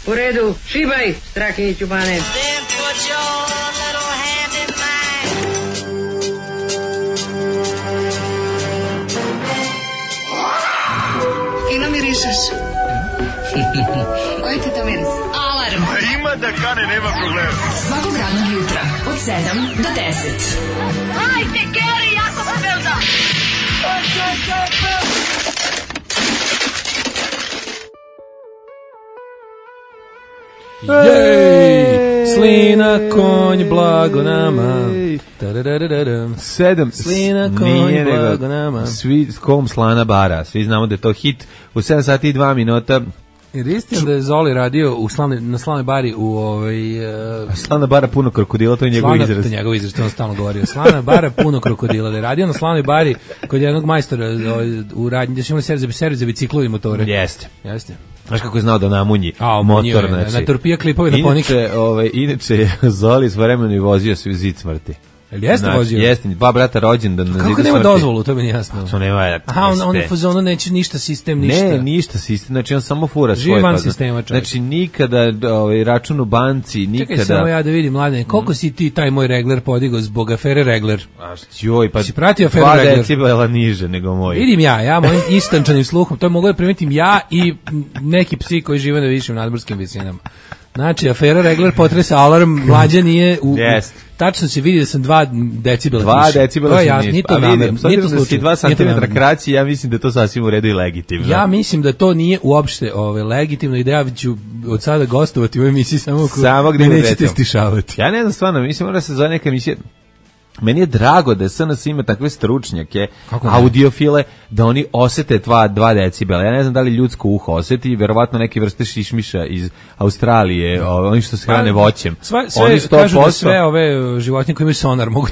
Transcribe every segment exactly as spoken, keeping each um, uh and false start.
U redu, šibaj, Strahinjiću Bane. Fino mirišeš. Koji ti to miris? Alarm. Ima da kane, nema problema. Svakog radnog jutra, od sedam do deset. Hajde, Geri, jako se velda. Jej! Slina, konj, blago nama. Sedam. Slina, konj, blago nama. Svi kom slana bara. Svi znamo da je to hit. U sedam sati i dva minuta. Jer istina da je Zoli radio u slavne, na slavnoj bari u ovaj... Uh, Slavna bara puno krokodila, to je njegov izraz. To je njegov izraz, to on stalno govorio. Slavna bara puno krokodila. Da je radio na slavnoj bari kod jednog majstora ovaj, u radnji, da su imali servis za, za biciklu i motore. Jeste. Jeste. Znaš kako je znao da namunji A, motor, je, znači. Na torpija klipove na ponike. Inače, ovaj, inače Zoli svojevremeno i vozio se u zid smrti. Jel jeste znači, vozio? Jeste, dva brata rođendan na zidu smrti. Kako nema dozvolu, to mi nije jasno. To nema. Aha, on, on je fazonu neće ništa sistem, ništa. Ne, ništa sistem, znači on samo fura Živi svoj van fazon. sistema, čovjek. Znači nikada ovaj, račun u banci, nikada... Čekaj samo ja da vidim, mladene, koliko si ti taj moj regler podigao zbog afere regler? A joj, pa si pratio aferu dva regler? decibela niže nego moj. Vidim ja, ja mojim istančanim sluhom, to mogu da primetim ja i neki psi koji žive na višim nadmorskim visinama. Znači, afera regler potresa alarm, mlađa nije u... Yes. Tačno se vidi da sam dva decibela dva više. decibela sam niže. Nije to namerno. Nije to slučaj. dva centimetra kraći, ja mislim da je to sasvim u redu i legitimno. Ja mislim da to nije uopšte ove, legitimno i da ja ću od sada gostovati u ovoj emisiji samo ako samo gde me nećete stišavati. Ja ne znam stvarno, mislim da se zove neka emisija. Meni je drago da S N S ima takve stručnjake, audiofile, da oni osete dva, dva decibela. Ja ne znam da li ljudsko uho oseti, verovatno neke vrste šišmiša iz Australije, no. Oni što se hrane voćem. Sve, sve oni sto posto... kažu da sve ove životinje koje imaju sonar mogu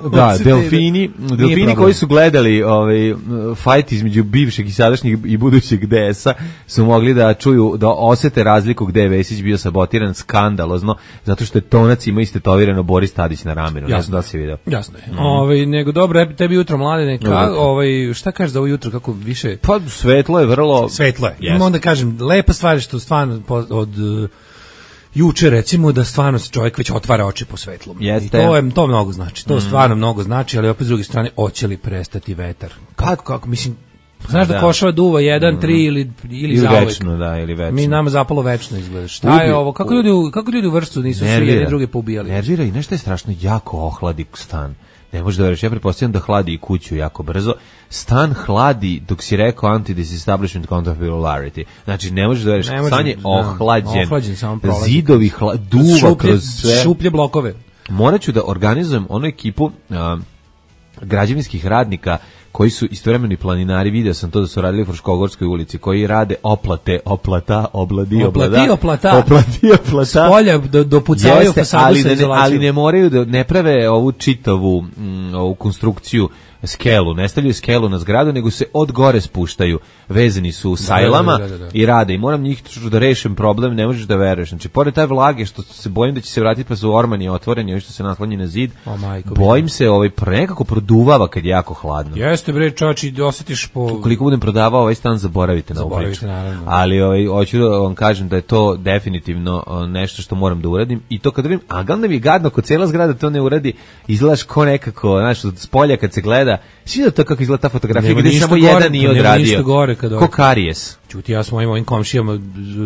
da... Da, delfini, delfini koji su gledali ovaj, fajt između bivšeg i sadašnjeg i budućeg D S-a su mogli da čuju, da osete razliku gde je Vesić bio sabotiran skandalozno, zato što je Tonac ima istetovirano Boris Tadić na ramenu. Ne znam da si vidio. Jasno je. Mm. Ovaj nego dobro, tebi jutro mladene, ka, ovaj šta kažeš za ovo jutro kako više? Pa svetlo je vrlo svetlo je. Yes. Onda kažem lepa stvar što stvarno od uh, juče recimo da stvarno se čovjek već otvara oči po svetlu. Jeste. I to je to mnogo znači. To mm. stvarno mnogo znači, ali opet s druge strane hoće li prestati vetar? Kako kako mislim znaš da, da košava duva jedan, mm. tri ili ili, ili večno, da, ili večno. Mi nama zapalo večno izgleda. Šta Ubi, je ovo? Kako ljudi kako ljudi u vrstu nisu svi jedni druge poubijali? Nervira i nešto je strašno jako ohladi stan. Ne možeš da veriš, ja pretpostavljam da hladi i kuću jako brzo. Stan hladi dok si rekao anti-disestablishment counter-popularity. Znači, ne možeš da veriš, ne stan je ohlađen. Ohlađen, samo prolazi. Zidovi hla, duva šuplje, kroz sve. Šuplje blokove. Morat ću da organizujem onu ekipu uh, građevinskih radnika koji su istovremeno i planinari, video sam to da su radili u Fruškogorskoj ulici, koji rade oplate, oplata, obladi, oplati, oplata, oplati, oplata, spolja do, dopucavaju fasadu ali sa ne, izolacijom. ali ne moraju da ne prave ovu čitavu m, ovu konstrukciju skelu, ne stavljaju skelu na zgradu, nego se od gore spuštaju, vezani su sajlama da, da, da, da. I rade. I moram njih da rešim problem, ne možeš da veruješ. Znači, pored taj vlage, što se bojim da će se vratiti pa su ormani otvoreni, ovi što se naslonji na zid, o, majko, bojim bi. se ovaj nekako produvava kad je jako hladno. Jeste bre, čači, osjetiš po... Koliko budem prodavao ovaj stan, zaboravite na ovu priču. Ali ovaj, hoću da vam kažem da je to definitivno nešto što moram da uradim. I to kad vidim, a gledam mi je gadno, kod cijela zgrada to ne uradi, izgledaš ko nekako, znaš, od spolja kad se gleda, svi da to kako izgleda ta fotografija, gdje samo gore, jedan nije odradio. Gore kad ko karijes. Čuti, ja s mojim ovim komšijama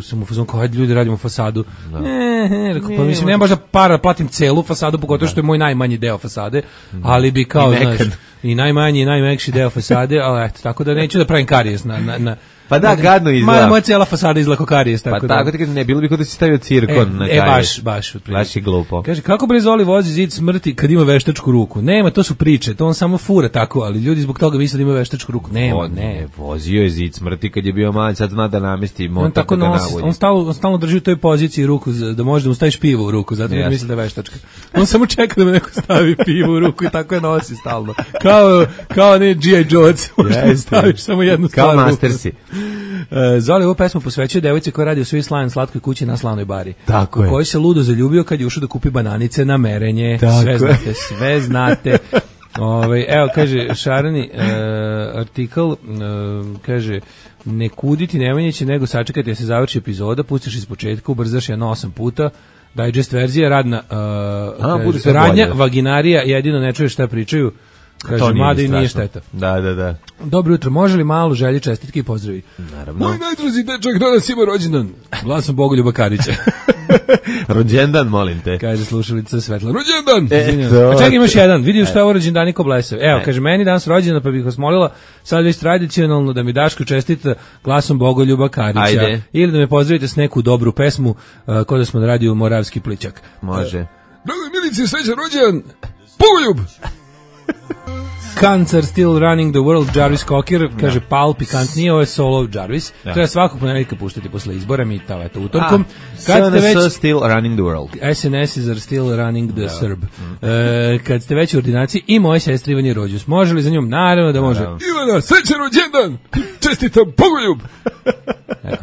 sam u fazonu kao, hajde ljudi radimo fasadu. No. Ne, ne, rekao, pa mislim, nema baš da para platim celu fasadu, pogotovo što je moj najmanji deo fasade, ali bi kao, I znaš, i najmanji i najmekši deo fasade, ali eto, tako da neću da pravim karijes na... na, na pa da, gadno izgleda. Mada moja cijela fasada izgleda kao karijes. Tako pa da. tako ti kažem, ne, bilo bi kao da si stavio cirkon e, na karijes. E, baš, baš. Baš je glupo. Kaže, kako bre Zoli vozi zid smrti kad ima veštačku ruku? Nema, to su priče, to on samo fura tako, ali ljudi zbog toga misle da ima veštačku ruku. Nema, on, ne. ne. Vozio je zid smrti kad je bio mali, sad zna da namesti motor. On tako da nosi, on stalno, on stalno drži u toj poziciji ruku, da može da mu staviš pivo u ruku, zato yes. misli da je veštačka. On samo čeka da mu neko stavi pivo u ruku i tako je nosi stalno. Kao, kao ne G I Joe, yes, staviš samo jednu stvar. Kao Mastersi. Uh, Zoli ovu pesmu posvećuje devojci koja radi u Swiss Lion slatkoj kući na Slavnoj bari. Tako je. Koji se ludo zaljubio kad je ušao da kupi bananice na merenje. Tako sve je. znate, sve znate. Ove, evo, kaže, Šarani uh, artikl, uh, kaže, ne kuditi Nemanjića, nego sačekati da se završi epizoda, pustiš iz početka, ubrzaš je na osam puta, digest verzija, radna, uh, A, kaže, radnja, vaginarija, jedino ne čuješ šta pričaju, kaže, mada i nije šteta. Da, da, da. Dobro jutro, može li malu želji, čestitke i pozdravi? Naravno. Moj najdraži dečak danas ima rođendan. Glasom Bogoljuba Karića. Rođendan, molim te. Kaže slušalica Svetla. Rođendan! E, A čekaj, imaš jedan. Vidio što je ovo rođendan Niko Blesev. Evo, e. kaže, meni danas rođendan, pa bih vas molila sad već tradicionalno da mi Daško čestita glasom Bogoljuba Karića. Ajde. Ili da me pozdravite s neku dobru pesmu, uh, kod da smo na radiju Moravski plićak. Može. Uh, Drago Milici, srećan rođendan! Bogoljub! Cancer still running the world, Jarvis Cocker, kaže no. Pal, pikantnije, ovo je solo Jarvis. No. Treba svakog ponedjeljka puštati posle izbora, mi tamo eto utorkom. Kad ste već still running the world. S N S is are still running the no. Serb. Mm. E, kad ste već u ordinaciji i moje sestri Ivanje Rođus. Može li za njom? Naravno da može. No. Ivana, srećan rođendan! Čestitam, Bogoljub!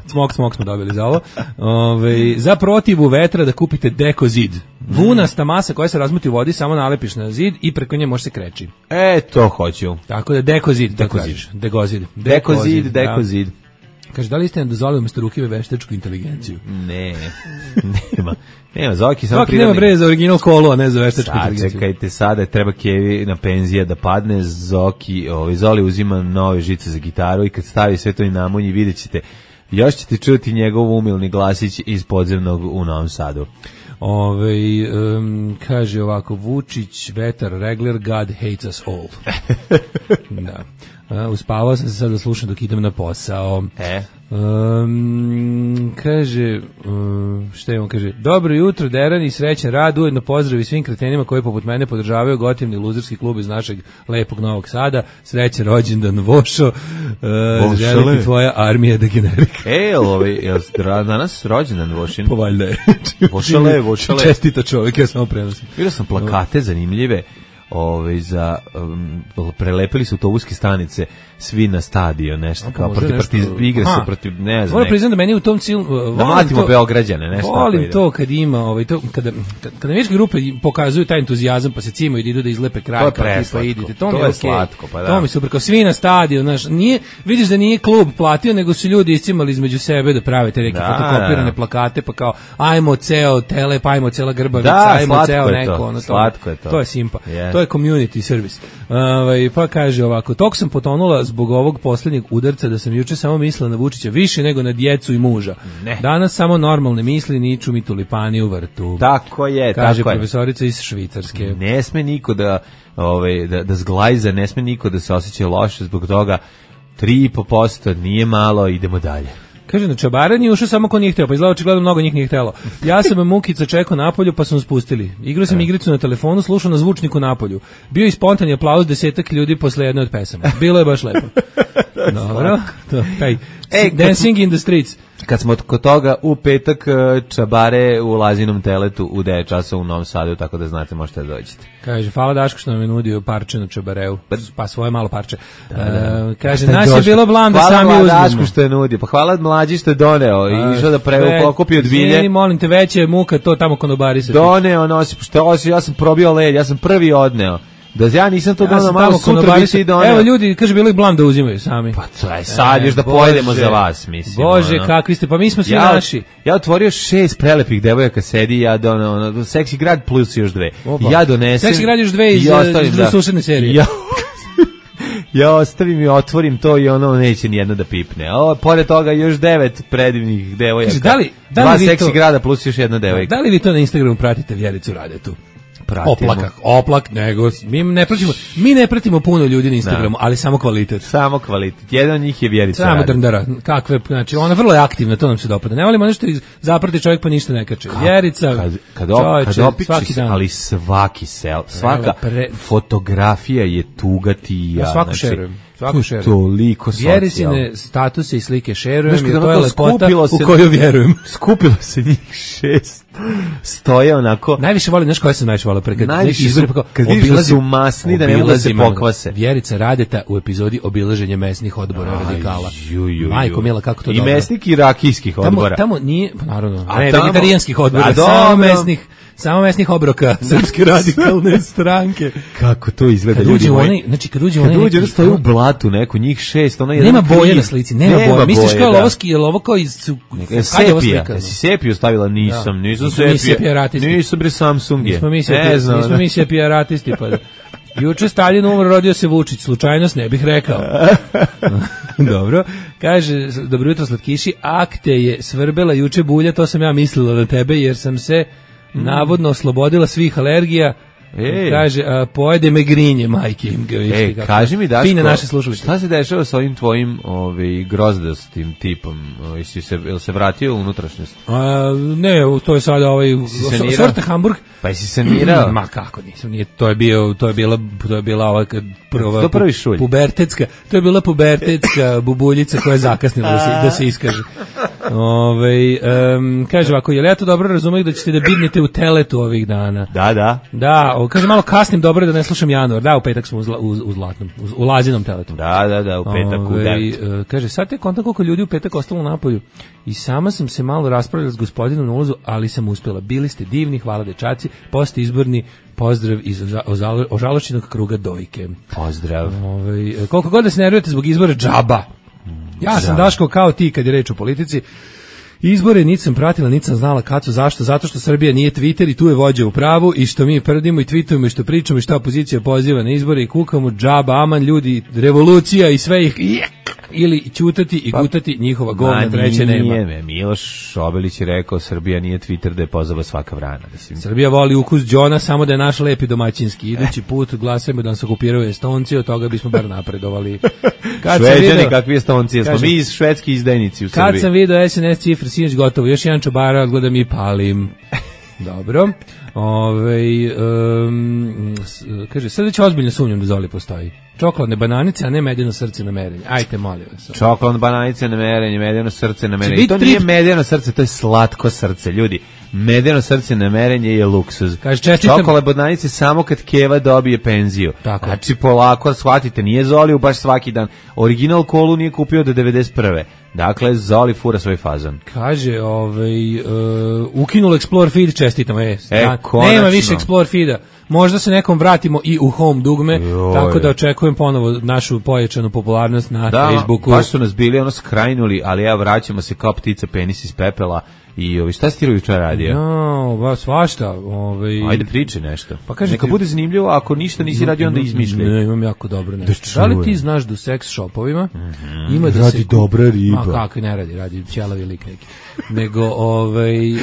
Smok, smok smo dobili za ovo. Ove, za protivu vetra da kupite Deko zid. Vunasta masa koja se razmuti u vodi, samo nalepiš na zid i preko nje može se kreći. E, to hoću. Tako da Deko zid, Deko zid. Deko zid. Deko zid, Deko zid. Kaže, da li ste nam dozvolili umjesto rukive veštačku inteligenciju? Ne, nema. Nema, Zoki samo prirodni. Zoki nema bre za original kolu, a ne za veštačku sad, inteligenciju. Čekajte, sada treba Kevi na penzija da padne, Zoki, ovaj, Zoli uzima nove žice za gitaru i kad stavi sve to i namunji, vidjet ćete, još ćete čuti njegov umilni glasić iz podzemnog u Novom Sadu. Ove, um, kaže ovako, Vučić, vetar, regler, God hates us all. Da. Uh, uspavao sam se sad da slušam dok idem na posao. E? Um, kaže, um, šta je on kaže, dobro jutro, Deran i srećan rad, ujedno pozdravi svim kretenima koji poput mene podržavaju gotivni luzerski klub iz našeg lepog Novog Sada, srećan rođendan Vošo, uh, želim ti tvoja armija degenerika. E, jel ovaj, jel danas rođendan Vošin? Pa valjda je. Vošale, Vošale. Čestita čovjek, ja samo prenosim. Vidio sam plakate zanimljive, Ove, za, um, prelepili su autobuske stanice svi na stadion, nešto A, kao protiv, protiv igre su protiv, ne znam. Moram priznam da meni u tom cilju uh, da mlatimo Beograđane, nešto. Volim to kad ima, ovaj, to, kada, kada navijačke grupe pokazuju taj entuzijazam pa se cimaju da idu da izlepe kraj, kao tipa idite, to, to mi je je okay. slatko, pa da. To mi super, kao svi na stadion, znaš, nije, vidiš da nije klub platio, nego su ljudi iscimali između sebe da prave te neke da, fotokopirane da. plakate, pa kao, ajmo ceo tele, pa ajmo cela grbavica, da, ajmo ceo neko, to. Ono, slatko je to. To je simpa, yeah. to je community service. Uh, pa kaže ovako, tok sam potonula zbog ovog posljednjeg udarca da sam juče samo mislila na Vučića više nego na djecu i muža. Ne. Danas samo normalne misli, niču mi tulipani u vrtu. Tako je, kaže tako je. profesorica iz Švicarske. Ne sme niko da, ovaj, da, da zglajza, ne sme niko da se osjeća loše zbog toga. tri i po posto nije malo, idemo dalje. Kaže, na čabaranje ušao samo ko nije hteo, pa izgleda očigledno mnogo njih nije htelo. Ja sam Mukica čekao napolju, pa sam spustili. Igrao sam igricu na telefonu, slušao na zvučniku napolju. Bio je spontani aplauz desetak ljudi posle jedne od pesama. Bilo je baš lepo. Dobro, to, taj, e, Dancing in the Streets. Kad smo kod toga, u petak čabare u Lazinom teletu u devet časa u Novom Sadu, tako da znate, možete da dođete. Kaže, hvala Daško što nam je nudio parče na čabareu, pa svoje malo parče. Da, da. Uh, kaže, nas je bilo blam da sami uzmemo. Hvala Daško što je nudio, pa hvala Mlađi što je doneo i išao da prevo pokupi od bilje. Zvijeni, molim te, veće muka to tamo konobari se. Doneo, nosi, što osi, ja sam probio led, ja sam prvi odneo. Da ja nisam to donao, malo sutra bi se i doneo. Evo ljudi, kaže, bilo ih blam da uzimaju sami. Pa to je sad još da pojedemo za vas, mislim. Bože, ono. Kakvi ste, pa mi smo svi ja, naši. Ja otvorio šest prelepih devojaka, sedi, ja donao, ono, Seksi grad plus još dve. Oba. Ja donesem. Seksi grad još dve iz, iz da. Sušedne serije. Ja, ja ostavim i otvorim to i ono neće nijedno da pipne. O, pored toga još devet predivnih devojaka. Kaže, da li, da li Dva seksi to, grada plus još jedna devojka. Da li vi to na Instagramu pratite Vjericu Radetu? Pratimo. Oplak, oplak, nego mi ne pratimo, mi ne pratimo puno ljudi na Instagramu, da. Ali samo kvalitet. Samo kvalitet. Jedan od njih je Vjerica. Samo drndara. Kakve, znači ona vrlo je aktivna, to nam se dopada. Ne volimo nešto zaprati čovjek pa ništa ne kače. Vjerica. Kad kad, op, čovječe, kad opiči se, ali svaki sel, svaka pre... fotografija je tuga ti ja. Ja svaku znači, šerujem. Svaku šerujem. Toliko socijalno. Vjericine statuse i slike šerujem i to je lepota u koju vjerujem. Skupilo se njih šest stoje onako. Najviše volim, znaš koje sam najviše volio? Kad, najviše su, pa kad vidiš da su masni, da ne mogu da se pokvase. Vjerica Radeta u epizodi obilaženje mesnih odbora Aj, radikala. Ju, ju, ju. Majko mila, kako to I dobro. mesnih i rakijskih odbora. Tamo, tamo nije, pa naravno, a ne, tamo, vegetarijanskih odbora, a samo mesnih, samo mesnih obroka Srpske radikalne stranke. Kako to izgleda, kad ljudi moji. Onaj, znači kad uđe kad onaj, uđe, stoji u blatu neko, njih šest, ona je nema boje na slici, nema, nema boje. Misliš kao da. Lovski, je ovo kao iz sepija, jesi sepiju stavila? Nisam, da. nisam sepija, nisam bre Samsung je. Nismo mi sepija, nismo mi sepijaratisti, pa da. Juče Stalin umro, rodio se Vučić, slučajnost ne bih rekao. Dobro, kaže, dobro jutro slatkiši, akte je svrbela juče bulja, to sam ja mislila na tebe, jer sam se mm. navodno oslobodila svih alergija. Ej. Kaže, a, pojede me grinje, majke im ga višli. Ej, kaži mi, Daško, fine naše slušalice. Šta se dešava sa ovim tvojim ovaj, grozdastim tipom? Jesi se, je se vratio u unutrašnjost? A, ne, to je sada ovaj, sorte Hamburg. Pa jesi sanirao? Ma kako nisam, nije, to je bio, to je bila, to je bila ova, prva, to prvi šulj. Pubertetska, to je bila pubertetska bubuljica koja je zakasnila da se, da se iskaže. Ove, um, kaže ovako, je li ja to dobro razumiju da ćete da bidnete u teletu ovih dana? Da, da. Da, o, kaže malo kasnim, dobro da ne slušam januar. Da, u petak smo u, zla, u, u zlatnom, u, u lazinom teletu. Da, da, da, u petak Ove, u devet. Kaže, sad te kontam koliko ljudi u petak ostalo na napolju i sama sam se malo raspravljala s gospodinom na ulazu, ali sam uspjela. Bili ste divni, hvala dečaci, post izborni pozdrav iz ožalošćenog kruga dojke. Pozdrav. Ove, koliko god da se nervujete zbog izbora džaba. Ja sam Daško kao ti kad je reč o politici. Izbore niti sam pratila, niti sam znala kad su, zašto? Zato što Srbija nije Twitter i tu je vođa u pravu i što mi prdimo i tweetujemo i što pričamo i što opozicija poziva na izbore i kukamo džaba, aman ljudi, revolucija i sve ih ili ćutati i pa, gutati njihova govna treće nema. Nije, Miloš Obilić je rekao Srbija nije Twitter da je pozaba svaka vrana. Mislim. Srbija voli ukus džona samo da je naš lepi domaćinski. Idući put glasujemo da nas okupiraju Estonci, od toga bismo bar napredovali. Šveđani kakvi Estonci, smo mi iz švedski izdajnici u Srbiji. Kad sam vidio es en es cifre, sinoć gotovo, još jedan čobara, gledam i palim. Dobro. Ove, um, kaže, sad već ozbiljno sumnjam da Zoli postoji. Čokoladne bananice, a ne medeno srce na merenje. Ajte, molim vas. Čokoladne bananice na merenje, medeno srce na merenje. To nije medeno srce, to je slatko srce, ljudi. Medeno srce na merenje je luksuz. Kaže, čestitam... Čokoladne bananice samo kad Keva dobije penziju. Tako. Znači, polako, shvatite, nije Zoli baš svaki dan. Original kolu nije kupio do devedeset prve. Dakle, Zoli fura svoj fazon. Kaže, ovaj, uh, ukinulo Explore feed, čestitam, e, e nema više Explore feeda. Možda se nekom vratimo i u home dugme, Joj. Tako da očekujem ponovo našu pojačanu popularnost na da, Facebooku. Da, baš su nas bili ono skrajnuli, ali ja vraćamo se kao ptica penis iz pepela. I ovi, šta si ti jučer radio? No, ba, svašta. Ovaj... Ajde, priči nešto. Pa kaže neka ti... bude zanimljivo, ako ništa nisi radio, onda izmišljaj. Ne, imam jako dobro nešto. Da, da li ti znaš da u seks shopovima mm-hmm. ima da radi se... dobra riba. Ma, kako ne radi, radi ćelavi lik neki. Nego, ovaj... Um,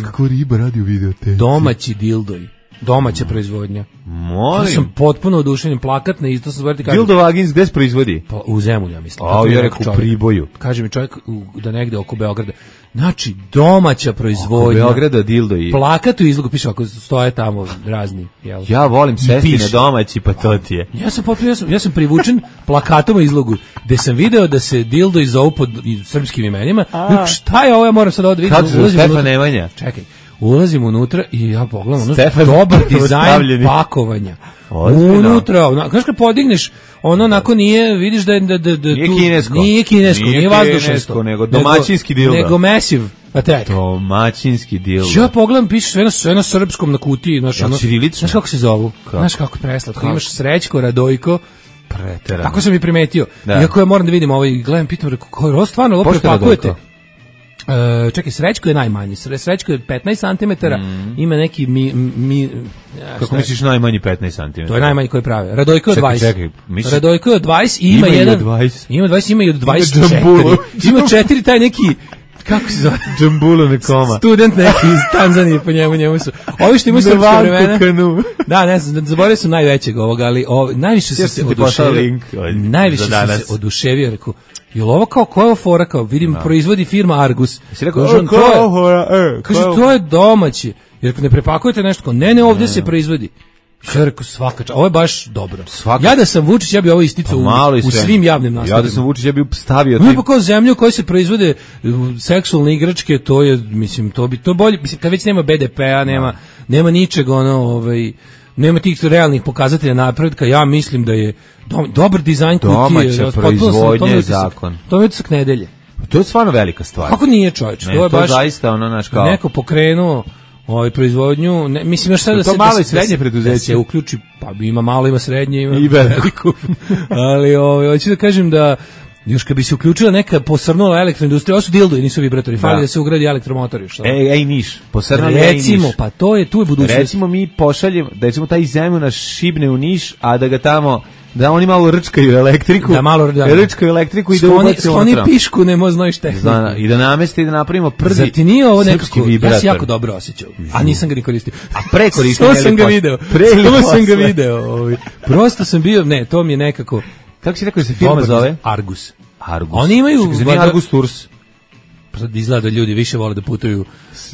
kako riba radi u videoteci? Domaći dildoji. Domaća proizvodnja. Molim. Ja sam potpuno oduševljen, plakat na isto, sam kažem. Dildo Vagins gde se proizvodi? Pa, u Zemulju, ja mislim. A, ja rekao u Priboju. Kaže mi čovjek u, da negde oko Beograda. Znači, domaća proizvodnja. Oko Beograda dildo i... Plakat u izlogu, piše, ako stoje tamo razni. Jel? Ja volim sesti na domaći, pa to ti je. Ja sam, potpuno, ja sam, ja sam privučen plakatom u izlogu, gde sam video da se dildo i zovu pod srpskim imenima. A. Šta je ovo, ja moram sad ovdje vidjeti. Kako se Stefan Nemanja? Čekaj. Ulazim unutra i ja pogledam, ono dobar dizajn pakovanja. Ozbiljno. Unutra, ono, znaš kad podigneš, ono onako nije, vidiš da je da, da, da, nije tu, kinesko, nije kinesko, nije, nije vazdušnasto, nego domaćinski dildo. Nego mesiv, a tek. Domaćinski dildo. Ja pogledam, piše sve na, sve na srpskom na kutiji, znaš, ono, znaš kako se zovu, kako? Znaš kako preslatko, kako? Imaš Srećko, Radojko, preterano. Tako sam i primetio. Da. Iako ja moram da vidim ovaj, gledam, pitam, reko, ko je ovo stvarno, ovo prepakujete? Uh, čekaj, Srećko je najmanji. Srećko je petnaest centimetara, mm. ima neki mi, mi ja, kako misliš najmanji petnaest centimetara? To je najmanji koji prave. Radojko je dvadeset. Čekaj, misliš... Radojko je dvadeset i ima, ima jedan. dvadeset. Ima dvadeset, ima i od dvadeset četiri. Ima četiri taj neki kako se zove? Džambulo nekoma. Student neki iz Tanzanije, po njemu, njemu su. Ovi što imaju srpske vremena. Da, ne znam, zaboravio sam najvećeg ovoga, ali o, najviše sam se oduševio. Najviše sam se oduševio, rekao, jel ovo kao, koja je ovo fora, kao, vidim, no. proizvodi firma Argus. Si rekao, kaže, to je, e, kaže, to je domaći, jer ne prepakujete nešto, kao, ne, ne, ovdje ne, se proizvodi. Čerko svaka čast. Ovo je baš dobro. Svaka... Ja da sam Vučić, ja bih ovo isticao pa u, u svim javnim nastupima. Ja da sam Vučić, ja bih stavio... No, pa kao zemlju u kojoj se proizvode seksualne igračke, to je, mislim, to bi, to bolje, mislim, kad već nema be de pea, nema, no. nema ničeg, ono, ovaj, nema tih realnih pokazatelja napretka, ja mislim da je do, dobar dizajn kutije. Domaća proizvodnja je zakon. To je utisak nedelje. To je stvarno velika stvar. Kako nije, čovječ? Ne, to je to baš zaista ono, naš kao... neko pokrenuo ovaj proizvodnju, ne, mislim još sad da to se malo da, i srednje preduzeće da se uključi, pa ima malo, ima srednje, ima i veliko. Ali ovaj hoću da kažem da još kad bi se uključila neka posrnula elektroindustrija, ovo su dildoji, nisu vibratori, fali da, da se ugradi elektromotori, što. Ej, ej Niš, posrnuli ej Niš. Recimo, pa to je tu je budućnost. Recimo mi pošaljemo, da recimo taj zemlju naš šibne u Niš, a da ga tamo da oni malo rčkaju elektriku, da malo da, rčkaju elektriku i da ubaci skloni pišku, ne može noć tehniku. Zna, i da namesti i da napravimo prvi. Zar ti nije ovo nekako, ja se jako dobro osjećao, a nisam ga ni koristio. A pre koristio. Samo sam ga video, samo sam ga video. Ovaj. Prosto sam bio, ne, to mi je nekako. Kako si rekao da se firma zove? Argus. Argus. Oni imaju vada, Argus Tours. Sad izgleda da ljudi više vole da putuju,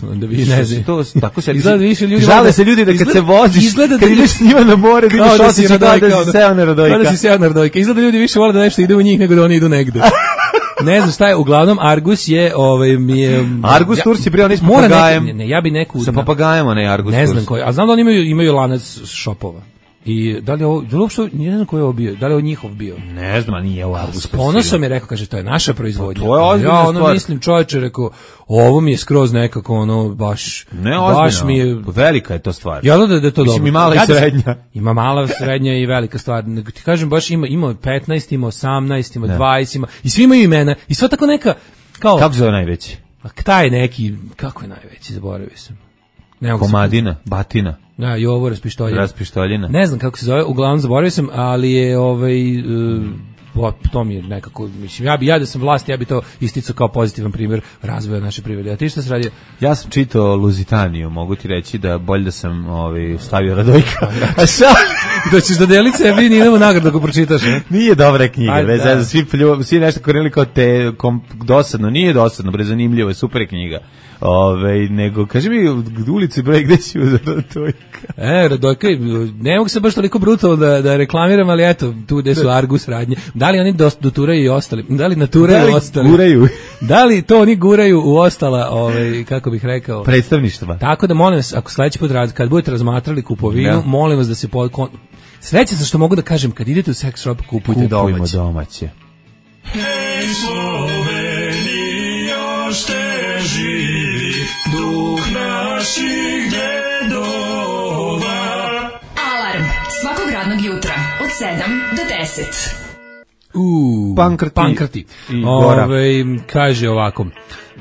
da vi ne znam. To tako se izgleda više ljudi. Žale se ljudi da kad se voziš, kad ideš s njima na more, da ideš osjećaj da si seo na Radojka. Kada si seo na Radojka. Izgleda da ljudi više vole da nešto ide u njih nego da oni idu negde. Ne znam šta je, uglavnom Argus je, ovaj mi je Argus ja, Tours je bio onaj s papagajem. Ne, ne, ja bi neku sa papagajem, onaj Argus Tours. Ne znam koji, a znam da oni imaju imaju lanac šopova. I da li je ovo, da li uopšte, ne znam ko je ovo bio, da li je ovo njihov bio? Ne znam, nije ovo Argus. S ponosom je rekao, kaže, to je naša proizvodnja. Pa to je ozbiljna ja, ono stvar. mislim, čovječe, rekao, ovo mi je skroz nekako, ono, baš, ne, baš mi je... Velika je to stvar. Ja da, da je to dobro. Mislim, i mala ja i srednja. Ima mala, srednja i velika stvar. Nego ti kažem, baš ima, ima petnaest, ima osamnaest, ima dvadeset, ima, i svi imaju imena. I sva tako neka, kao... Kako zove najveći? A taj neki, kako je najveći, zaboravio sam. Ne Komadina, Batina. Da, i ovo raspištoljina. Raspištoljina. Ne znam kako se zove, uglavnom zaboravio sam, ali je ovaj uh, to mi je nekako, mislim, ja bi ja da sam vlast, ja bi to isticao kao pozitivan primjer razvoja naše privrede. A ti šta se radi? Ja sam čitao Luzitaniju, mogu ti reći da bolje da sam ovaj stavio Radojka. A šta? Da ćeš dodeliti sebi i idemo nagradu ako pročitaš, ne? Nije dobra knjiga, bez da. Svi plju, svi nešto korili kao te kom, dosadno, nije dosadno, bre, zanimljivo je, super je knjiga. Ove, nego, kaži mi, ulici broj gde si uz Radojka? E, Radojka, ne mogu se baš toliko brutalno da, da reklamiram, ali eto, tu gde su Argus radnje. Da li oni doturaju i ostali? Da li naturaju i ostali? Guraju. Da li to oni guraju u ostala, ovaj, kako bih rekao? Predstavništva. Tako da, molim vas, ako sledeći put rad, kad budete razmatrali kupovinu, ja. molim vas da se... Po, kon... Srećan sam što mogu da kažem, kad idete u sex shop, kupujte domaće. Kupujmo domaće. Hej, Slovenija, šte živi duh naših dedova. Alarm svakog radnog jutra od sedam do deset. Uuu, Pankrti. Pankrti. Ove, kaže ovako.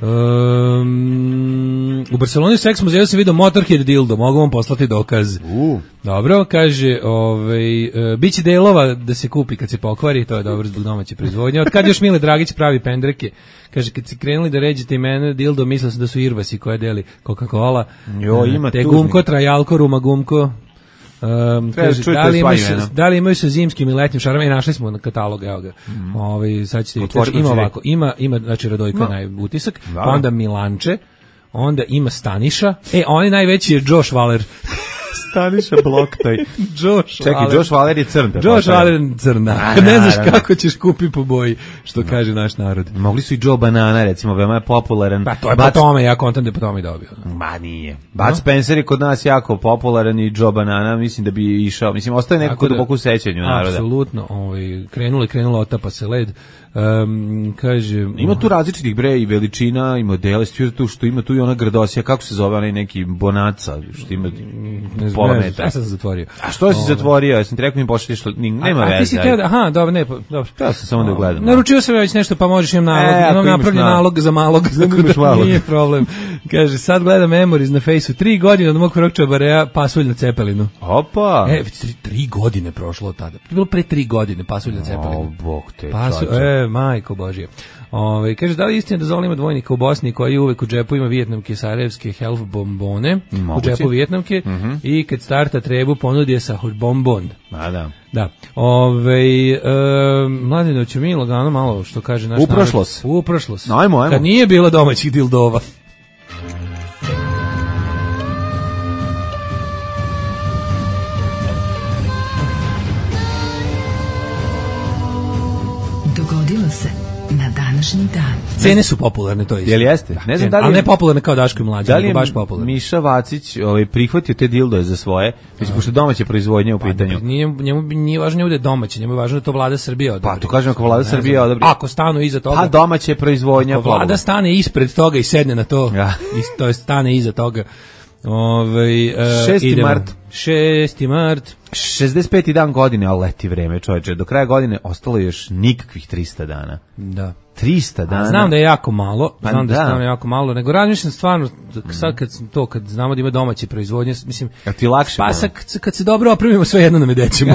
Um, u Barceloni u seks muzeju sam vidio Motorhead dildo, mogu vam poslati dokaz. Uh. Dobro, kaže, ovaj, uh, biće delova da se kupi kad se pokvari, to je dobro zbog domaće proizvodnje. Od kad još Mile Dragić pravi pendreke, kaže, kad si krenuli da ređete imene dildo, mislio sam da su Irvasi koje deli Coca-Cola. Jo, ima te gumko, trajalko, ruma gumko. Um, kaže, da, li imaju se, da li imaju sa zimskim i letnjim šarama i našli smo na katalog, evo ga. Mm. Ovaj, sad ćete vidjeti, ima ovako, ima, ima znači Radojka no. najutisak, da. Pa onda Milanče, onda ima Staniša, e, on najveći je Josh Waller. Staniša Bloktaj. Josh Čekaj, Waller. Josh Waller je crn. Josh Waller je crna. A, ne znaš kako ćeš kupi po boji, što no. kaže naš narod. Mogli su i Joe Banana, recimo, veoma je popularan. Pa to je Bud... po tome, ja kontam da je po tome dobio. Ma nije. Bud no? Spencer je kod nas jako popularan i Joe Banana, mislim da bi išao. Mislim, ostaje nekako da, duboko u sećanju naroda. Apsolutno. Ovaj, krenuli, krenula, otapa se led. Um, kaže... Ima tu različitih bre i veličina i modela, tu što ima tu i ona grdosija, kako se zove onaj neki bonaca, što ima ne pola metra. Ja sam se zatvorio. A što si zatvorio? Ja sam ti rekao mi pošalješ, nema veze. A ti si teo da, aha, dobro, ne, dobro. Teo sam samo da gledam. Naručio sam već nešto, pa možeš im nalog, e, imam napravljen nalog za malog, tako da nije problem. Kaže, sad gledam Memories na Fejsu, tri godine od mog prvog čabareja, pasulj na Cepelinu. Opa! E, tri, tri godine prošlo od tada. To je bilo pre tri godine, pasulj na Cepelinu. O, bog te, Pasulj, e, majko Božije. Ove, kaže, da li istina da Zola ima dvojnika u Bosni koji uvek u džepu ima vijetnamke sarajevske health bombone, moguće. U džepu vijetnamke mm -hmm. i kad starta trebu ponudi je sa bombon. A da. Da. Ove, e, Mladine, ću mi lagano malo što kaže naš narod. Uprošlos. Uprošlos. No, ajmo, ajmo. Kad nije bilo domaćih dildova. današnji dan. Cene su popularne, to je isto. Jel jeste? Da, ne znam cene, da li je, ali ne popularne kao Daško i Mlađa, da li je nego baš popularne. Miša Vacić ovaj, prihvatio te dildoje za svoje, mislim, pošto domaće proizvodnje u pitanju. Pa, nije, njemu nije važno da je domaće, njemu je važno da to vlada Srbija odobri. Pa to kažem, ako vlada Srbija odobri. Ako stanu iza toga. Pa domaće proizvodnja. Ako vlada stane ispred toga i sedne na to, ja. i to je stane iza toga. Ovaj uh, šesti mart. šesti mart. šezdeset peti dan godine, ali leti vreme, čoveče. Do kraja godine ostalo je još nikakvih trista dana. Da. trista dana. A znam da je jako malo, pa znam da, da je stvarno jako malo, nego razmišljam stvarno, sad kad to, kad znamo da ima domaće proizvodnje, mislim, a ti lakše pa sad, kad se dobro opremimo, sve jedno nam je dećemo.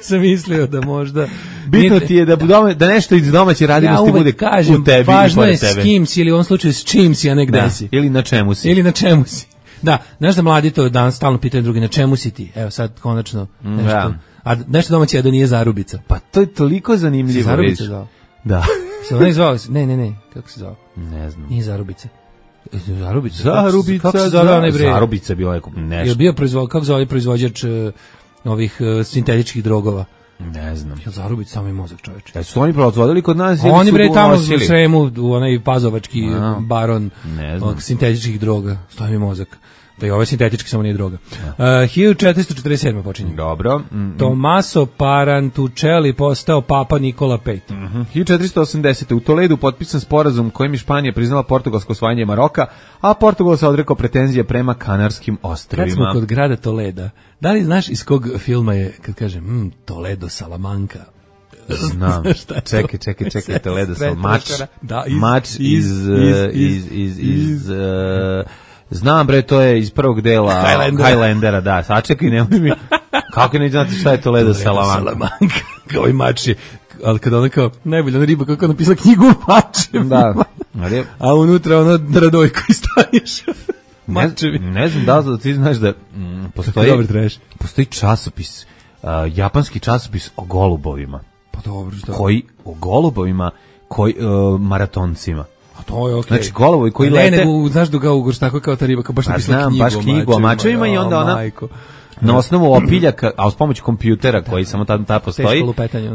Sam mislio da možda... Bitno ti je da, doma, da nešto iz domaće radinosti ja bude kažem, u tebi važno i je s kim si, ili u ovom slučaju s čim si, a ne gde da, si. Ili na čemu si. Ili na čemu si. Da, znaš da mladi to danas stalno pitaju drugi, na čemu si ti? Evo sad konačno nešto. Da. A nešto domaće je da nije Zarubica. Pa to je toliko zanimljivo. Zarubica zvao? Da. Se ona zvao? Ne, ne, ne, kako se zvao? Ne znam. Nije Zarubica. Zarubica. Zarubica. Kako se zove onaj bre? Zarubica bio je nešto. Je bio proizvod, kako zove proizvođač uh, ovih uh, sintetičkih drogova? Ne znam. Jel Zarubica samo je mozak, čoveče? Da su oni proizvodili kod nas ili oni su bre tamo u unosili? Sremu, u onaj pazovački A, baron sintetičkih droga. Stoji mi mozak. Da je ovo sintetički, samo nije droga. Uh, hiljadu četiristo četrdeset sedme počinje. Dobro. Mm, Tommaso Parantučeli postao papa Nikola peti. Mm -hmm. hiljadu četiristo osamdesete u Toledu potpisan sporazum kojim je Španija priznala portugalsko osvajanje Maroka, a Portugal se odrekao pretenzije prema Kanarskim ostrvima. Kad smo kod grada Toleda, da li znaš iz kog filma je, kad kažem, mm, Toledo, Salamanca? Znam. Čekaj, čekaj, čekaj, Toledo, mač. Da, iz, mač iz, iz, iz, iz, iz, iz uh, znam bre, to je iz prvog dela Highlandera, Highlandera da, sačekaj, nemoj mi, kako ne znate šta je Toledo, Salamanca? Salamanca, kao i mači, ali kada ona kao, najbolja riba, kako je napisala knjigu o mačem, da, ali, a unutra ono Radojko i Staniš. Ne, ne znam da li ti znaš da mm, postoji, postoji časopis, uh, japanski časopis o golubovima. Pa dobro, što? Koji, o golubovima, koji, uh, maratoncima. A to je okej. Okay. Znači golovi koji ne, lete... Ne, nego, znaš da ga ugorš tako kao ta riba, kao baš napisala knjigu, baš knjigu o mačevima i onda ona... Majko. Na osnovu opiljaka, a uz pomoć kompjutera koji samo tad ta postoji,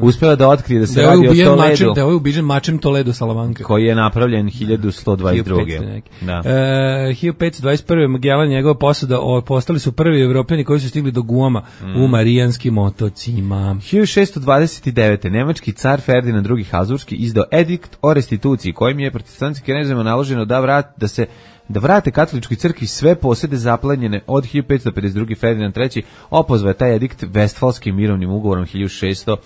uspela da otkrije da se da radi o Toledu. Mačem, da je ovaj ubiđen mačem Toledo Salamanca. Koji je napravljen hiljadu sto dvadeset druge. Da. E, hiljadu petsto dvadeset prve Magellan i njegova posada postali su prvi Evropljani koji su stigli do Guama mm. u Marijanskim otocima. hiljadu šessto dvadeset devete nemački car Ferdinand drugi Habsburški izdao edikt o restituciji kojim je protestantskim knezovima naloženo da vrat da se da vrate katoličkoj crkvi sve posede zaplenjene od hiljadu petsto pedeset druge Ferdinand treći opozvao je taj edikt Vestfalskim mirovnim ugovorom hiljadu šessto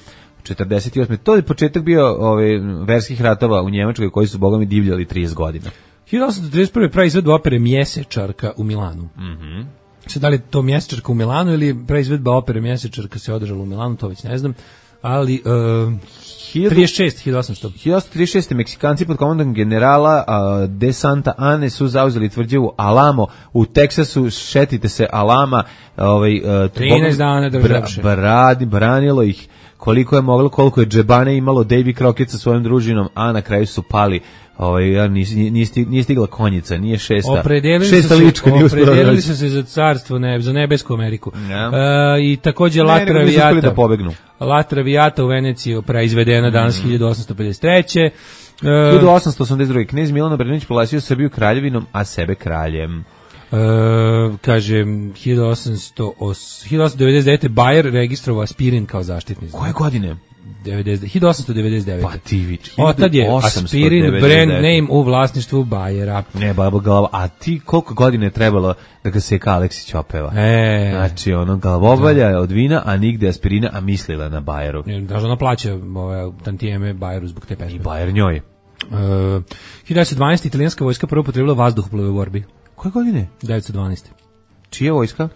četrdeset osme To je početak bio ove, verskih ratova u Njemačkoj koji su bogami divljali trideset godina. hiljadu osamsto trideset prve pravi izvedba opere Mjesečarka u Milanu. Mhm. Sad, da li je to Mjesečarka u Milanu ili praizvedba opere Mjesečarka se održala u Milanu, to već ne znam, ali... Uh, trideset šest hiljadu osamsto hiljadu osamsto trideset šeste Meksikanci pod komandom generala uh, de Santa Ane su zauzeli tvrđavu Alamo u Teksasu. Šetite se Alama, ovaj uh, trinaest dana državše. Brani, branilo ih koliko je moglo, koliko je džebane imalo Davy Crockett sa svojom družinom, a na kraju su pali. Ovaj ja nije nije stigla konjica, nije šesta. Šesta lička nije uspela. Opredelili su se za carstvo, ne, za nebesku Ameriku. Ja. E, i takođe La Traviata. Da pobegnu. La Traviata u Veneciji proizvedena danas mm. hiljadu osamsto pedeset treće E, hiljadu osamsto osamdeset druge knez Milan Obrenović proglasio Srbiju kraljevinom, a sebe kraljem. E, kaže hiljadu osamsto devedeset devete Bayer registrovao aspirin kao zaštitni znak. Koje godine? hiljadu osamsto devedeset devete Pa ti vič. Otad je aspirin brand name u vlasništvu Bayera. Ne, baba glava. A ti koliko godine je trebalo da ga Seka Aleksić opeva? E. Znači, ono glavobolja da. Od vina, a nigde aspirina, a mislila na Bayeru. Daže ona plaća ove tantijeme Bayeru zbog te pesme. I Bayer njoj. Uh, hiljadu devetsto dvanaeste italijanska vojska prvo upotrebila vazduhoplove u borbi. Koje godine? devetsto dvanaeste Čija vojska?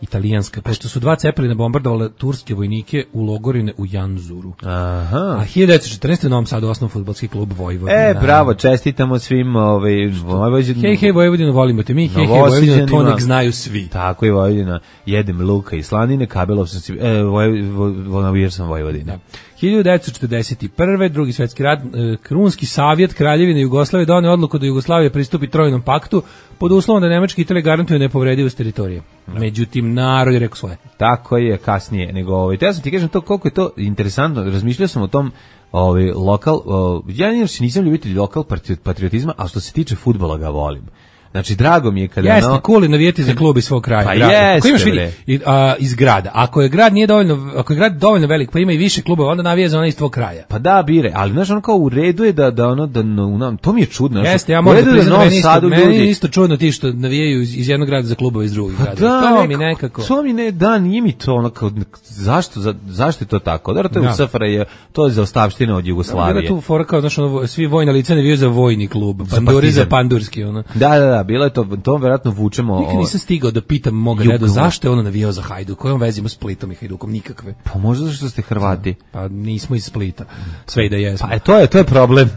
Italijanska, pošto su dva Cepelina bombardovale turske vojnike u logorine u Janzuru. Aha. A hiljadu devetsto četrnaeste u Novom Sadu osnovan fudbalski klub Vojvodina. E, bravo, čestitamo svim ovaj Vojvodinu. Hej, hej, Vojvodinu, volimo te mi, hej, hej, Vojvodinu, to nek znaju svi. Tako je, Vojvodina, jedem luka i slanine, kabelov sam si, e, Vojvodina sam Vojvodina. Da. hiljadu devetsto četrdeset prve Drugi svjetski rat, Krunski savjet Kraljevine Jugoslavije doneo odluku da Jugoslavija pristupi Trojnom paktu pod uslovom da Nemačka i Italija garantuju nepovredivost teritorije. No. Međutim, narod je rekao svoje. Tako je, kasnije nego ovaj. Te ja sam ti kažem to koliko je to interesantno. Razmišljao sam o tom ovaj lokal, o, ja nisam ljubitelj lokal patriotizma, a što se tiče fudbala ga volim. Znači, drago mi je kada... Jeste, no, cool je navijeti za klub iz svog kraja. Pa grada. jeste, imaš vidi, i, a, iz grada. Ako je grad nije dovoljno, ako je grad dovoljno velik, pa ima i više klubova, onda navija za ona iz tvog kraja. Pa da, bire, ali znaš, ono kao u redu je da, da ono, da, no, to mi je čudno. Jeste, ja moram da priznam, meni, isto, meni je isto čudno ti što navijaju iz, iz jednog grada za klubova iz drugih grada. Da, to neko, mi nekako... To mi ne, da, nije mi to ono kao, zašto, za, zašto je to tako? Da, to je da. u S F R J, to je za ostavštine od Jugoslavije. Da, bila tu fora kao, znaš, ono, svi vojna lica navijaju za vojni klub, panduri za pandurski, ono. Da, da, da, bilo je to, to verovatno vučemo. Nikad nisam stigao da pitam moga Redu zašto je ono navijao za Hajduk, kojom vezimo s Splitom i Hajdukom, nikakve. Pa možda zašto ste Hrvati. Pa nismo iz Splita, sve i da jesmo. Pa to je, to je problem.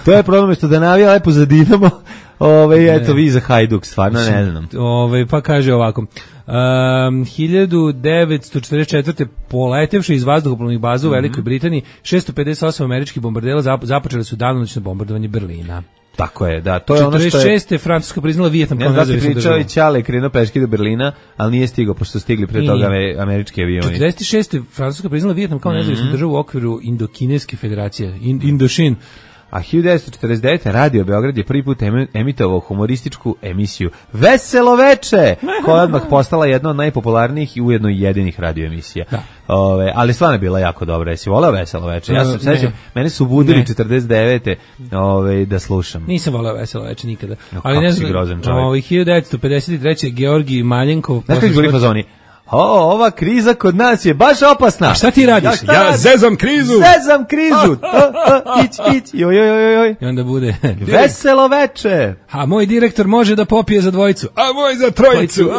To je problem što da navija lepo za Dinamo, ove, eto vi za Hajduk, stvarno ne znam. Ove, pa kaže ovako, Um, hiljadu devetsto četrdeset četvrte poletevši iz vazduhoplovnih baza u Velikoj mm-hmm. Britaniji, šesto pedeset osam američkih bombardera započeli su danonoćno bombardovanje Berlina. Tako je, da, to je ono što je... četrdeset šeste Francuska priznala Vijetnam kao nezavisnu državu. Ne znam da ti pričao i Ćale krenuo peški do Berlina, ali nije stigao, pošto su stigli pre toga američki avioni. četrdeset šeste Francuska priznala Vijetnam kao nezavisnu mm-hmm. državu u okviru Indokineske federacije, In, Indošin. A hiljadu devetsto četrdeset devete. Radio Beograd je prvi put emitovao humorističku emisiju Veselo veče, koja je odmah postala jedna od najpopularnijih i ujedno jedinih radio emisija. Da. Ove, ali stvarno je bila jako dobra. Jesi voleo Veselo veče? Ja sam sećam, mene su budili četrdeset devete. Ove, da slušam. Nisam voleo Veselo veče nikada. No, ali ne znam, grozan čovjek. Ove, hiljadu devetsto pedeset treće. Georgij Maljenkov. Znaš kako je fazoni? O, ova kriza kod nas je baš opasna. A šta ti radiš? Ja, ja zezam krizu. Zezam krizu. Ić, ić. Joj, joj, joj, joj. I onda bude Veselo veče. A moj direktor može da popije za dvojicu. A moj za trojicu.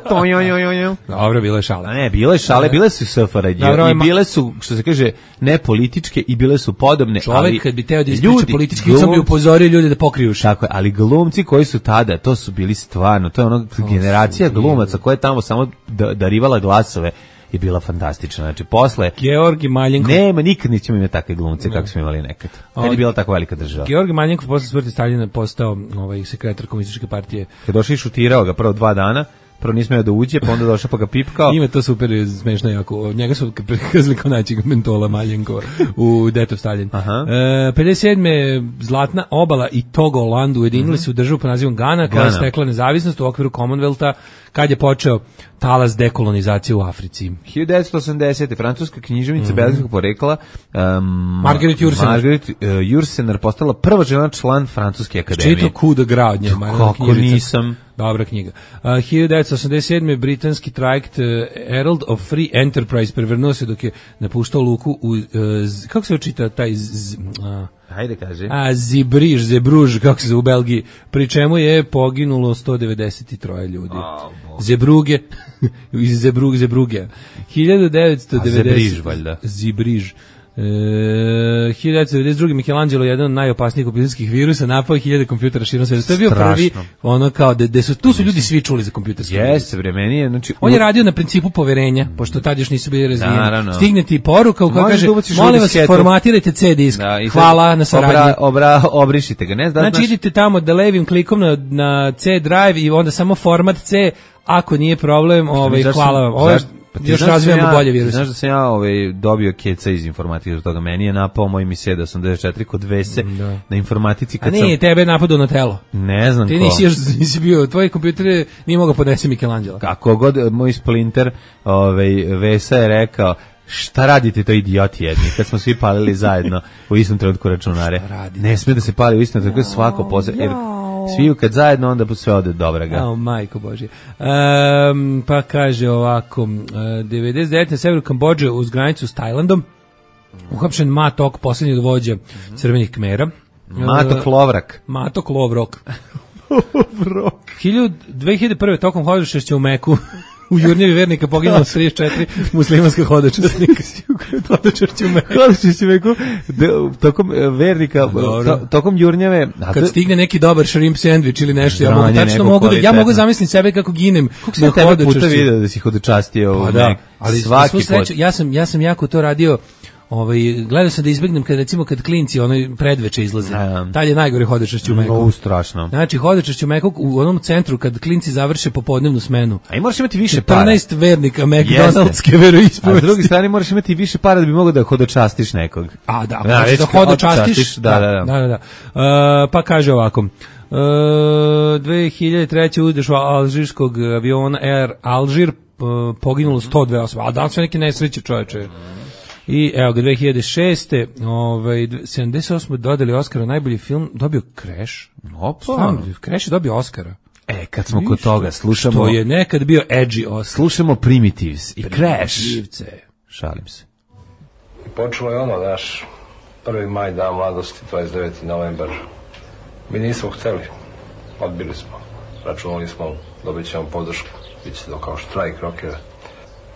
To joj, joj, joj, joj. Dobro, bilo je šale. Ne, bile šale, bile su S F R J i bile su, što se kaže, ne političke i bile su podobne. Čovjek kad bi teo da ispriča politički, sam bi upozorio ljude da pokriju uši. Tako je, ali glumci koji su tada, to su bili stvarno, to je ono generacija glumaca koja je tamo samo darivala glasove je bila fantastična. Znači, posle... Georgij Maljenkov... Nema, nikad nećemo imati takve glumce kako smo imali nekad. Kad je bila tako velika država. Georgij Maljenkov posle smrti Staljina postao ovaj, sekretar komunističke partije. Kad došao i šutirao ga prvo dva dana, prvo nismo da uđe, pa onda došao pa ga pipkao. Ima to super, smešno jako. Njega su prikazali kao najčeg mentola Maljenkova u Detov Stalin. E, pedeset sedme Zlatna obala i Togoland ujedinili su državu po nazivom Gana, koja je stekla nezavisnost u okviru Commonwealtha kad je počeo talas dekolonizacije u Africi. hiljadu devetsto osamdesete. Francuska književnica mm-hmm. belgijskog porekla um, Margaret Jursenar. Margaret uh, Jursenar postala prva žena član Francuske akademije. Čito Coup de Gras od nje. Kako nisam. Dobra knjiga. Uh, hiljadu devetsto osamdeset sedme. britanski trajekt uh, Herald of Free Enterprise prevrnuo se dok je napuštao luku u, uh, z, kako se očita taj z, z, uh, Hajde, kaže. A, Zibriž, Zebruž, kako se zove u Belgiji, pri čemu je poginulo sto devedeset tri ljudi. Oh, Zebruge, iz Zebrug, Zebruge. hiljadu devetsto devedeset. A Zebriž, valjda. Zibriž. E, hiljadu devetsto devedeset druge. Michelangelo, jedan od najopasnijih kompjuterskih virusa, napao hiljade kompjutera širom sveta. To je bio prvi, ono kao, da, da su, tu su ljudi svi čuli za kompjuterski virus. Jeste, vremeni je, znači... On je radio na principu poverenja, pošto tad još nisu bili razvijeni. Stigne ti poruka u kojoj kaže, molim vas, formatirajte C disk, da, hvala na saradnji. Obra, obra, obrišite ga, ne? Da, znači, idite tamo da levim klikom na, na C drive i onda samo format C, ako nije problem, ovaj, hvala vam. Ovo je, pa još razvijamo ja, bolje virus. Znaš da sam ja ovaj, dobio keca iz informatike, toga meni je napao moj mi sedam osamdeset četiri kod Vese da. Na informatici. Kad A nije, sam... tebe je napadao na telo. Ne znam Ti ko. Ti nisi još nisi bio, tvoj kompjuter nije mogao podnesi Michelangelo. Kako god moj splinter ovaj, Vesa je rekao, šta radite to idioti jedni, kad smo svi palili zajedno u istom trenutku računare. Ne smije da se pali u istom trenutku, no, svako posle, jer svi kad zajedno, onda sve ode dobraga. O, majko Božje. Um, pa kaže ovako, uh, devedeset devete. na severu Kambodže uz granicu s Tajlandom, uhapšen Matok, posljednji od vođa crvenih Kmera. Matok Lovrak. Matok Lovrok. dve hiljade prve. tokom hodočašća u Meku u Jurnjevi vernika poginulo trideset četiri muslimanska hodočasnika. Hodočašća u Meku. Hodočašća u Meku. Tokom vernika, to, tokom Jurnjeve. Kad stigne neki dobar shrimp sandvič ili nešto, ja mogu tačno mogu da, ja mogu zamisliti sebe kako ginem na hodočašću. Puta video da si hodočastio u Mek. Ali svaki put. Ja sam, ja sam jako to radio Ovaj gledao sam da izbegnem kad recimo kad klinci onaj predveče izlaze. Um, Tad je najgore hodočašće u Meku. No, strašno. Znači hodočašće u Meku u onom centru kad klinci završe popodnevnu smenu. A i moraš imati više para. četrnaest vernika McDonald'ske veroispovesti. A s druge strane moraš imati više para da bi mogao da hodočastiš nekog. A da, da, da hodočastiš. Da, da, da. da, da, da. Uh, pa kaže ovako. Uh, dve hiljade treće udeš u alžirskog aviona Air Alžir, uh, poginulo sto dve osobe. A da li su neki nesreće, čoveče? I evo ga, dve hiljade šeste ovaj, sedamdeset osme dodali Oskara najbolji film, dobio Crash. Opa. Stvarno, Crash je dobio Oskara. E, kad smo kod toga, slušamo... Što je nekad bio edgy Oscar. Slušamo Primitives i Crash. Primitivce. Šalim se. I počelo je ono, naš prvi maj, dan mladosti, dvadeset deveti novembar. Mi nismo hteli, odbili smo. Računali smo, dobit ćemo podršku, bit će to kao štrajk rokera.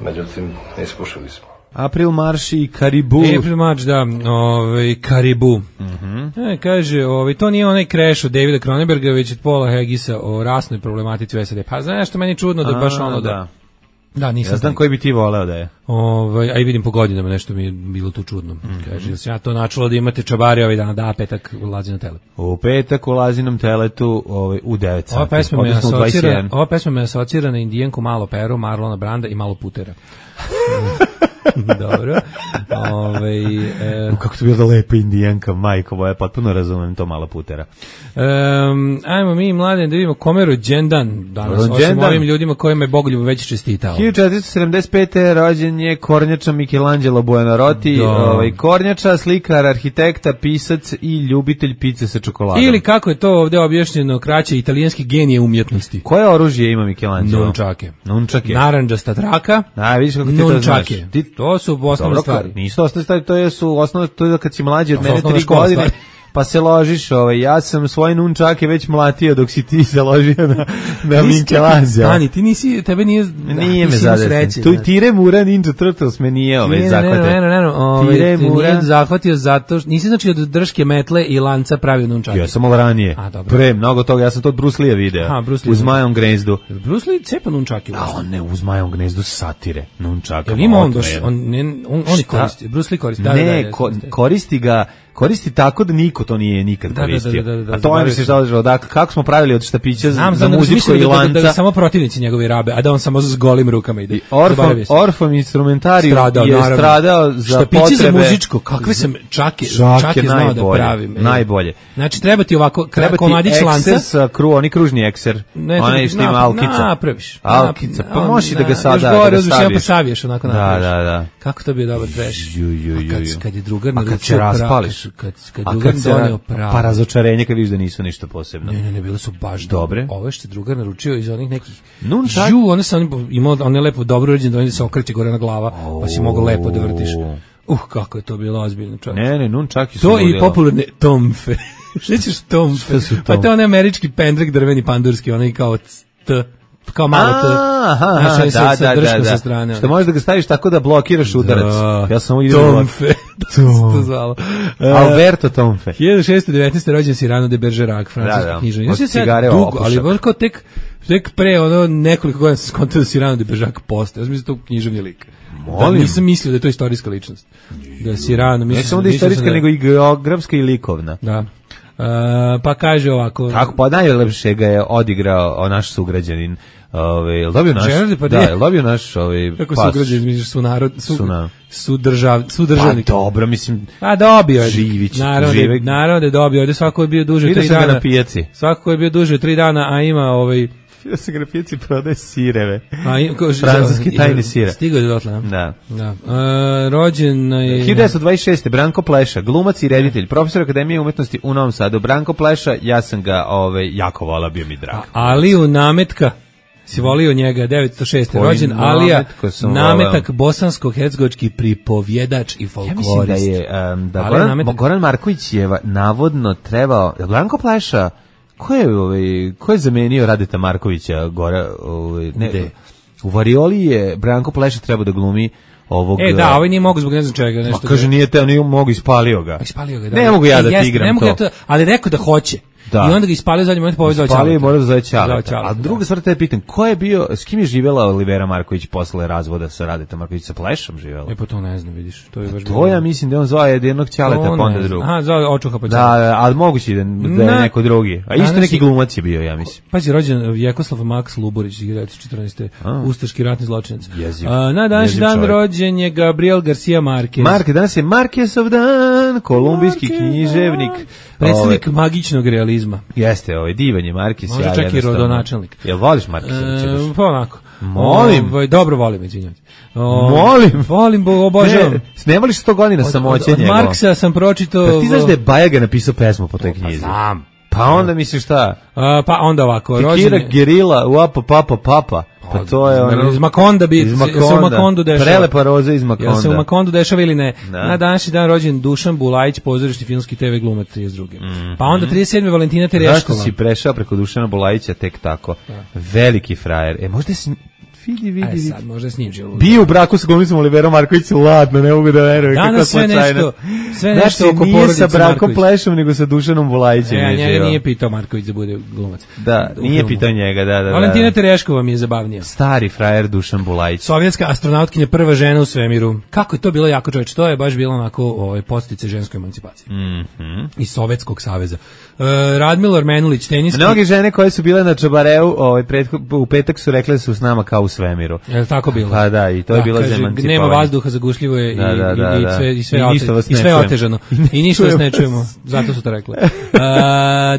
Međutim, ispušili smo. April Marš i Karibu. April Marš, da, ovaj, Karibu. Mm-hmm. E, kaže, ovaj, to nije onaj Crash od Davida Cronenberga, već od Paula Haggisa o rasnoj problematici u S A D. Pa znaš što meni je čudno da baš ono da... da. Da, nisam. Ja znam koji bi ti voleo da je. Ovaj, a i vidim po godinama nešto mi je bilo tu čudno. Mm-hmm. Kaže, ja ja to načulo da imate čabari ovaj dan, da, petak ulazi na telet. U petak ulazi nam teletu ovaj, u devet sati. Ova pesma me asocira, ova pesma me asocira na Indijanku Malo Peru, Marlona Branda i Malo Putera. Dobro. Ove, e, kako to bilo da lepa Indijanka, majko moja, potpuno razumem to Malo Putera. Um, ajmo mi mlade da vidimo kome je rođendan danas, rođendan. Osim ovim ljudima kojima je Bogoljub već čestitao. hiljadu četiristo sedamdeset pete. rođen je Kornjača Michelangelo Buonarroti, ovaj, Kornjača, slikar, arhitekta, pisac i ljubitelj pice sa čokoladom. Ili kako je to ovdje objašnjeno, kraće italijanski genije umjetnosti. Koje oružje ima Michelangelo? Nunčake. Nunčake. Narandžasta traka. A, vidiš kako ti to znaš. Ti, to su osnovne dobro, stvari. Nisu osnovne stvari, to su osnovne, to je da kad si mlađi od to mene tri škola, godine, stvari. Pa se ložiš, ovaj, ja sam svoje nunčake već mlatio dok si ti se ložio na, na Michelangelo. Stani, ti nisi, tebe nije, nije me zadesno. Tu Tire Mura Ninja Turtles me nije ovaj zahvatio. Ne, ne, ne, ne, ovaj, Tire Mura nije zahvatio zato što, nisi znači od drške metle i lanca pravio nunčake. Ja sam ovo ranije, pre, mnogo toga, ja sam to od Bruce Lee video, Aha, Bruce Lee uz Majom gnezdu. Bruce Lee cepa nunčake. A on ne, uz Majom gnezdu satire, nunčaka. Jel ima on doš, on, ne, on, on koristi, Bruce Lee koristi. Da, ne, da, da, ko, koristi ga, koristi tako da niko to nije nikad da, koristio. Da, da, da, da, a to je se što da kako smo pravili od štapića znam, za znam, muziku i lanca. Da, da, da samo protivnici njegovi rabe, a da on samo s golim rukama ide. Orfom, Orfom instrumentariju stradao, je naravno. stradao za štapići potrebe. Za muzičko, kakve sam čake, čake, čake znao da pravim. E. Najbolje. Znači treba ti ovako komadić lanca. Treba ti kru, oni kružni ekser. Onaj što ima alkica. Napraviš. Alkica, pa možeš da ga sada još gore, uzviš, ja pa saviješ onako napraviš. Da, da, da. Kako to bi je dobar trash. Kad je drugar naručio kad se raspališ. Kad drugar donio pravo. Pa razočarenje kad vidiš da nisu ništa posebno. Ne, ne, ne, bile su baš dobre. Ove što je drugar naručio iz onih nekih... Nunčak? Žu, one sam imao, on je lepo dobro uređen da on se okreće gore na glava, pa si mogao lepo da vrtiš. Uh, kako je to bilo ozbiljno, čovječ. Ne, ne, nunčaki su to i popularne tomfe. Šta ćeš tomfe? Pa to je onaj američki pendrek drveni pandurski, onaj kao t... kao malo to. Aha, da, da, da, da. Strane, što možeš da ga staviš tako da blokiraš udarac. Da, ja sam ovo idem Tomfe. to zvalo. Alberto Tomfe. hiljadu šeststo devetnaeste. rođen Cyrano de Bergerac, francuski književnik. Od cigare dugo, ali baš kao tek, tek pre ono nekoliko godina sam skontao da Cyrano de Bergerac postaje. Ja sam mislio to književni lik. Da, nisam mislio da je to istorijska ličnost. Da je Cyrano, mislim. Ne samo da je istorijska, nego i geografska i likovna. Da. Uh, pa kaže ovako. Kako pa najlepše ga je odigrao naš sugrađanin. Ovaj, jel dobio naš? Pa da, jel dobio naš ovaj kako pas. Sugrađanin, misliš su narod, su, su, na... su držav, su državnik. Pa dobro, mislim. A dobio je. Živić, narod, Živek. narod je dobio, ovdje svako je bio duže tri dana. Na pijaci. Svako je bio duže tri dana, a ima ovaj da se na pijaci prodaje sireve. A ima francuski tajni sire. Stigao je dotle, da. Da. Uh, rođen je hiljadu devetsto dvadeset šeste. Branko Pleša, glumac i reditelj, profesor Akademije umetnosti u Novom Sadu. Branko Pleša, ja sam ga ovaj jako volao, bio mi drag. Aliju Nametka si volio njega, devetsto šeste. rođen Alija Nametak, bosansko-hercegovački pripovjedač i folklorist. Ja mislim da je um, da Goran, Goran Marković je navodno trebao, Branko Pleša, ko je, ovaj, ko je zamenio Radeta Markovića Gora, ovaj, ne, u Varioli je Branko Pleša trebao da glumi ovog... E, da, ovaj nije mogu zbog ne znam čega. Nešto ma, kaže, nije te, nije mogu, ispalio ga. Ispalio ga, da. Ne mogu ja da e, ti igram ne mogu to. Ja to. Ali rekao da hoće. Da. I onda ga ispalio zadnji moment, pa ovaj zove Ćaleta. Ispalio i mora da zove Ćaleta. Zove Ćaleta, A druga stvar te pitam, ko je bio, s kim je živela Olivera Marković posle razvoda sa Radetom Marković, sa Plešom živela? E pa to ne znam, vidiš. To je baš To ja mislim da on zove jednog Ćaleta, pa onda drugog. Aha, zove Očuha pa Da, da, ali moguće da, da je neko drugi. A isto neki glumac je bio, ja mislim. Pazi, rođen Vjekoslav Maks Luborić, hiljadu devetsto četrnaeste. Ustaški ratni zločinac. Jeziv. A, na današnji dan čovjek. rođen je Gabriel Garcia Marquez. Marke, danas je Marquezov dan, kolumbijski književnik. Predstavnik magičnog realizma. Jeste, ovaj divan je Marquez. Može ja, čak i rodonačelnik. Jel voliš Marqueza? E, pa onako. Molim. Ovaj, dobro volim, izvinjam te. O, Molim. Volim, bo, obožavam. Ne, ne voliš sto godina samoće Od, od Marksa sam pročitao... Pa ti znaš da je Bajaga napisao pesmu po toj knjizi? Znam. Pa onda misliš šta? A, pa onda ovako. Tikira gerila, uapa papa papa. Pa to je ono... Iz Makonda bi, iz Makonda. se u Makondu dešava. Prelepa roza iz Makonda. Jel se u Makondu dešava ili ne? Da. Na današnji dan rođen Dušan Bulajić, pozorišni filmski te ve glumac trideset druge. Mm-hmm. Pa onda trideset sedme Valentina Tereškova. Zašto si prešao preko Dušana Bulajića tek tako? Da. Veliki frajer. E, možda si... Vidi, vidi, vidi. Aj sad, možda s njim živo. Bio u braku sa glumicom Oliverom Marković, ladno, ne mogu da verujem. Danas sve nešto, sve znači, nešto oko porodice Marković. Nije sa brakom Marković. Plešom, nego sa Dušanom Bulajićem. E, je njega živo. nije pitao Marković da bude glumac. Da, u nije filmu. pitao njega, da, da, da. Valentina Tereškova mi je zabavnija. Stari frajer Dušan Bulajić. Sovjetska astronautkinja, prva žena u svemiru. Kako je to bilo jako čoveče? To je baš bilo onako ovaj, postice ženskoj emancipaciji. Mhm. Iz Sovjetskog saveza. Uh, Radmilo Armenulić, teniski. Mnoge žene koje su bile na Čabareu, ovaj, pret, u petak su rekle da su s nama kao u svemiru. Je li tako bilo? Pa da, i to je da, bilo kaže, za emancipovanje. nema vazduha, zagušljivo je da, da, da, i, i, i da. sve, i sve, I ote, ništa vas i ne sve čujemo. otežano. I ništa vas ne čujemo, zato su to rekle. Uh,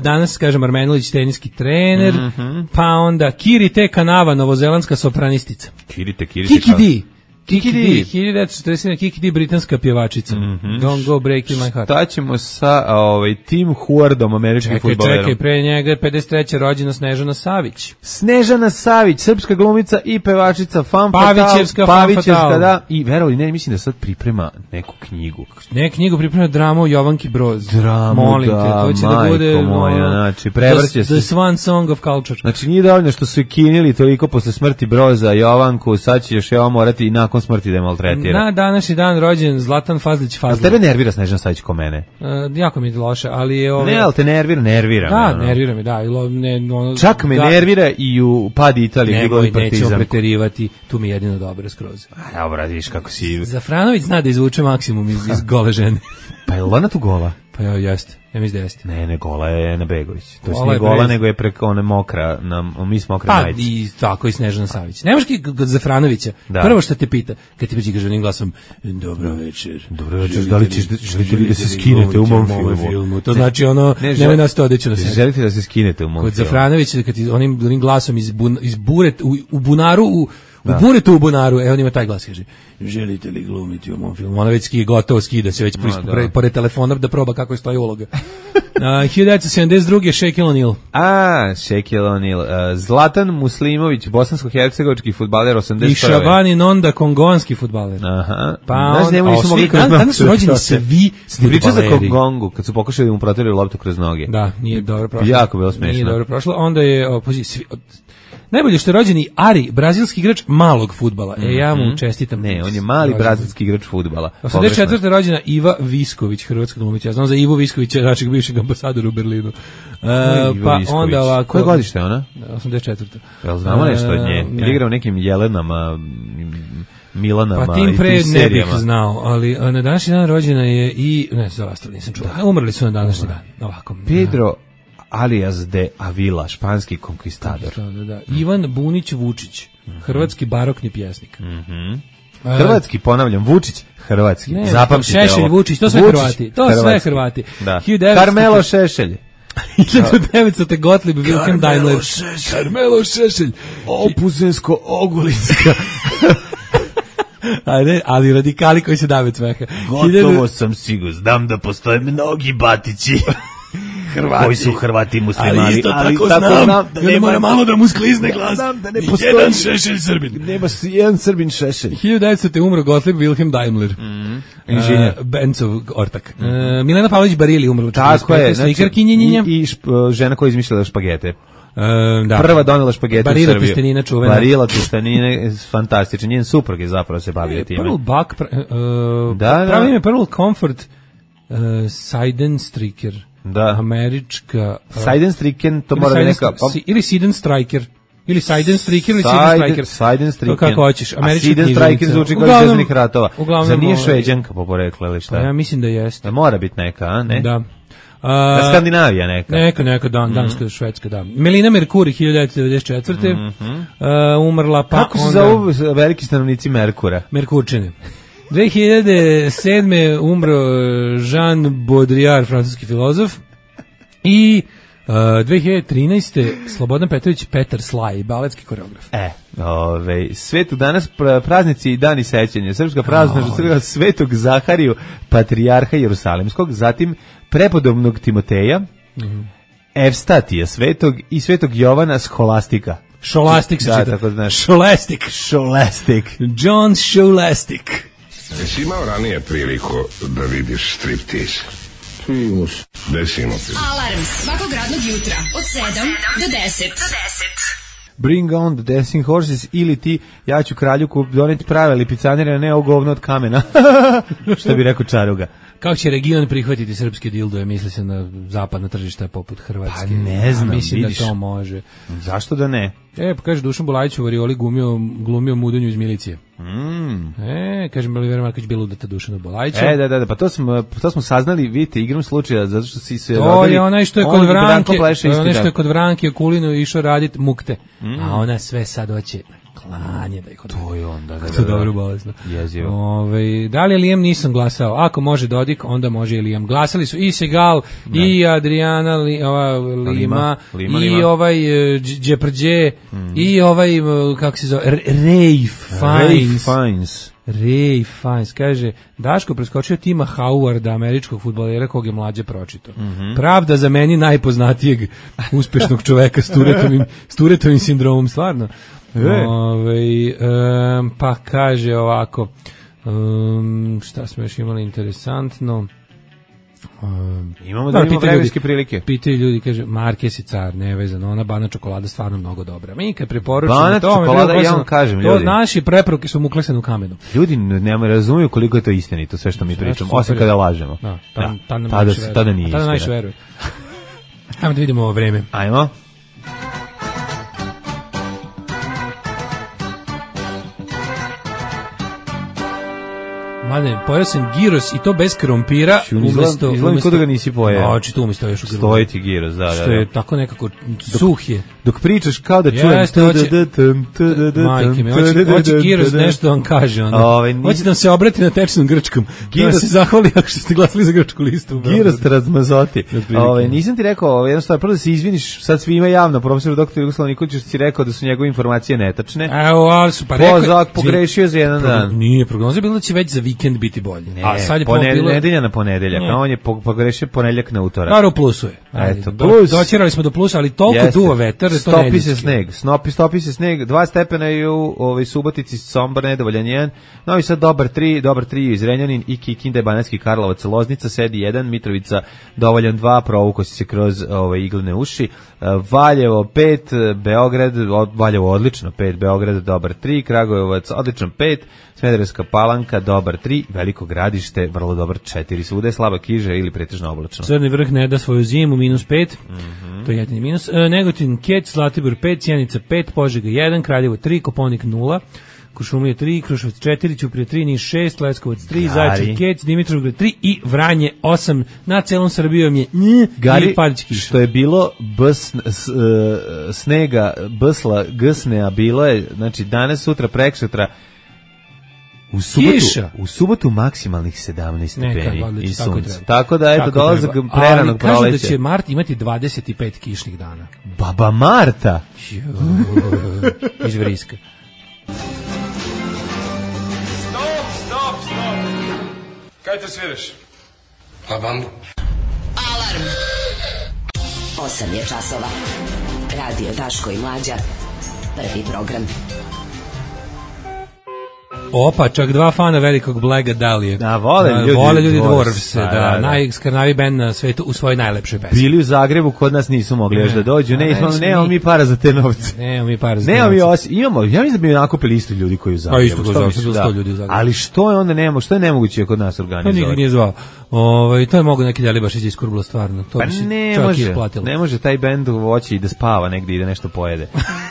danas, kažem, Armenulić, teniski trener, mm-hmm. pa onda Kirite Kanava, novozelandska sopranistica. Kirite, Kirite. Kiki Di. Kiki Di. hiljadu devetsto četrdeset sedme Kiki Di, britanska pjevačica. Mm-hmm. Don't go breaking my heart. Šta ćemo sa ovaj, Tim Huardom, američkim Čekaj, fudbalerom? čekaj, pre njega pedeset treće rođena Snežana Savić. Snežana Savić, srpska glumica i pevačica, fan Pavićevska, fatal, fan Pavićevska, fatal. da. I verovali, ne, mislim da sad priprema neku knjigu. Ne, knjigu priprema dramu Jovanki Broz. Dramu, Molim da, te, to će majko da bude moja, ono, znači, prevrće the, se. the Swan Song of Culture. Znači, nije dovoljno što su i kinili toliko posle smrti Broza Jovanku, sad će još Jovan morati i nakon smrti da je maltretira. Na današnji dan rođen Zlatan Fazlić A Fazlić. tebe nervira Snežana Savić ko mene? Uh, jako mi je loše, ali je ove... Ne, ali te nervira, nervira. Da, me, ono. nervira me, da. Ilo, ne, ono, Čak me da, nervira i u padi Italije gdje Nemoj, goli nećemo Partizan. preterivati, tu mi je jedino dobro skroz. A, dobro, vidiš kako si... Zafranović zna da izvuče maksimum iz, iz gole žene. Pa je ona tu gola? Pa ja, jeste. Ja mislim da jeste. Ne, ne, gola je Ena Begović. To Gola nije je gola, prez- nego je preko one mokra, na, mi smo mokra Pa majice. i tako i Snežana Savić. Nemaš ki kod Zafranovića. Da. Prvo što te pita, kad ti priđe kažem glasom, dobro večer. Dobro večer, da li ćeš, želite li da se skinete u mom filmu? filmu? To znači ono, Ne, nemoj nas to odeću na sebe. Želite da se skinete u mom Kod filmu? Zafranovića, kad ti onim, onim glasom iz, bun, iz buret, u, u bunaru, u, u buretu u bunaru, e on ima taj glas, kaže, želite li glumiti u mom filmu? Ona već skije, gotovo skida se već No, no, da. pored, pored telefona da proba kako je stoji uloga. Uh, hiljadu devetsto sedamdeset druge Shaquille O'Neal. A, Shaquille O'Neal. Uh, Zlatan Muslimović, bosansko-hercegovački fudbaler I osamdeset prve. Šabani Nonda, kongonski fudbaler. Aha. Pa Znaš, on- njemu a nisu svi- mogli kroz dan- noge. danas su rođeni svi Ti pričao za fudbaleri. Kongongu, kad su pokušali da mu proteraju loptu kroz noge. Da, nije dobro prošlo. Jako bilo smešno. Nije dobro prošlo. Onda je o, pazi, svi, od, najbolje što je rođeni Ari, brazilski igrač malog fudbala. E, ja mu čestitam. Ne, on je mali Rođendan. brazilski igrač fudbala. osamdeset četvrte rođena Iva Visković, hrvatska glumica. Ja znam za Ivu Viskovića, našeg bivšeg ambasadora u Berlinu. E, Iva pa Visković. onda ovako... Koje godište je ona? osamdeset četvrte Jel znamo nešto od nje? E, Ili ne. igra u nekim Jelenama, m, Milanama Pa tim i pre tim ne bih serijama? znao, ali a, na današnji dan rođena je i... Ne, za ostalo nisam čuo. Umrli su na današnji dan. Ovako. Pedro alias de Avila, španski konkvistador. Da, da, da. Ivan Bunić Vučić, hrvatski barokni pjesnik. Mhm. E, Hrvatski, ponavljam, Vučić, hrvatski. Ne, Zapamtite Šešelj, ovo. Vučić, to sve Vučić, Hrvati. To sve hrvatski. Hrvati. Da. hiljadu devetsto Carmelo Šešelj. hiljadu devetsto Gottlieb Wilhelm Daimler. Carmelo Šešelj. Opuzensko-ogulinska. A ne, ali radikali koji se dave od smeha. Gotovo sam siguran, znam da postoje mnogi batići. Hrvati. Koji su Hrvati muslimani. Ali isto tako znam, da nema mora malo da mu sklizne glas. Znam da ne Ni postoji jedan Šešelj Srbin. Nema s- jedan Srbin Šešelj. hiljadu devetsto umro Gottlieb Wilhelm Daimler. Inženjer. Uh, Bencov ortak. Uh, Milena Pavlović Barili umrla. Tako je, znači, Slikarkinjenja. i, i šp, žena koja je izmišljala špagete. Uh, da. Prva donela špagete Barila u Srbiju. Testenina čuvena. Barila Testenina, fantastičan. Njen suprug je zapravo se bavio time. Pearl Buck, pra, uh, Da, da. pravi ime Pearl Comfort uh, Seidenstricker. Da. Američka... Seidenstriken, to mora neka... Ili Seidenstriker. Ili Seidenstriker ili Seidenstriker. Seidenstriken. To kako hoćeš. Američka Seidenstriker zvuči kao Zvezdanih ratova. Zar nije Šveđanka po poreklu ili šta? Pa ja mislim da jeste. Da mora biti neka, a ne? Da. Da Skandinavija neka. Neka, neka, dan, danska, mm. švedska, da. Melina Merkuri, hiljadu devetsto devedeset četvrte. Mm-hmm. Uh, umrla pa kako onda... Kako se zovu veliki stanovnici Merkura? Merkurčine. dve hiljade sedme umro Jean Baudrillard, francuski filozof. I uh, dve hiljade trinaeste Slobodan Petrović Petar Slaj, baletski koreograf. E, ove, svetu danas praznici i dani sećanja. Srpska praznost oh. Svetog Zahariju, patrijarha Jerusalimskog, zatim prepodobnog Timoteja, mm-hmm. Evstatija svetog i svetog Jovana Scholastika. Scholastic se da, čita. Tako znaš. Scholastic. Scholastic. John Scholastic. Jesi imao ranije priliku da vidiš striptease? Primus. Desimo ti. Alarm svakog radnog jutra od sedam do deset. Bring on the dancing horses ili ti, ja ću kralju doneti prave lipicanere, a ne ovo govno od kamena. Što bi rekao Čaruga. Kako će region prihvatiti srpske dildoje, misli se na zapadna tržišta poput Hrvatske? Pa ne znam, a mislim vidiš. Da to može. Zašto da ne? E, pa kaže Dušan Bulajić u Varioli glumio, glumio mudanju iz milicije. Mm. E, kaže Milivera Marković bilo udata Dušanu Bulajića. E, da, da, da, pa to smo, to smo saznali, vidite, igrom slučaja, zato što si se to rodili... je onaj što je kod Vranke, to je onaj što je kod Vranke Kulinu išao radit mukte. Mm. A ona sve sad hoće klanje da ih odvede. To je onda, da, da, da. Dobro bolesno. Jezivo. Ove, da li je Liam nisam glasao? Ako može Dodik, onda može i Liam. Glasali su i Segal, da. I Adriana li, ova, Lima, Lima, Lima, i Lima. Ovaj Džeprđe, mm. i ovaj, kako se zove, Ray Fiennes. Ray Fiennes. Ray Fiennes, kaže, Daško preskočio Tima Howarda, američkog fudbalera kog je mlađe pročito. Mm-hmm. Pravda za meni najpoznatijeg uspešnog čoveka s Turetovim, s Turetovim sindromom, stvarno. Ove, um, pa kaže ovako, um, šta smo još imali interesantno, um, imamo da imamo vremenske prilike. Pitaju ljudi, kaže, Marques i car, nevezano, ona bana čokolada stvarno mnogo dobra. Mi kad preporučimo bana to, čokolada, ja vam kažem, ljudi. To naši preporuke su mu klesene u kamenu. Ljudi ne razumiju koliko je to istinito, sve što mi pričamo, osim kada lažemo. Da, tada, tada, tada, tada nije tada najviše veruje. Ajmo da vidimo ovo vreme. Ajmo. Mane, pojeo sam giros i to bez krompira. Umesto, izgledam kod da ga nisi pojeo. Oči, tu mi stoji još u grbu. Stoji ti giros, da, da. Što je tako nekako suh je. Dok pričaš kao da čujem... Jeste, hoće... Majke mi, hoće giros nešto vam kaže. Hoće da se obrati na tečnom grčkom. Da se zahvali ako ste glasali za grčku listu. Giros te razmazoti. Nisam ti rekao, jedno stvar, prvo da se izviniš sad svima javno, profesor doktor Jugoslav Nikolić si rekao da su njegove informacije netačne. Evo, ali su pa rekao... Pogrešio za jedan dan. Nije, prognoza je bila da će već za vikend biti bolje. Ne, a sad je poned, bilo... nedelja na ponedeljak, a on je pogrešio ponedeljak na utorak. Naravno, plusu je. Eto, plus. Doćerali smo do plusa, ali toliko jeste. Duva vetar, to stopi se sneg, snopi, stopi se sneg, dva stepena je u ovaj, Subotici, Sombor, nedovoljan jedan, Novi Sad dobar tri, dobar tri iz Renjanin i Kikinda, Banatski Karlovac, Loznica, sedi jedan, Mitrovica dovoljan dva, provuko si se kroz ovaj, iglene uši, Valjevo pet, Beograd, Valjevo odlično pet, Beograd dobar tri, Kragujevac odličan pet, Smederevska Palanka dobar tri, Veliko Gradište vrlo dobar četiri, svuda je slaba kiža ili pretežno oblačno. Crni vrh ne da svoju zimu minus pet, mm-hmm. to je jedini minus. E, Negotin Kec, Zlatibor pet, Sjenica pet, Požega jedan, Kraljevo tri, Koponik nula, Kuršumlija tri, Kruševac četiri, Ćuprija tri, Niš šest, Leskovac tri, Zaječar Kec, Dimitrovgrad tri i Vranje osam. Na celom Srbijom je nj, Gari, i padić kiša. Što je bilo bs, s, uh, snega, bsla, gsne, a bilo je, znači danas, sutra, preksutra, U subotu, u subotu maksimalnih sedamnaest stepeni i sunce. Tako da, eto, dolazak preranog proleća. Ali kažu da će mart imati dvadeset pet kišnih dana. Baba Marta! Iz Vriska. Stop, stop, stop! Kaj te sviraš? La bandu. Alarm! osam je časova. Radio Daško i Mlađa. Prvi program. Opa, čak dva fana velikog Blaga Dalije. Da, vole ljudi, vole ljudi Dwarfs, Dwarfs, da, da, da. najskarnavi band na svetu u svojoj najlepšoj pesmi. Bili u Zagrebu, kod nas nisu mogli još da dođu. Ne, ne, ne, nemamo mi para za te novce. Nemamo mi para za te Nemamo novce. mi osi, imamo, ja mislim da bi nakupili isto ljudi koji u Zagrebu. Pa isto kod misliš, Zagrebu, sto ljudi u Zagrebu. Ali što je onda nemo, što je nemoguće kod nas To organizovati? nikog nije zvao. Ovaj to je mogu neki Delibašić iskurbilo stvarno. To Pa bi se ne čak može, isplatilo. ne može taj bend voći i da spava negdje i da nešto pojede.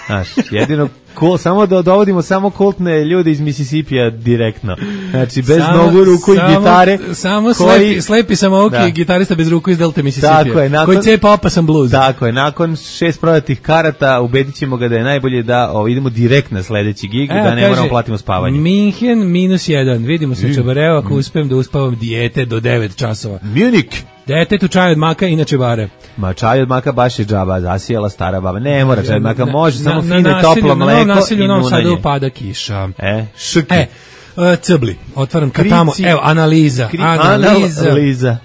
Znaš, jedino cool, samo da dovodimo samo kultne ljude iz Misisipija direktno. Znači, bez samo, nogu, ruku samo, i gitare. Samo koji, slepi, slepi samouki da. i gitarista bez ruku iz Delta Misisipija. Tako je, nakon, koji cepa opasan bluz. Tako je, nakon šest prodatih karata ubedit ćemo ga da je najbolje da o, idemo direkt na sledeći gig, Evo, da ne kaže, moramo platimo spavanje. Minhen minus jedan. Vidimo se Čabareo ako uspijem da uspavam dijete do devet časova. Munich. Detetu čaj od maka, inače bare. Ma čaj od maka baš je džaba, zasijela stara baba. Ne mora čaj od maka, Na- može na- samo na fino i nasilju- toplo na mleko novom nasilju i u Novom Sadu munanje. pada kiša. E, šuki. E, e, cebli, otvaram ka tamo, Krici. evo, analiza, Kri- analiza, Analiza.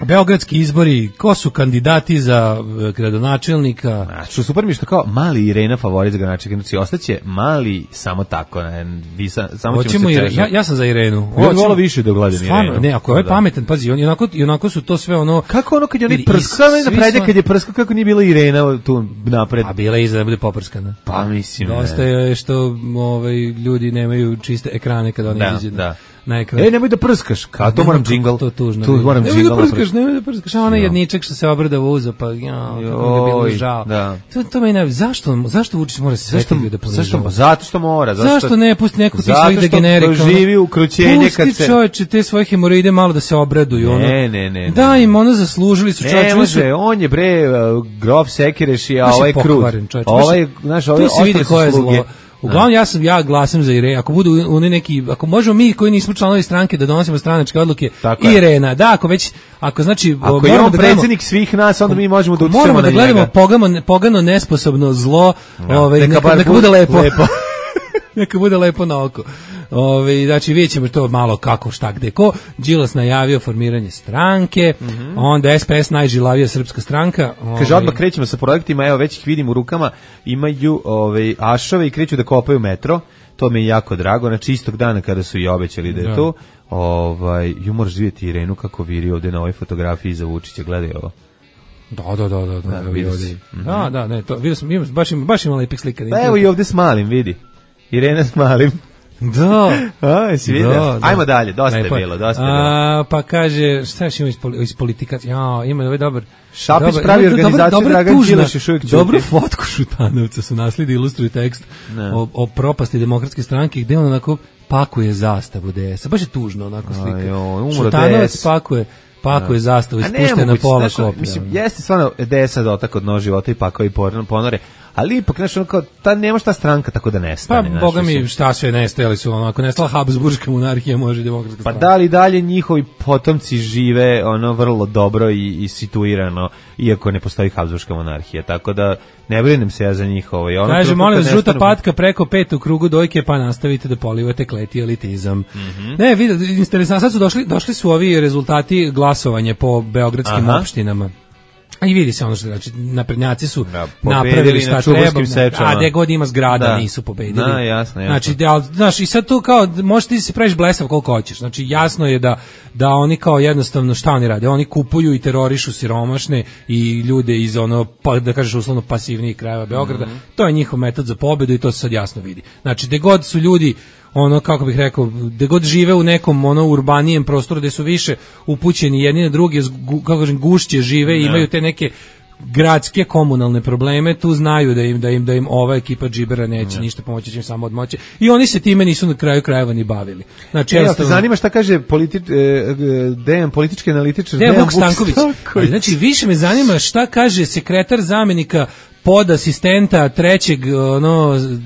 beogradski izbori, ko su kandidati za e, gradonačelnika, A što super mi je što kao mali Irena favorit za gradonačelnika, znači ostaće mali samo tako, ne, vi sa, samo ćemo hoćemo se i, češati. ja, ja sam za Irenu. Ja bih volao više da gledam Stvarno, Irenu. ne, ako je ovaj Da. pametan, pazi, on, i, onako, i onako su to sve ono... Kako ono kad je onaj i- prsk, i kako je svi napred, su- kad je prsko, kako nije bila Irena tu napred? A bila je iza da bude poprskana. Pa mislim, Dosta ne. je što ovaj, ljudi nemaju čiste ekrane kada oni Da, izađu da. na ekran. E, nemoj da prskaš, kao to moram džingl. To je tužno. Tu moram nemoj džingl. da prskaš, nemoj da prskaš. A onaj Ja. jedničak što se obradava uzo, pa ja, kako mi je bilo Joj, žao. da. To, to me ne, zašto, zašto Vučić mora se sve Zašto, te ljude zašto, ponižavati? zato što mora. Zato Zašto ne pusti neko ti Zato svojih što degenerika? doživi ukrućenje kad Pusti se... čovječe te svoje hemoroide malo da se obraduju. Ne, ono. ne, ne, ne. Da im ono zaslužili su čovječe. Ne oni su- može, on je bre uh, grof Sekireši, a Baš je ovaj krut. pokvaren, čovječe, baš je- Ovaj, znaš, ovaj Tu se vidi ostali ko je su sluge. zlo. Uglavnom ja sam ja glasam za Irenu. Ako budu oni neki, ako možemo mi koji nismo članovi stranke da donosimo stranačke odluke, Tako je. Irena, da, ako već ako znači Ako je moramo on da gledamo- predsjednik svih nas, onda mi možemo da moramo utičemo da na gledamo njega. pogano, pogano nesposobno zlo, ovaj neka neka, bar neka bude bude lepo. lepo. Neka bude lepo na oko. Ove, znači vidjet ćemo to malo kako šta gde ko. Đilas najavio formiranje stranke, Mhm. onda S P S najžilavija srpska stranka. Kaže, Ovaj, odmah krećemo sa projektima, evo već ih vidim u rukama, imaju ovaj, ašove i kreću da kopaju metro, to mi je jako drago, znači istog dana kada su i obećali da je Da. to, ovaj, ju moraš vidjeti Irenu kako viri ovde na ovoj fotografiji za Vučića, gledaj ovo. Da, da, da, da, da, Da, evo vidio i ovdje. si. Mhm. Da, da, ne, to vidio sam, imam, baš ima, baš ima lepih slika. Pa evo i ovde s malim, vidi. Irena s malim. Da. A, jesi vidio? Da, da. Ajmo dalje, dosta Lepo je bilo, dosta je bilo. A, pa kaže, šta još ima iz, poli, iz politikaca? Ja, ima ovaj dobar. Šapić dobar- pravi ima dobra- organizaciju, dobra Dragan tužna- Đilas još uvijek ćuti. Dobru fotku Šutanovca su nasledi, ilustruju tekst Ne. o, o propasti demokratske stranke, gde on onako pakuje zastavu D S-a. Baš je tužno onako slika. Aj, joj, umro Šutanovac D S. pakuje, pakuje zastavu, A ispušten na nemoguće, pola znaš, ono, koplja. Mislim, jeste stvarno D S-a dotak od nož života i pakao i porno- ponore, ali ipak, znaš, ono kao, ta, nema šta stranka tako da Pa, nestane. znaš, boga mi, mislim. šta sve nestajali su, ono, ako nestala Habsburška monarhija, može i demokratska Pa stranka. da li dalje njihovi potomci žive ono vrlo dobro i, i situirano, iako ne postoji Habsburška monarhija, tako da ne brinem se ja za njih. Ovaj, ono Kaže, trenutku molim vas, kad žuta nestanu- patka preko pet u krugu dojke, pa nastavite da polivate kleti elitizam. Mhm. Ne, vidi, interesantno, sad su došli, došli su ovi rezultati glasovanja po beogradskim Aha. opštinama. A i vidi se ono što znači, naprednjaci su Da, pobedili napravili na šta Čuburskim treba, sečama. a gde god ima zgrada Da. nisu pobedili. Da, jasno, jasno. Znači, da, ali, znaš, i sad tu kao, možeš ti se praviš blesav koliko hoćeš. Znači, jasno je da, da oni kao jednostavno, šta oni rade? Oni kupuju i terorišu siromašne i ljude iz ono, pa, da kažeš uslovno pasivnijih krajeva Beograda. Mhm. To je njihov metod za pobedu i to se sad jasno vidi. Znači, gde god su ljudi ono, kako bih rekao, gde god žive u nekom ono urbanijem prostoru gde su više upućeni jedni na druge, gu- kako kažem, gušće žive i imaju te neke gradske komunalne probleme, tu znaju da im da im da im ova ekipa džibera neće ništa pomoći, će im samo odmoći. I oni se time nisu na kraju krajeva ni bavili. Znači, E, jel te jednostavno- zanima šta kaže politi, e, e, Dejan, politički analitičar Dejan Vuk Stanković. Ali, znači, više me zanima šta kaže sekretar zamenika pod asistenta trećeg ono z-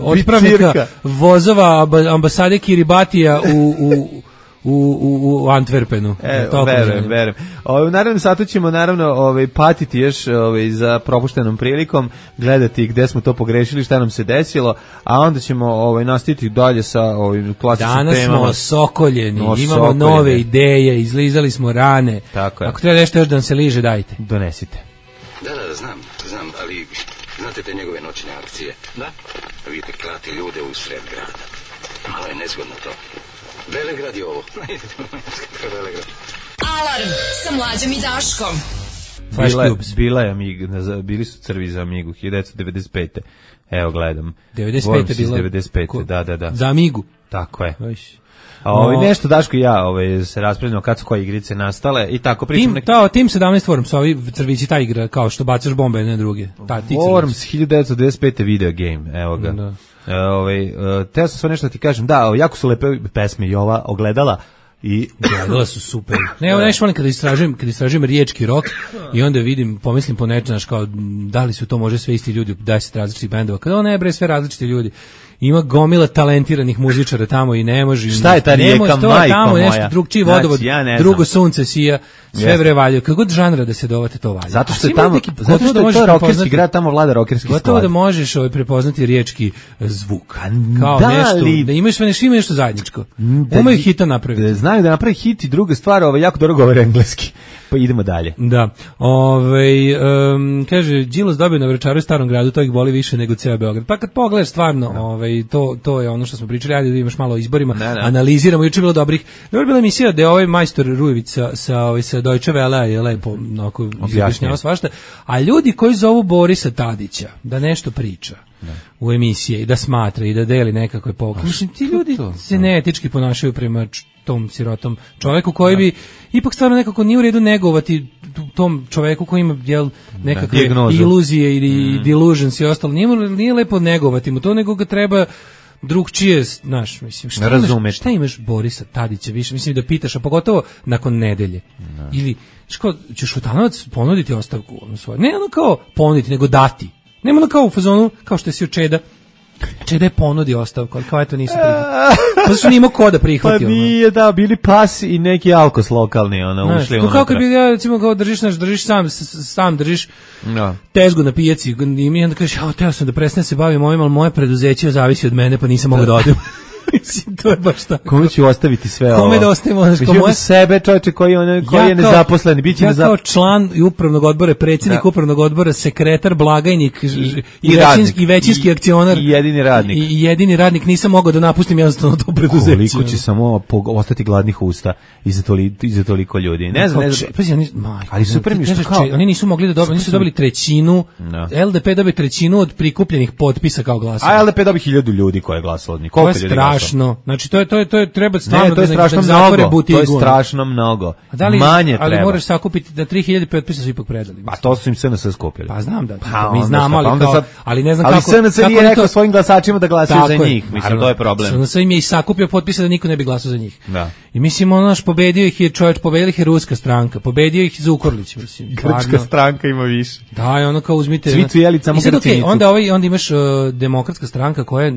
otpravnika Bicirka. vozova amba- ambasade Kiribatija u, u, u, u, u Antwerpenu. E, To verujem, zanima. verujem. Ovaj, u narednom satu ćemo naravno ovaj, patiti još ovaj, za propuštenom prilikom, gledati gde smo to pogrešili, šta nam se desilo, a onda ćemo ovaj, nastaviti dalje sa ovim klasičnim Danas temama. smo osokoljeni, No, imamo sokoljeni. nove ideje, izlizali smo rane. Tako je. Ako treba nešto još da nam se liže, dajte. Donesite. Da, da, znam, znam, ali znate te njegove noćne akcije? Da. Vidite, klati ljude u sred grada. Malo je nezgodno to. Velegrad je ovo. Velegrad. Alarm sa Mlađom i Daškom. Bila, bila je Amiga, bili su crvi za Amigu, hiljadu devetsto devedeset pete. Evo gledam. devedeset pete bila? devedeset pete, ko, da, da, da. Za Amigu? Tako je. A ovaj, nešto Daško i ja ovaj, se raspravljamo kad su koje igrice nastale i tako pričam. Tim, nek... ta, Tim sedamnaest Worms, ovi crvići, ta igra, kao što bacaš bombe jedne druge. Ta, Worms, hiljadu devetsto devedeset pete video game, evo ga. Da. E, ovaj, teo sam sve nešto da ti kažem, da, jako su lepe pesme i ova ogledala. I gledala su super. Ne, evo nešto volim kada istražujem, kada istražujem riječki rock i onda vidim, pomislim po nečem, kao da li su to može sve isti ljudi, deset različitih bendova. Kada ne bre, sve različiti ljudi. Ima gomila talentiranih muzičara tamo i ne može. Šta je ta rijeka, majko moja? Tamo nešto drugčiji vodovod, znači, ja drugo sunce sija, sve bre valja. Kako god žanra da se dovate to valja. Zato što je tamo, zato što je to rokerski grad, tamo vlada rokerski stvar. Gotovo da možeš ovaj prepoznati riječki zvuk. Kao da nešto, li, da imaš sve nešto, ima nešto zajedničko. Da, umaju hita napraviti. Znaju da napravi hit i druga stvar, ovaj jako dobro govore engleski. Pa idemo dalje. Da. Ovaj um, kaže Đilas dobio na Vračaru i Starom gradu, to ih boli više nego ceo Beograd. Pa kad pogledaš stvarno, no. ovaj to to je ono što smo pričali, ajde da imaš malo o izborima, ne, ne. Analiziramo, juče bilo dobrih. Dobro bila emisija da je ovaj majstor Rujević sa sa ovaj sa Deutsche Welle je lepo onako objašnjavao svašta, a ljudi koji zovu Borisa Tadića da nešto priča ne. u emisiji i da smatra i da deli nekakve pouke. Mislim ti ljudi to? se neetički ponašaju prema tom sirotom čoveku koji bi ipak stvarno nekako nije u redu negovati tom čoveku koji ima jel, nekakve iluzije ili mm. delusions i ostalo. Nije, nije lepo negovati mu to, nego ga treba drugčije, znaš, mislim, šta imaš, šta imaš Borisa Tadića više, mislim da pitaš, a pogotovo nakon nedelje. No. Ili, ško, će Šutanovac ponuditi ostavku ono svoje? Ne ono kao ponuditi, nego dati. Nema ono kao u fazonu, kao što si od Čeda. Čeda je ponudio ostavku, ali kao eto nisu prihvatili. Pa su nimo ko da prihvati. Pa nije, da, bili pas i neki alkos lokalni, ono, znaš, ušli unutra. Kao kad bi, ja, recimo, kao držiš, naš, držiš sam, sam držiš no. tezgu na pijaci i mi onda kažeš, ja, teo sam da prestanem se bavim ovim, ali moje preduzeće zavisi od mene, pa nisam mogao da odem. Mislim, to je baš tako. Kome ću ostaviti sve ovo? Kome da ostavimo? Mislim, moje... sebe, čovječe, koji, on, koji ja je nezaposlen. Biće ja nezap... kao član upravnog odbora, predsjednik da. upravnog odbora, sekretar, blagajnik i, i, i, većinski, i većinski I, akcionar. I jedini radnik. I, I jedini radnik. Nisam mogao da napustim jednostavno to preduzeće. Koliko će samo ostati gladnih usta iza toliko, iza toliko ljudi. Ne znam, ne znam. Pazi, oni, maj, ali super mi što kao... Oni nisu mogli da dobiju, oni su dobili trećinu, no. L D P dobije trećinu od prikupljenih potpisa kao glasova. A L D P dobije hiljadu ljudi koje je glasalo od njih. To je strašno. Znači, to je to je to je treba stvarno ne, to je da strašno da mnogo. Butigu. To je strašno mnogo. Da li, manje ali treba. Moraš sakupiti da tri hiljade potpisa su ipak predali. Pa to su im S N S skupili. Pa znam da. Pa, mi znamo, ali pa kao, sad, ali ne znam ali kako. Ali S N S nije rekao to... svojim glasačima da glasaju za njih. Mislim, naravno, to je problem. S N S im je i sakupio potpise da niko ne bi glasao za njih. Da. I mislim, ono naš pobedio ih je čovjek, pobedio ih je ruska stranka, pobedio ih Zukorlić, mislim. Grčka stranka ima više. Da, i ono kao uzmite. Cvicu jeli samo Grcinicu. Onda ovaj onda imaš uh, demokratska stranka koja je,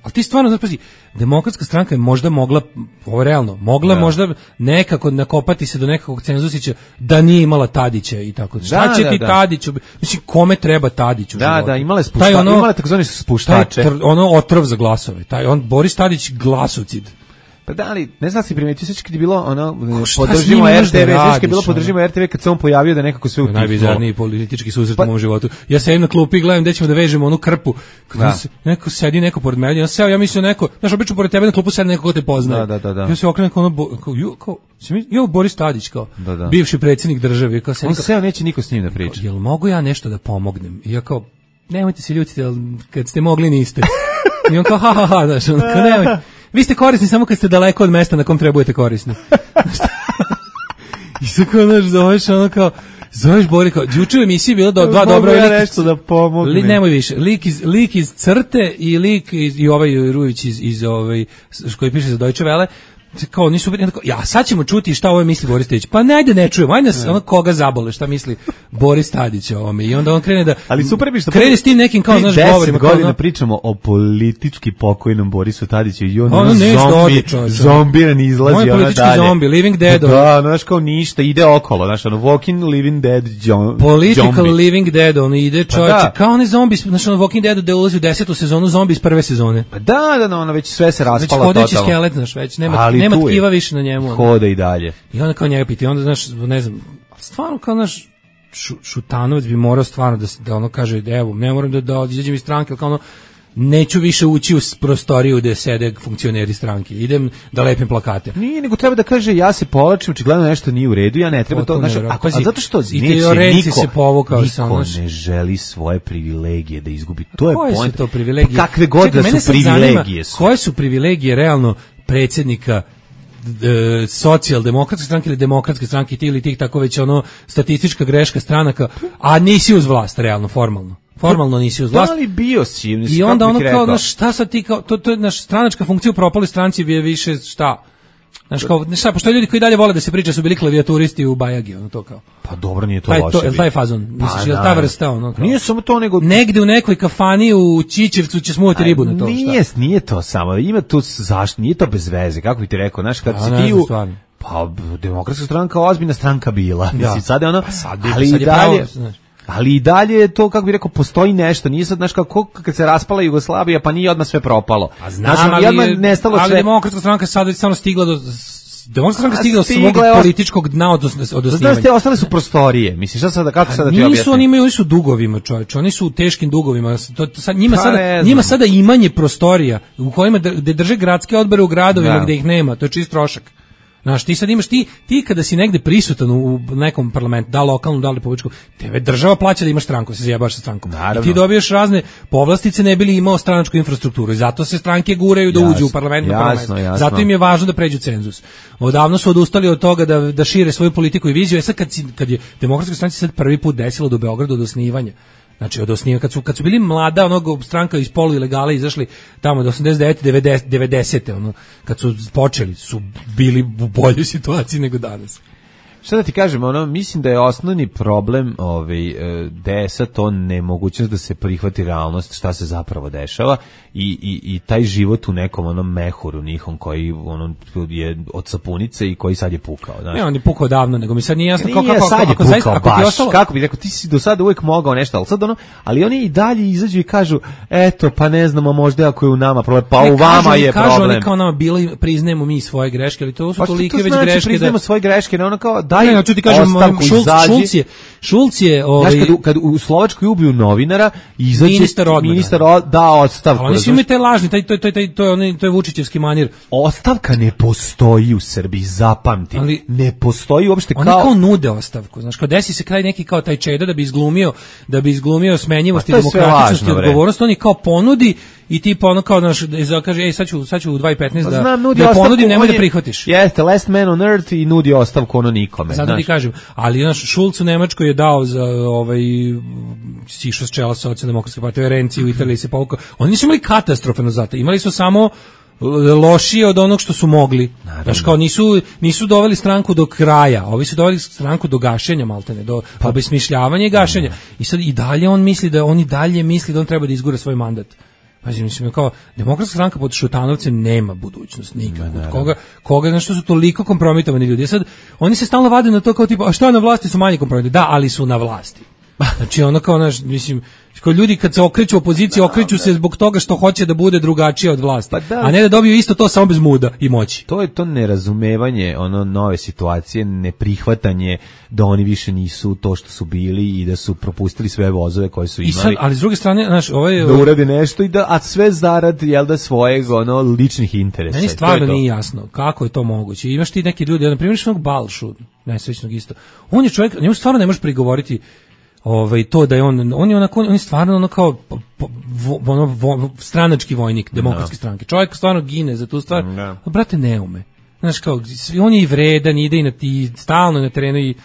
al ti stvarno znači, demokratska stranka je možda mogla, ovo realno, mogla da. možda nekako nakopati se do nekakvog cenzusića da nije imala Tadića i tako. Šta da, će da, ti da. Tadiću? Mislim, kome treba Tadić u da, životu? Da, da, imale spuštače, ono, imale takozvani spuštače. Taj, ono otrov za glasove. Taj on Boris Tadić glasocid. Pa da li, ne znam si primetio, sve kad je bilo ono, podržimo R T V, sve kad je bilo podržimo R T V kad se on pojavio da nekako sve utihlo. Najbizarniji politički susret pa, u mom životu. Ja sedim na klupi i gledam gde ćemo da vežemo onu krpu. Da. Se, neko sedi, neko pored mene, ja seo, ja mislim neko, znaš, obično pored tebe na klupu sedi neko ko te poznaje. Da, da, da, da. Ja se okrenem kao ono, kao, jo, kao, jo, Boris Tadić, kao, da, da. bivši predsjednik države. Kao, on seo, neće niko s njim da priča. Jel mogu ja nešto da pomognem? I ja kao, nemojte se ljutiti, kad ste mogli niste. I on kao, ha, ha, ha, znaš, on kao, nemoj. Vi ste korisni samo kad ste daleko od mesta na kom treba budete korisni. I sad kao, znaš, zoveš ono kao, zoveš Bori kao, juče u emisiji bilo da dva dobra ja nešto da pomognem. Li, nemoj više, lik iz, lik iz Crte i lik iz, i ovaj Rujević iz, iz ovaj, koji piše za Deutsche Welle, kao nisu tako, ja sad ćemo čuti šta ovo misli Boris Tadić. Pa najde ne čujemo, ajde nas ono koga zabole, šta misli Boris Tadić o ovome. I onda on krene da ali super bi što krene s tim nekim kao znaš govorima godina ono, pričamo o politički pokojnom Borisu Tadiću i on ono zombi, zombiran izlazi ona dalje. On politički zombi, living dead. Da, znaš kao ništa, ide okolo, znaš ono walking living dead zombie. Political living dead, on ide čovječe, pa da. Kao onaj zombi, znaš ono walking dead da ulazi u desetu sezonu zombi iz prve sezone. Pa da, da, no, ono već sve se raspalo totalno. Već hodeći skelet, znaš, već nema nema tkiva više na njemu. Hoda i dalje. I onda kao njega piti, onda znaš, ne znam, stvarno kao naš Šu, Šutanovac bi morao stvarno da, da ono kaže, evo, ne moram da, da izađem iz stranke, kao ono, neću više ući u prostoriju gde sede funkcioneri stranke. Idem da lepim plakate. Nije, nego treba da kaže ja se povlačim, očigledno nešto nije u redu, ja ne treba to, znači, a, a zato što i neće niko, se povukao niko sam, ne želi svoje privilegije da izgubi. To je koje point. Su to privilegije? Pa kakve god Čekaj, da su privilegije zanima, su. Koje su privilegije realno predsjednika E, socijaldemokratske stranke ili demokratske stranke ti ili tih tako već ono statistička greška stranaka, a nisi uz vlast realno, formalno. Formalno nisi uz vlast. Da li bio si? I onda ono kao, znaš, šta sad ti kao, to, to je naš stranačka funkcija u propali stranci je više šta? Znaš kao, šta, pošto ljudi koji dalje vole da se priča su bili klavijaturisti u Bajagi, ono to kao. Pa dobro, nije to taj, loše. To, je taj fazon, misliš, je ta vrsta ono kao. Nije samo to, nego negde u nekoj kafani u Čičevcu će smuvati ribu na to. Nije, šta? Nije to samo, ima tu zašto, nije to bez veze, kako bi ti rekao, znaš, kad a, si ti u... Stvarno. Pa, demokratska stranka, ozbiljna stranka bila. Ja. Mislim, sad je ono, pa sad, ali sad i dalje... Pravo, znaš. Ali i dalje je to, kako bih rekao, postoji nešto. Nije sad, znaš, kako kad se raspala Jugoslavija, pa nije odmah sve propalo. A znam, znaš, ali, odmah nestalo ali sve... demokratska stranka sad je samo stigla do... Demokratska stranka stigla do svog političkog dna od, od osnivanja. Znaš, te ostale su prostorije. Misliš, šta sada, kako sada ti objasnim? Nisu, oni imaju, oni su dugovima, čovječ. Oni su u teškim dugovima. To, sad, njima, pa sada, njima sada imanje prostorija u kojima gde drže gradske odbore u gradovima da. Gde ih nema. To je čist trošak. Znaš, ti sad imaš, ti, ti kada si negde prisutan u nekom parlamentu, da lokalnom, da republičkom, tebe država plaća da imaš stranku, se zajebaš sa strankom. Naravno. I ti dobiješ razne povlastice ne bi li imao stranačku infrastrukturu i zato se stranke guraju da jasno, uđu u parlament. Jasno, jasno. Zato im je važno da pređu cenzus. Odavno su odustali od toga da, da šire svoju politiku i viziju. E sad kad, si, kad je demokratska stranka sad prvi put desilo do Beograda od osnivanja, znači od osnivanja, kad su, kad su bili mlada onog stranka iz polu ilegale izašli tamo do osamdeset devete devedesete ono, kad su počeli su bili u boljoj situaciji nego danas. Šta da ti kažem, ono, mislim da je osnovni problem ovaj, D S-a to nemogućnost da se prihvati realnost šta se zapravo dešava i, i, i taj život u nekom onom mehuru njihom koji ono, je od sapunice i koji sad je pukao. Znaš. Ne, on je pukao davno, nego mi sad nije jasno kako, kako, sad je ako, pukao, zaista, ako baš, ostalo... kako bi rekao, ti si do sada uvijek mogao nešto, ali sad ono, ali oni i dalje izađu i kažu, eto, pa ne znamo, možda ako je u nama problem, pa ne, u vama kažu, je kažu, problem. Oni kao nama bili, priznajemo mi svoje greške, ali to su pa tolike to već znači, greške. Priznajemo da... svoje greške, ne ono kao, daj ne, ću ti kažem, Šulc, Šulc je, Šulc je ovaj... Znaš, kad, u, kad u Slovačkoj ubiju novinara, izađe ministar, odmah, ministar da, da ostavku. Ali oni su imaju taj lažni, taj, to, to, to, to, je, to je Vučićevski manir. Ostavka ne postoji u Srbiji, zapamti. Ali ne postoji uopšte kao... Oni kao nude ostavku. Znaš, kao desi se kraj neki kao taj Čeda da bi izglumio, da bi izglumio smenjivost i demokratičnost i odgovornost, oni kao ponudi i tipa ono kao naš kaže ej sad ću sad ću u dva i petnaest da znam, da ponudim, nemoj da prihvatiš. Jeste, last man on earth i nudi ostavku ono nikome. Sad ti kažem, ali naš Šulc u Nemačkoj je dao za ovaj sišao s čela Socijaldemokratske partije, Renci u Italiji se povukao. Oni nisu imali katastrofalno zato, imali su samo lošije od onog što su mogli. Znaš, kao nisu, nisu doveli stranku do kraja, ovi su doveli stranku do gašenja maltene, do pa, obesmišljavanja i gašenja. I sad i dalje on misli da, on i dalje misli da on treba da izgura svoj mandat. Pazi, mislim, kao, demokratska stranka pod Šutanovcem nema budućnost nikako. Od koga, koga, znaš, što su toliko kompromitovani ljudi. Sad, oni se stalno vade na to kao tipa, a što na vlasti su manje kompromitovani? Da, ali su na vlasti. Znači, ono kao, naš, mislim, kao ljudi kad se okreću opoziciji, okreću se zbog toga što hoće da bude drugačije od vlasti. Pa da. A ne da dobiju isto to samo bez muda i moći. To je to nerazumevanje, ono, nove situacije, neprihvatanje da oni više nisu to što su bili i da su propustili sve vozove koje su imali. I sad, ali s druge strane, znaš, ovaj... Da urade nešto i da, a sve zarad, jel da, svojeg, ono, ličnih interesa. Meni stvarno nije jasno kako je to moguće. Imaš ti neki ljudi, na primjer, što Balšu, nesrećnog isto. On je čovjek, njemu stvarno ne možeš prigovoriti ovaj to da je on on je onako on je stvarno ono kao vo, ono vo, stranački vojnik demokratske no. stranke. Čovjek stvarno gine za tu stvar. No. A brate ne ume. Znaš kao on je i vredan, ide i na ti stalno na terenu i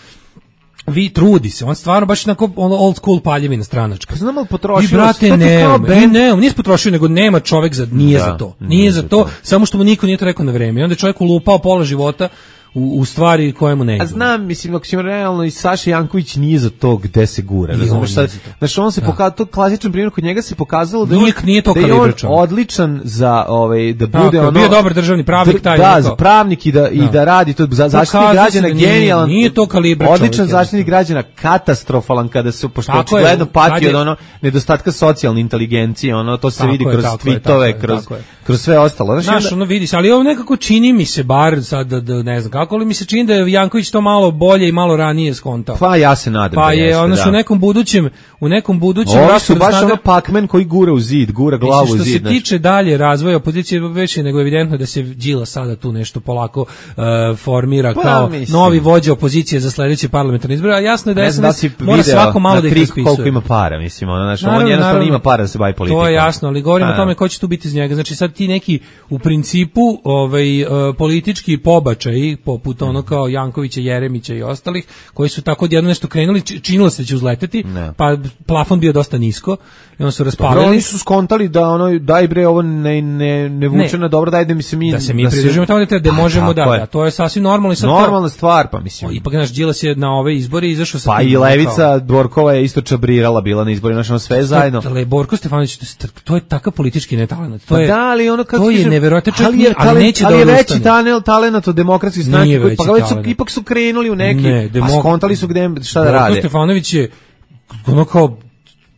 vi trudi se. On stvarno baš onako old school paljevina stranačka. Znam li potrošio? I brate ne ume. Ne, nije potrošio nego nema čovjek za nije da, za to. Nije, nije za to, to, samo što mu niko nije to rekao na vreme. I onda je čovjek ulupao pola života U, u stvari kojemu ne. A znam, mislim, ako ćemo realno i Saša Janković nije za to gde se gura. Razumeš sad? Znači on se da. pokazao, to klasičan primjer kod njega se pokazalo da, nije, on, nije to da je on odličan za ovaj da bude tako, ono bio dobar državni pravnik taj. Da, za pravnik i da, da i da radi to za zaštitu građana genijalan. Nije to kalibra. Odličan zaštitnik građana, katastrofalan kada se pošto očigledno pati od ono nedostatka socijalne inteligencije, ono to se tako vidi je, kroz tweetove, kroz kroz sve ostalo. Znaš, ono vidiš, ali ovo nekako čini mi se bar sad da ne znam tako, ali mi se čini da je Janković to malo bolje i malo ranije skontao. Pa ja se nadam pa da je, jeste, ono su da. u nekom budućem, u nekom budućem Ovo rasporedu su baš snaga- ono Pac-Man koji gura u zid, gura glavu u Što zid. se tiče dalje razvoja opozicije, već je nego evidentno da se Đila sada tu nešto polako uh, formira Pa, kao mislim. novi vođa opozicije za sledeće parlamentarne izbore, a jasno je da Ne znam da S N S si mora video svako malo na da ih trik raspisuje. koliko ima para, mislim, ono, znači, on Naravno, jednostavno naravno. ima para da se bavi politikom. To je jasno, ali govorimo A, o tome ko će tu biti iz njega. Znači sad ti neki u principu ovaj uh, politički pobačaji poput ono kao Jankovića, Jeremića i ostalih koji su tako odjednom nešto krenuli, či- činilo se da će uzleteti, Ne. pa plafon bio dosta nisko i onda su Dobro, raspalili. oni su skontali da ono daj bre ovo ne ne ne vuče Ne. na dobro, daj da mi se mi da se mi pridržimo tamo da treba, da Pa, možemo da, tako je. da, to je sasvim normalno i sad kao- Normalna stvar, pa mislim. ipak naš Đilas je na ove izbore izašao sa Pa tim, i kao- Levica Dvorkova je isto čabrirala bila na izborima, znači ono sve zajedno. Ale Borko Stefanović, to je- to je takav politički netalenat. To Pa je, da, ali ono kako to je kažem, neverovatno, čovjek ali nije- je ali talent- neće ali da je veći odustane. tanel talenat od demokratske Nije stranke, koji- veći pa već su, talenat. ipak su krenuli u neki, Ne, a demok- skontali su gde šta da Borko rade. Stefanović je ono kao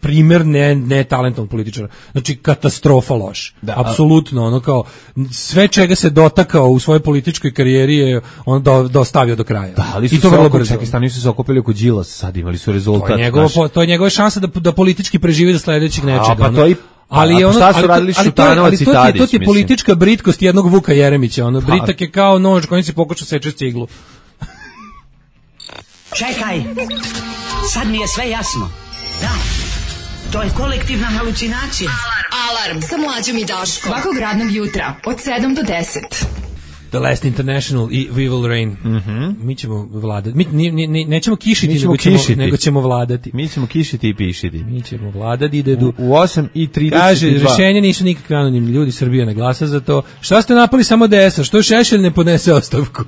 primer ne, ne talentovnog političara. Znači, katastrofa loš. Da. Apsolutno, ono kao, sve čega se dotakao u svojoj političkoj karijeri je on do, dostavio do kraja. Da, ali su I to se vrlo oko- brzo. čekaj, stani su se okupili oko Đilasa, sad imali su rezultat. To je, njegova, znaš. to je njegova šansa da, da politički preživi do sledećeg nečega. pa ono. to i- ali a je pa ono, šta su ali to- radili ali to je- Šutanovac ali i to ti je- Tadić, To ti je mislim. politička britkost jednog Vuka Jeremića. Ono, Pa. britak je kao nož kojim se pokuša seče ciglu. Čekaj, sad mi je sve jasno. Da, to je kolektivna halucinacija. Alarm sa mlađom i Daškom. Svakog radnog jutra od sedam do deset. The Last International i We Will Reign. Mhm. Mi ćemo vladati. Mi, ni, ni, ni, nećemo kišiti, Mi ćemo nego, ćemo, kišiti. nego ćemo vladati. Mi ćemo kišiti i pišiti. Mi ćemo vladati. Ide du... U, u osam i trideset Kaže, dva. rešenje nisu nikakvi anonimni ljudi, Srbija ne glasa za to. Šta ste napali samo D S-a? Što Šešelj ne podnese ostavku?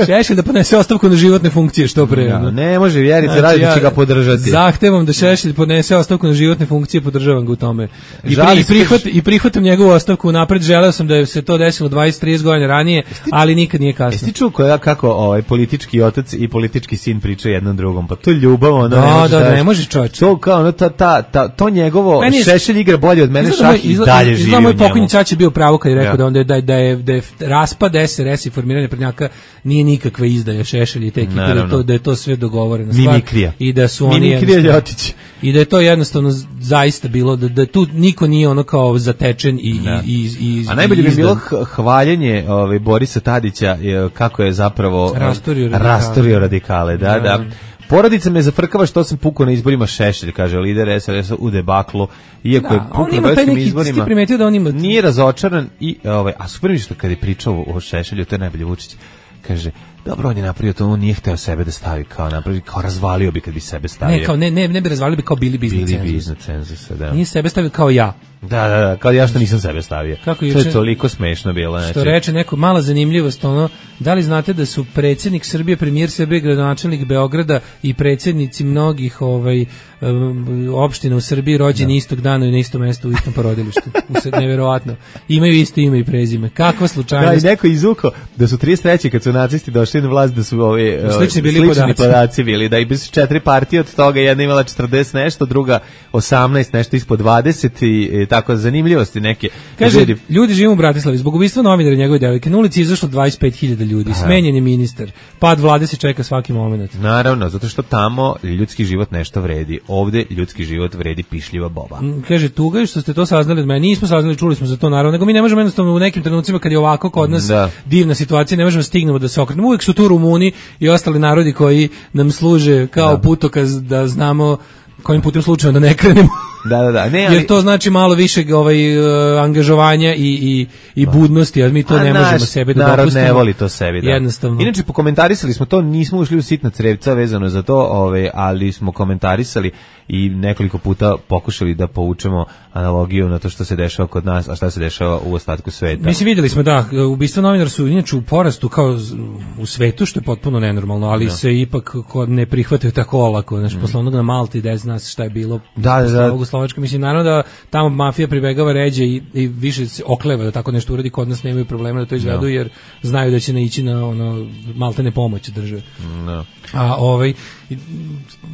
Šešelj da podnese ostavku na životne funkcije, što pre. Ja, ono. ne može, Vjerica Znači, radi da ja će ga podržati. Zahtevam da Šešelj podnese ostavku na životne funkcije, podržavam ga u tome. I, Žali pri, i, se, prihvat, kažeš- i prihvatam njegovu ostavku napred. Želeo sam da je se to desilo dvadeset trideset godina ranije, ali nikad nije kasno. Jesi ti čuo koja, kako ovaj politički otac i politički sin pričaju jednom drugom? Pa to je ljubav, ono, Da, ne možeš da, da- ne možeš, čoveče. To kao, ono, ta, ta, ta, to njegovo, Meni je- Šešelj igra bolje od mene, Izgleda moj- šah i izgleda- dalje živi izgleda u moj njemu. pokojni ćaća bio pravo kad je rekao Ja. da, onda je, da, da, je, da je raspad S R S i formiranje prednjaka nije nikakva izdaja Šešelj i te ekipe, da je, Naravno. to, da je to sve dogovoreno stvar. Mimikrija. I da su oni Mimikrija jednostavno- Ljotić. I da je to jednostavno z- zaista bilo, da, da tu niko nije ono kao zatečen i, Da. i, i, i A najbolje i bi izdan. bilo h- hvaljenje ovaj, Borisa Tadića je, kako je zapravo Rasturio radikale. rasturio radikale, da, Da. da. Porodica me zafrkava što sam pukao na izborima Šešelj, kaže lider S R S-a u debaklu, iako Da, je on pukao na ima taj beogradskim neki- izborima. ti primetio da on ima- Nije razočaran i, ovaj, a super mi je što kad je pričao o Šešelju, to je najbolje Vučić, kaže, dobro, on je napravio to, on nije hteo sebe da stavi kao napravi, kao razvalio bi kad bi sebe stavio. Ne, kao, ne, ne, ne bi razvalili bi kao bili bi iznad Bili bi cenzusa. iznad cenzusa, da. Nije sebe stavio kao ja. Da, da, da, kao ja što nisam sebe stavio. Kako to juče- je toliko smešno bilo. Što Znači, reče neko, mala zanimljivost, ono, da li znate da su predsjednik Srbije, premijer Srbije, gradonačelnik Beograda i predsjednici mnogih ovaj, um, opština u Srbiji rođeni istog dana i na istom mestu u istom porodilištu. Usred, neverovatno. Imaju isto ime i prezime. Kakva da, i slučajnost. neko izvuko da su trideset treće kad su nacisti došli na vlast da su ovi Slični slični bili bili podaci. podaci bili, da i bi su četiri partije od toga, jedna imala četrdeset nešto, druga osamnaest, nešto ispod dvadeset i, i tako zanimljivosti neke. Kaže, Ljudi- ljudi žive u Bratislavi. Zbog ubistva novinara i njegove devojke na ulici je izašlo dvadeset pet hiljada ljudi. Smenjen je ministar. Pad vlade se čeka svaki moment. Naravno, zato što tamo ljudski život nešto vredi. Ovde ljudski život vredi pišljiva boba. Mm, Kaže, tuga je što ste to saznali od mene. Nismo saznali, čuli smo za to naravno, nego mi ne možemo jednostavno u nekim trenucima kad je ovako kod nas Da. divna situacija, ne možemo da stignemo da se okrenemo. Uvijek su tu Rumuni i ostali narodi koji nam služe kao putokaz da znamo kojim putem slučajno da ne krenemo. Da, da, da. Ne, ali, Jer to znači malo više ovaj, uh, angažovanja i, i, i budnosti, a mi to A ne naš možemo sebi da narod dopustimo. ne voli to sebi, da. Jednostavno. Inače, pokomentarisali smo to, nismo ušli u sitna crevca vezano za to, ove, ali smo komentarisali i nekoliko puta pokušali da povučemo analogiju na to što se dešava kod nas, a šta se dešava u ostatku sveta. Mislim, vidjeli smo da ubistva novinara su inače u porastu kao z- u svetu, što je potpuno nenormalno, ali se ipak kod ne prihvataju tako olako. Znači, posle onog na Malti, da zna se šta je bilo Da, da, posle da, ovog u Slovačka. Mislim, naravno da tamo mafija pribegava ređe i, i više se okleva da tako nešto uradi, kod nas nemaju problema da to izvedu, no. jer znaju da će naići na ono maltene pomoć države. No. A ovaj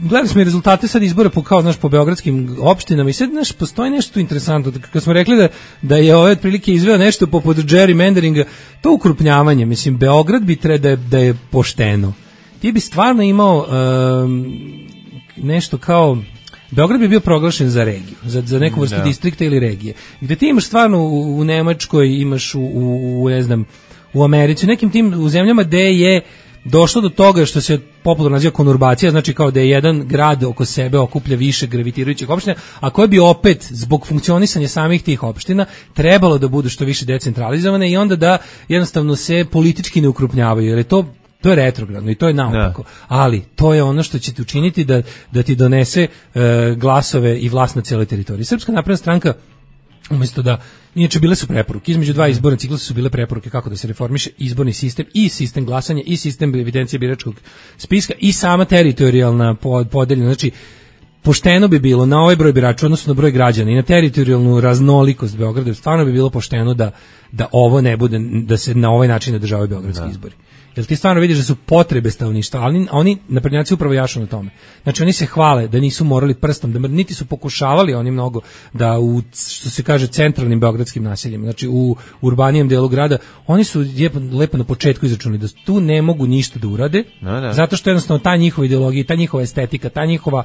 gledali smo i rezultate sad izbora po kao znaš po beogradskim opštinama i sad znaš postoji nešto interesantno kad smo rekli da da je ovaj otprilike izveo nešto poput gerrymanderinga, to ukrupnjavanje, mislim Beograd bi treba da je, da je pošteno. Ti bi stvarno imao um, nešto kao Beograd bi bio proglašen za regiju, za, za neku vrstu no. distrikta ili regije. Gde ti imaš stvarno u, u Nemačkoj, imaš u, u, u ne znam, u Americi, u nekim tim u zemljama gde je došlo do toga što se popularno naziva konurbacija, znači kao da je jedan grad oko sebe okuplja više gravitirajućih opština, a koje bi opet zbog funkcionisanja samih tih opština trebalo da budu što više decentralizovane i onda da jednostavno se politički ne ukrupnjavaju, jer je to to je retrogradno i to je naopako, ali to je ono što će ti učiniti da, da ti donese e, glasove i vlast na cijeloj teritoriji. Srpska napredna stranka umjesto da, inače bile su preporuke, između dva izborna ciklusa su bile preporuke kako da se reformiše izborni sistem i sistem glasanja i sistem evidencije biračkog spiska i sama teritorijalna podeljena, znači pošteno bi bilo na ovaj broj birača, odnosno na broj građana i na teritorijalnu raznolikost Beograda, stvarno bi bilo pošteno da, da ovo ne bude, da se na ovaj način održavaju beogradski da. izbori. Jer ti stvarno vidiš da su potrebe stanovništva, ali oni naprednjaci upravo jašu na tome. Znači oni se hvale da nisu morali prstom, da niti su pokušavali oni mnogo da u, što se kaže, centralnim beogradskim naseljima, znači u urbanijem delu grada, oni su lijepo, lepo na početku izračunali da tu ne mogu ništa da urade, no, no. zato što jednostavno ta njihova ideologija, ta njihova estetika, ta njihova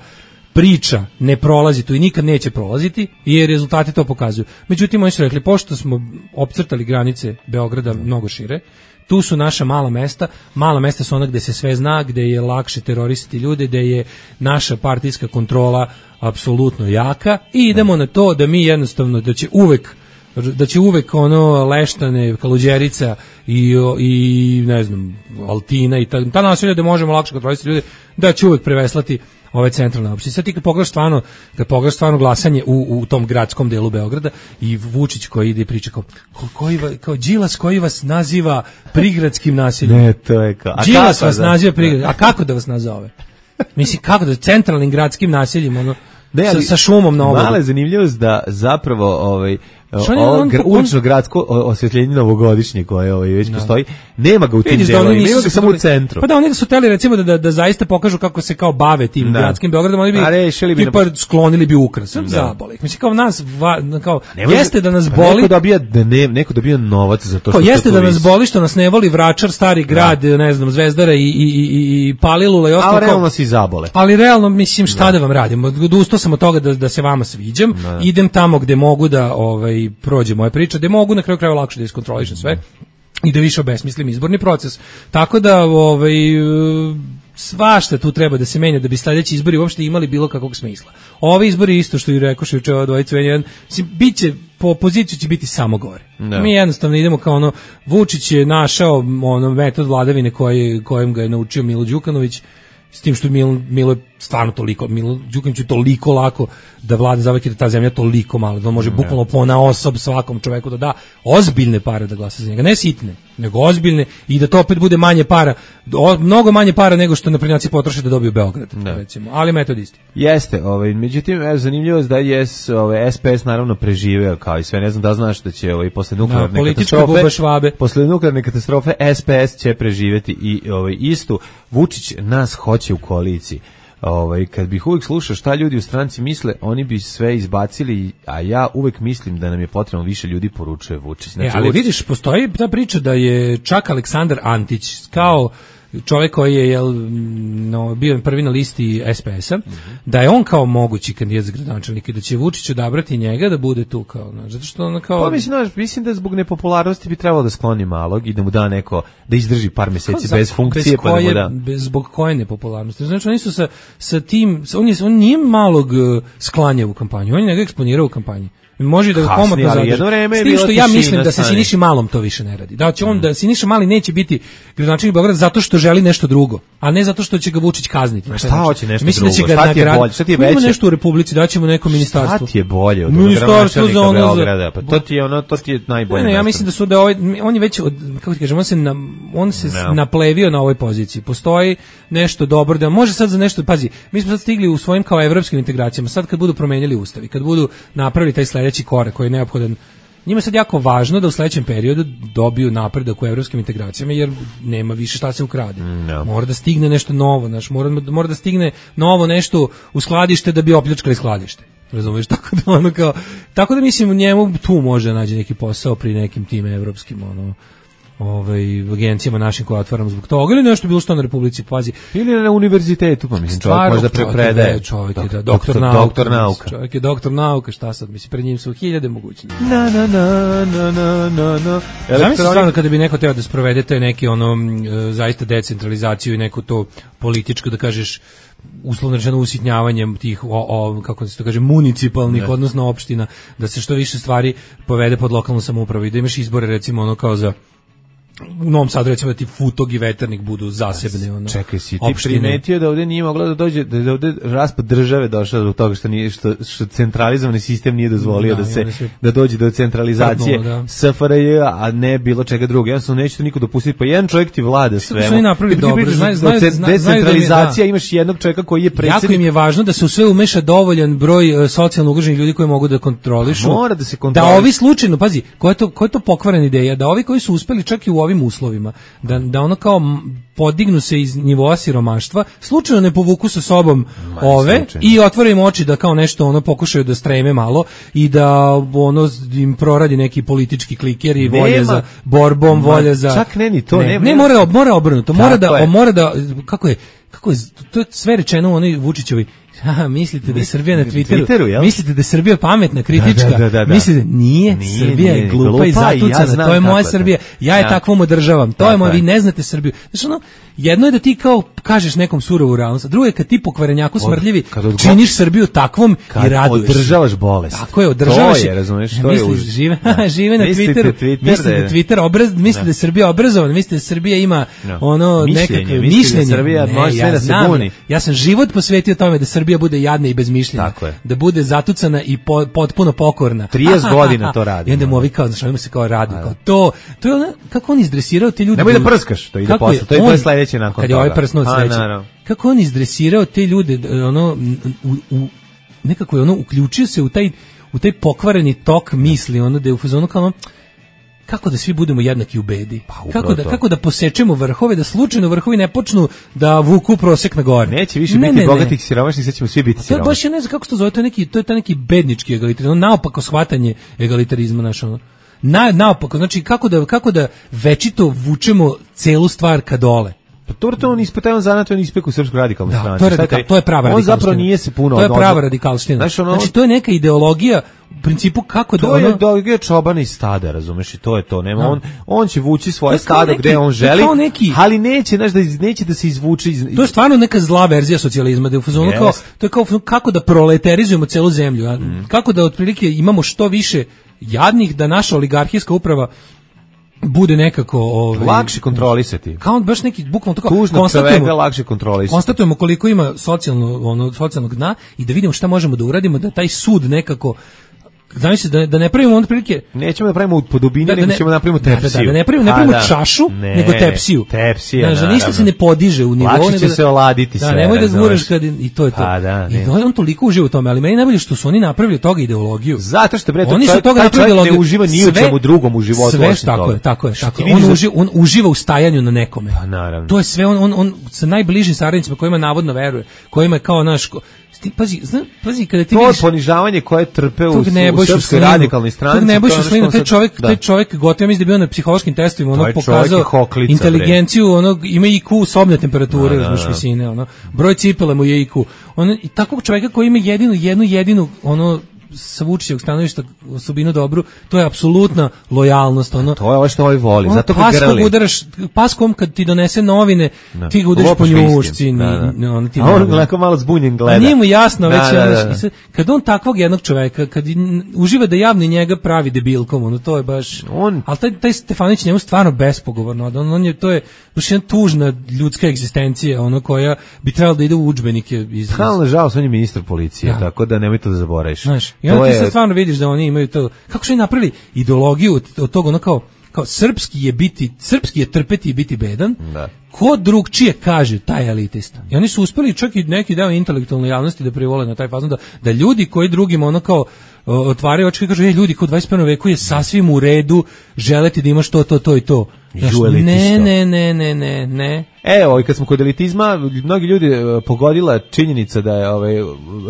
priča ne prolazi tu i nikad neće prolaziti, jer rezultati to pokazuju. Međutim, oni su rekli, pošto smo opcrtali granice Beograda mnogo šire, tu su naša mala mesta, mala mesta su ona gde se sve zna, gde je lakše terorisati ljude, gde je naša partijska kontrola apsolutno jaka i idemo na to da mi jednostavno, da će uvek da će uvek ono Leštane, Kaluđerica i, i ne znam, Altina i ta, ta naselja da možemo lakše kontrolisati ljude, da će uvek preveslati ove centralne opštine. Sad ti kad pogledaš stvarno, kad pogledaš stvarno glasanje u, u tom gradskom delu Beograda i Vučić koji ide i priča kao, koji, kao Đilas koji vas naziva prigradskim naseljem. Ne, to je kao. Đilas vas da, naziva prigradskim. A kako da vas nazove? Mislim, kako da, centralnim gradskim naseljima, ono, ne, ali, sa, sa šumom na obodu. Mala je zanimljivost da zapravo ovaj ovo ulično gradsko osvetljenje novogodišnje koje ovaj već no. postoji, nema ga u tim delovima, ima ga samo u centru. Pa da, oni da su teli recimo da, da, da zaista pokažu kako se kao bave tim da. gradskim Beogradom, oni bi, bi tipa na... sklonili bi ukras, da. zaboli. Mislim kao nas, va, kao, nema jeste da nas boli... Neko dobija, da ne, neko dobija novac za to što... Kao, jeste da nas boli što nas ne voli Vračar, Stari grad, da. ne znam, Zvezdara i, i, i, i Palilula i ostalo. Ali realno si zabole. Ali realno, mislim, šta da, da vam radim? Odustao sam od toga da, da se vama sviđam, da. idem tamo gde mogu da ovaj, prođe moja priča, da mogu na kraju krajeva lakše da iskontrolišem sve i da više obesmislim izborni proces. Tako da ovaj, svašta tu treba da se menja da bi sledeći izbori uopšte imali bilo kakvog smisla. Ovi izbori isto što i rekoš juče ova dvojica, biće po opoziciju će biti samo gore. Da. Mi jednostavno idemo kao ono, Vučić je našao ono metod vladavine koji, kojem ga je naučio Milo Đukanović, s tim što Milo, Milo je stvarno toliko, Milo Đukanović je toliko lako da vlada zavek, da ta zemlja toliko mala, da on može bukvalno pona osob svakom čoveku da da ozbiljne pare da glasa za njega, ne sitne, nego ozbiljne i da to opet bude manje para, o, mnogo manje para nego što naprednjaci potroše da dobiju Beograd, da. recimo, ali metod isti. Jeste, ovaj, međutim, evo, zanimljivo je da je ovaj, S P S naravno preživeo, kao i sve, ne znam da znaš da će ovaj, posle nuklearne da, katastrofe, posle nuklearne katastrofe S P S će preživeti i ovaj, istu. Vučić nas hoće u koaliciji. Ovaj, kad bih uvijek slušao šta ljudi u stranci misle, oni bi sve izbacili, a ja uvijek mislim da nam je potrebno više ljudi, poručuje Vučić. Znači, e, ali Vučić... vidiš, postoji ta priča da je čak Aleksandar Antić kao čovjek koji je jel, no, bio prvi na listi S P S-a, mm-hmm. da je on kao mogući kandidat za gradonačelnika i da će Vučić odabrati njega da bude tu kao, no, zato što on kao... Pa mislim, no, mislim da zbog nepopularnosti bi trebalo da skloni malog i da mu da neko, da izdrži par mjeseci bez funkcije, bez koje, pa da mu da... Bez, zbog koje nepopularnosti? Znači, oni su sa, sa tim, on, je, on nije malog sklanja u kampanju, on je njega eksponirao u kampanji. Može da ga komotno zadrži. S tim što ja mislim da se Siniši Malom to više ne radi. Da će on, da Siniša Mali neće biti gradonačelnik Beograda zato što želi nešto drugo, a ne zato što će ga Vučić kazniti. A šta hoće nešto mislim drugo? Da će ga šta ti je bolje? Šta ti je veće? Ima nešto u Republici, daćemo neko ministarstvo. Šta ti je bolje od ministarstvo za ono Beograda? Pa to ti je ono, to ti je najbolje. Ne, ne, ja mislim da su da ovaj, on je već od, kako ti kažem, on se na, on se no. naplevio na ovoj poziciji. Postoji nešto dobro da može sad za nešto, pazi, mi smo sad stigli u svojim kao evropskim integracijama. Sad kad budu promenjali ustav i kad budu napravili taj sledeći korak koji je neophodan, njima je sad jako važno da u sledećem periodu dobiju napredak u evropskim integracijama, jer nema više šta se ukrade. No. Mora da stigne nešto novo, znaš, mora, mora da stigne novo nešto u skladište da bi opljačkali skladište. Razumeš, tako da ono kao, tako da mislim u njemu tu može da nađe neki posao pri nekim tim evropskim ono ovaj agencijama našim koje otvaramo zbog toga ili nešto bilo što na Republici, pazi, ili na univerzitetu, pa mislim čovjek možda prepredaje, čovjek je da, doktor, doktor, doktor nauka, čovjek je doktor nauka, šta sad mislim, pred njim su hiljade mogućnosti. Na na na na na na na. Zamisli stvarno kada bi neko teo da sprovede te neki ono zaista decentralizaciju i neku to političko da kažeš uslovno rečeno usitnjavanjem tih o, o, kako se to kaže municipalnih ne. odnosno opština, da se što više stvari povede pod lokalnu samoupravu i da imaš izbore recimo ono kao za u Novom Sadu recimo da ti Futog i Veternik budu zasebne ono. Čekaj, si ti primetio da ovdje nije mogla da dođe, da je ovdje raspad države došao zbog toga što nije što, što centralizovani sistem nije dozvolio da, da se sve, da dođe do centralizacije da. S F R J, a ne bilo čega drugog. Jednostavno neće to niko dopustiti, pa jedan čovjek ti vlada sve. Su oni napravili dobro, znaju, znaju, decentralizacija, da imaš jednog čovjeka koji je predsjednik. Jako im je važno da se u sve umeša dovoljan broj uh, socijalno ugroženih ljudi koji mogu da kontrolišu. Mora da se kontroliše. Da ovi slučajno, pazi, koja je to koja je to pokvarena ideja, da ovi koji su uspeli čak i u ovim uslovima, da, da ono kao podignu se iz nivoa siromaštva, slučajno ne povuku sa sobom Ma, ove slučajno. I otvore im oči da kao nešto ono pokušaju da streme malo i da ono im proradi neki politički kliker i volje za borbom, Ma, volje za čak ne ni to, ne, nema, ne mora mora obrnuto, mora da je. mora da kako je kako je to je sve rečeno u onoj Vučićevoj. Aha, mislite da je Srbija na Twitteru, Twitteru mislite da je Srbija pametna, kritička, da, da, da, da. Mislite, nije, nije Srbija nije, je glupa, glupa i zatucana, ja to je moja Srbija, ja je ja. takvom održavam, to je moja, vi ne znate Srbiju. Znači ono, jedno je da ti kao kažeš nekom surovu realnost, a drugo je kad ti po kvarenjaku smrdljivi Od, činiš Srbiju takvom i raduješ. Održavaš bolest. Tako je, održavaš je, razumeš, to je už. Žive, žive na Twitteru, mislite da je Twitter obraz, mislite da je Srbija obrazovana, mislite da Srbija ima ono nekakve mišljenje. Srbija može sve da se buni. Ja sam život posvetio tome da Srbija bude jadna i bez mišljenja, da bude zatucana i po, potpuno pokorna. trideset godina to radi. I onda mu ovi kao, znaš, ovima se kao radi, kao to, to je ono, kako on izdresirao te ljude. Nemoj da prskaš, to ide posle, to je sledeće nakon toga. Kad je ovaj prsnuo sledeće. Kako on izdresirao te ljude, ono, u, u, nekako je ono, uključio se u taj, u taj pokvareni tok misli, ono, da je u fazonu kao ono, kako da svi budemo jednaki u bedi, pa, kako, da, kako da posečemo vrhove, da slučajno vrhovi ne počnu da vuku prosek na gore. Neće više ne, biti ne, bogatih i siromašnih, sad ćemo svi biti siromašni. To je baš, ja ne znam kako se to zove, to je neki, to je taj neki bednički egalitarizam, naopako shvatanje egalitarizma našo. Ono. Na, naopako, znači kako da, kako da večito vučemo celu stvar ka dole. Pa to je on ispitajan zanat, on ispek u Srpskoj radikalnoj strani. To je, radikal, to je prava radikalština. On zapravo nije se puno To je prava radikalština. Znači, ono, znači to je neka ideologija u principu kako to da ono... To je ideologija čobana i stada, razumeš, i to je to. Nema no. on on će vući svoje stado neki, gde on želi, neki, ali neće, znaš, da neće da se izvuče iz... To je stvarno neka zla verzija socijalizma, da je u fazonu yes. kao to je kao kako da proleterizujemo celu zemlju, a? Mm. Kako da otprilike imamo što više jadnih, da naša oligarhijska uprava bude nekako ovaj lakše kontrolisati. Kao baš neki bukvalno tako konstatujemo lakše kontrolisati. Konstatujemo koliko ima socijalno ono socijalnog dna i da vidimo šta možemo da uradimo da taj sud nekako znači da da ne pravimo onda prilike nećemo da pravimo po dubini, da, da nego ćemo da napravimo tepsiju. Da, da, da ne pravimo, ne pravimo da. čašu, ne, nego tepsiju. Tepsija. Znači ništa se ne podiže u nivou, nego će se oladiti sve. Da, nemoj da zguraš kad i to je to. Pa, da, I on toliko uživa u tome, ali meni najbolje što su oni napravili toga ideologiju. Zato što bre to oni su toga napravili ideologiju. Ne uživa ni u čemu drugom u životu. Sve tako je, tako je, tako. On uživa, on uživa u stajanju na nekome. Pa naravno. To je sve on on on sa najbližim saradnicima kojima navodno veruje, kojima je kao naš pazi, zna, pazi kada ti to vidiš to ponižavanje koje trpe u, u Srpskoj radikalnoj stranci. To ne bojiš slinu, taj čovjek, da. taj čovjek gotovo mislim da bio na psihološkim testovima, ono pokazao hoklica, inteligenciju, ono ima I Q sobne temperature, da, da, visine, ono broj cipela mu je I Q. On i takvog čovjeka koji ima jedinu jednu jedinu ono sa Vučićevog stanovišta osobinu dobru, to je apsolutna lojalnost. Ono, to je ovo što ovaj voli, ono, zato ga grli. Udaraš, paskom kad ti donese novine, da. ti ga udariš po njušci. Da, da. On, ti a on gleda malo zbunjen gleda. A nije mu jasno već. Da, da, da. Kad on takvog jednog čoveka, kad uživa da javno njega pravi debilkom, ono, to je baš... On... Ali taj, taj Stefanović njemu stvarno bespogovorno. On, on je, to je baš jedna tužna ljudska egzistencija, ono koja bi trebalo da ide u udžbenike. Iz, iz... Ali nažalost, on je ministar policije, da. Tako da nemoj to da zaboraviš. Znaš, i onda ti je... sad stvarno vidiš da oni imaju to... Kako su oni napravili ideologiju od, od toga, ono kao, kao srpski je biti, srpski je trpeti i biti bedan, da. Ko drugčije kaže taj elitista. I oni su uspeli čak i neki deo intelektualne javnosti da privole na taj fazon, da, da ljudi koji drugima ono kao otvaraju oči i kažu, ej, ljudi, kod dvadeset prvom veku je sasvim u redu želeti da imaš to, to, to i to. Znaš, ne, ne, ne, ne, ne, ne. Evo, i kad smo kod elitizma, mnogi ljudi pogodila činjenica da je ovaj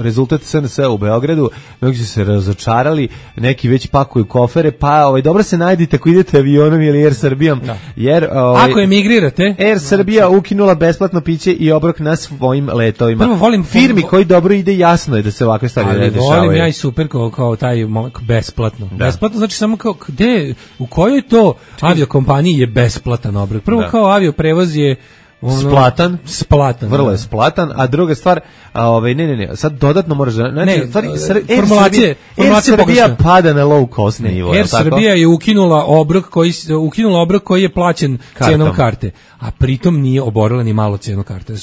rezultat S N S u Beogradu, mnogi su se razočarali, neki već pakuju kofere, pa ovaj dobro se najdite ako idete avionom ili Air Srbijom, da. Jer ovaj, ako emigrirate, Air Srbija ukinula besplatno piće i obrok na svojim letovima. Prvo volim firmi vo... koji dobro ide, jasno je da se ovakve stvari ne dešavaju. Volim ja i super kao, kao taj besplatno. Da. Besplatno znači samo kao gde, u kojoj to aviokompaniji je besplatan obrok. Prvo da. Kao avioprevoz je ono, splatan, splatan, vrlo je splatan, a druga stvar, a ovaj ne ne ne, sad dodatno moraš da znači ne, stvari formulacije, formulacija Srbija pada na low cost nivo. Air Srbija je ukinula obrok koji ukinula obrok koji je plaćen Kartom. Cenom karte, a pritom nije oborila ni malo cenu karte.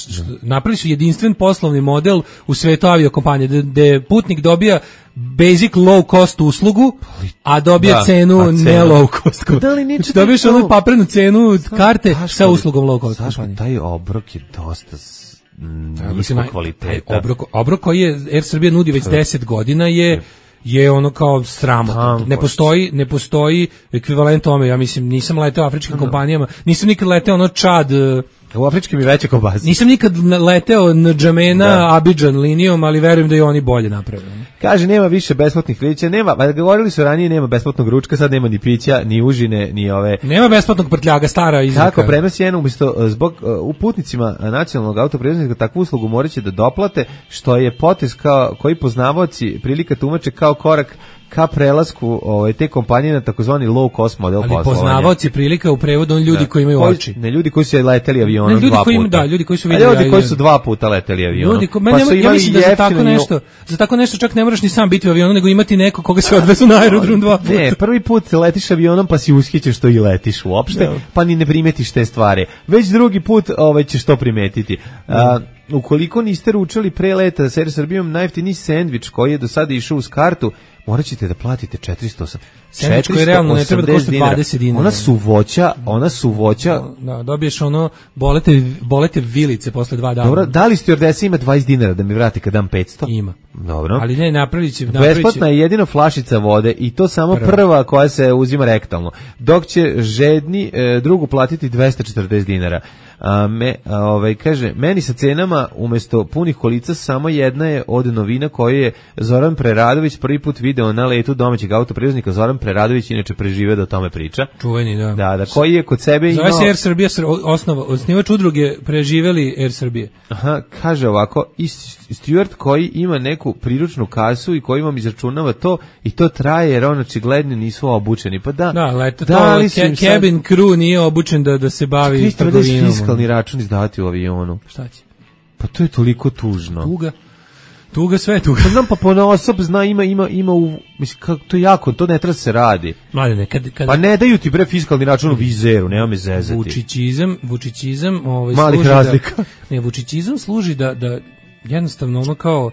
Napravili su jedinstven poslovni model u svetu aviokompanije gde putnik dobija basic low cost uslugu, a dobija da, cenu a ne low cost. Da li neće dobiješ onu paprenu cenu karte sa uslugom low cost. Zašto taj obrok je dosta nisko kvaliteta. Obrok, obrok koji je Air Srbija nudi već deset godina je je ono kao sramotno. Ne postoji, ne postoji ekvivalent tome. Ja mislim, nisam leteo afričkim no. kompanijama, nisam nikad leteo ono Čad. U afričkim i veće kobasi. Nisam nikad leteo na Džamena, da. Abidžan linijom, ali verujem da i oni bolje napravili. Kaže, nema više besplatnih pića, nema, pa govorili su ranije, nema besplatnog ručka, sad nema ni pića, ni užine, ni ove... Nema besplatnog prtljaga, stara izreka. Kako, prenos je jedno, umjesto, zbog uh, putnicima nacionalnog autoprevoznika takvu uslugu morat će da doplate, što je potez kao, koji poznavaoci prilika tumače kao korak ka prelasku ovaj, te kompanije na takozvani low cost model poslovanja. Ali poznavaoci prilika u prevodu on ljudi da. koji imaju koji, oči. Ne ljudi koji su leteli avionom ne, ljudi dva koji puta. Im, da, ljudi koji su vidjeli. Ljudi koji su dva puta leteli avionom. Ljudi ko, pa nema, ja mislim da za tako nešto, za tako nešto čak ne moraš ni sam biti u avionu, nego imati neko koga se odvezu na aerodrom dva puta. Ne, prvi put letiš avionom pa si ushićeš što i letiš uopšte, da. Pa ni ne primetiš te stvari. Već drugi put ovaj ćeš to primetiti. A, ukoliko niste ručali pre leta sa Air Srbijom, najjeftiniji sendvič koji je do sada išao uz kartu, morat ćete da platite četiristo osamdeset sendvič koji realno ne treba da košta dvadeset dinara. Ona su voća, ona su voća. Da, dobiješ ono, bolete, bolete vilice posle dva dana. Dobro, da li stewardesa ima dvadeset dinara da mi vrati kad dam petsto? Ima. Dobro. Ali ne, napravit će... Besplatna je jedino flašica vode i to samo prva, prva koja se uzima rektalno. Dok će žedni e, drugu platiti dvesta četrdeset dinara. A me, a ovaj, kaže, meni sa cenama umjesto punih kolica samo jedna je od novina koju je Zoran Preradović prvi put video na letu domaćeg autoprevoznika. Zoran Preradović inače preživio da o tome priča. Čuveni, da. Da, da, koji je kod sebe imao... Zove se Air Srbija, osnova, osnivač udruge preživeli Air Srbije. Aha, kaže ovako, i steward koji ima neku priručnu kasu i koji vam izračunava to i to traje jer on očigledno nisu obučeni. Pa da, da, leto, da to, ke, cabin sad... crew nije obučen da, da se bavi trgovinom. Fiskalni račun izdavati u avionu. Šta će? Pa to je toliko tužno. Tuga. Tuga, sve tuga. Pa znam, pa pona osob zna, ima, ima, ima u, mislim, kako, to je jako, to ne treba se radi. Mladene, kad, kad... Pa ne daju ti bre fiskalni račun u vizeru, nema me zezati. Vučićizam, vučićizam, ovaj, malih razlika. Da, ne, vučićizam služi da, da jednostavno ono kao,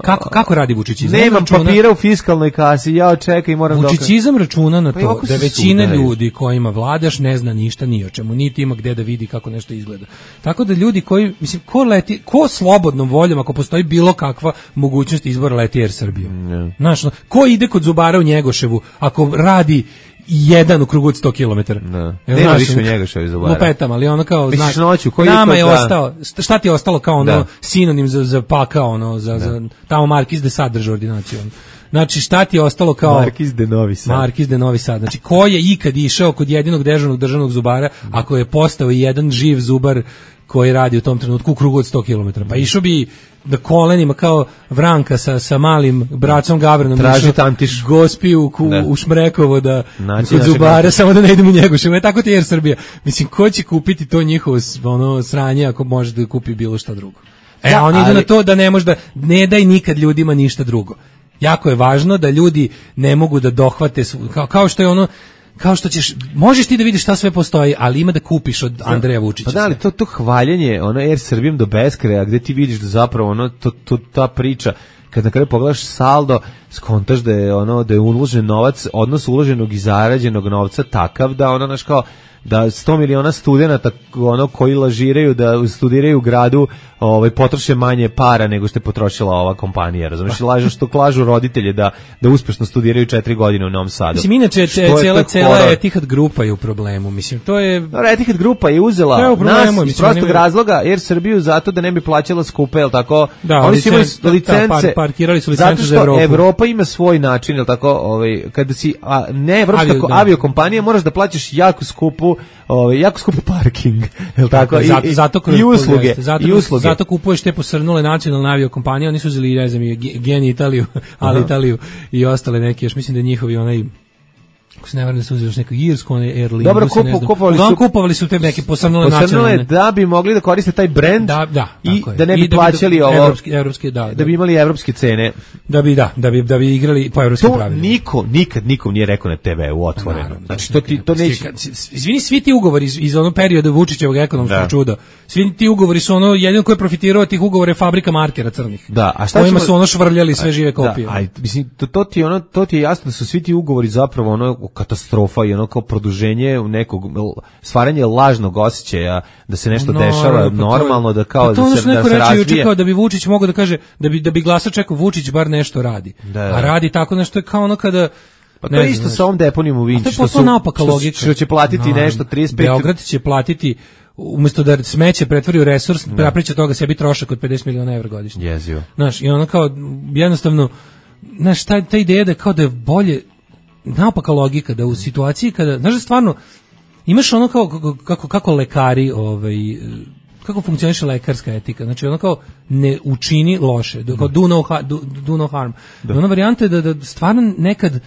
Kako, kako radi vučićizam? Nemam računa, papira u fiskalnoj kasi, ja čekaj i moram dokaz. Vučićizam računa na to pa da većina sudari. ljudi kojima vladaš ne zna ništa ni o čemu, niti ima gde da vidi kako nešto izgleda. Tako da ljudi koji, mislim, ko leti, ko slobodnom voljom, ako postoji bilo kakva mogućnost izbora leti Air Srbiju. Mm. Znaš, no, ko ide kod zubara u Njegoševu, ako radi jedan u krugu od sto kilometara. Da. Nema više njega što je zubara. Lupetam, ali ono kao, znaš, noću, koji nama je, je da. ostao, šta ti je ostalo kao ono da. sinonim za, za paka, ono, za, za tamo Markiz de Sad drži ordinaciju. Ono. Znači, šta ti je ostalo kao... Markiz de Novi Sad. Markiz de Novi Sad. Znači, ko je ikad išao kod jedinog dežurnog državnog zubara, ako je postao jedan živ zubar koji radi u tom trenutku u krugu od sto kilometara. Pa išao bi na kolenima kao Vranka sa, sa malim bracom Gavranom traži tantiš gospi u, u, u Šmrekovo da kod zubara, samo da ne idemo u Njegoševo. Je tako ti Air Srbija. Mislim, ko će kupiti to njihovo ono, sranje ako može da kupi bilo šta drugo? E, da, oni idu ali... na to da ne može da, ne daj nikad ljudima ništa drugo. Jako je važno da ljudi ne mogu da dohvate, kao, kao što je ono, kao što ćeš, možeš ti da vidiš šta sve postoji, ali ima da kupiš od Andreja Vučića. Pa da, ali to, to hvaljenje, ono Air Srbijom do beskraja, gde ti vidiš da zapravo ono, to, to, ta priča, kad na kraju pogledaš saldo, skontaš da je ono, da je uložen novac, odnos uloženog i zarađenog novca takav da ono, naš kao, da sto miliona studenata ono koji lažiraju da studiraju u gradu, ovaj potroše manje para nego što je potrošila ova kompanija, razumiješ? Lažu što klažu roditelje da da uspešno studiraju četiri godine u Novom Sadu. Mislim, inače cela cela Etihad grupa je u problemu, mislim, to je no, Etihad grupa je uzela je problemu, nas iz prostog razloga Air Srbiju zato da ne bi plaćala skupe, el tako, da, oni su imali licence, par, parkirali su licence za Evropu. Evropa ima svoj način, el tako, ovaj kada si a, ne evropska Avio, aviokompanija, moraš da plaćaš jako skupu, ovaj jako skup parking, el tako, i, zato, zato kroz, i usluge, zato, i usluge. Zato kupuješ te posrnule nacionalne aviokompanije, oni su uzeli, ne znam, Gen Italiju, ali Italiju i ostale neke, još mislim da njihovi onaj, ako se ne varam da su uzeli još neku irsku, onaj Air Lingus, dobro, kupu, kupovali, su, kupovali su te neke posrnule nacionalne. Da bi mogli da koriste taj brend da, da, i da ne bi plaćali da bi, ovo, evropski, evropski, da, da, da bi imali evropske cene. Da bi, da, da bi, da bi igrali po evropskim pravilima. To niko, nikad nikom nije rekao na te veu otvoreno. Naravno, znači, to, ti, to neće... Izvini, svi ti ugovori iz, iz onog perioda Vučićevog ekonomskog da. čuda, svi ti ugovori su ono, jedino ko je profitirao tih ugovora je fabrika markera crnih. Da, a šta kojima ćemo... su ono švrljali sve žive kopije. Da, a, mislim, to, to, ti ono, to ti je jasno da su svi ti ugovori zapravo ono katastrofa i ono kao produženje nekog, stvaranje lažnog osjećaja da se nešto no, dešava pa normalno, da kao pa da se, da se razvije. Kao da bi Vučić mogao da kaže, da bi, da bi glasač čekao Vučić bar nešto radi. Da, a radi tako nešto je kao ono kada... Pa to je isto sa ovom deponijom u Vinči, što, su, što, što će platiti no, nešto trideset pet... Beograd će platiti, umjesto da smeće pretvori u resurs, napriča toga sebi trošak od pedeset miliona evra godišnje. Jezio. Znaš, i ono kao, jednostavno, znaš, ta, ta ideja da kao da je bolje, naopaka logika, da u situaciji kada, znaš da stvarno, imaš ono kao, kako, kako lekari, ovaj, kako funkcioniše lekarska etika, znači ono kao ne učini loše, kao do no, do, do no harm. Da. Ona varijanta je da, da stvarno nekad,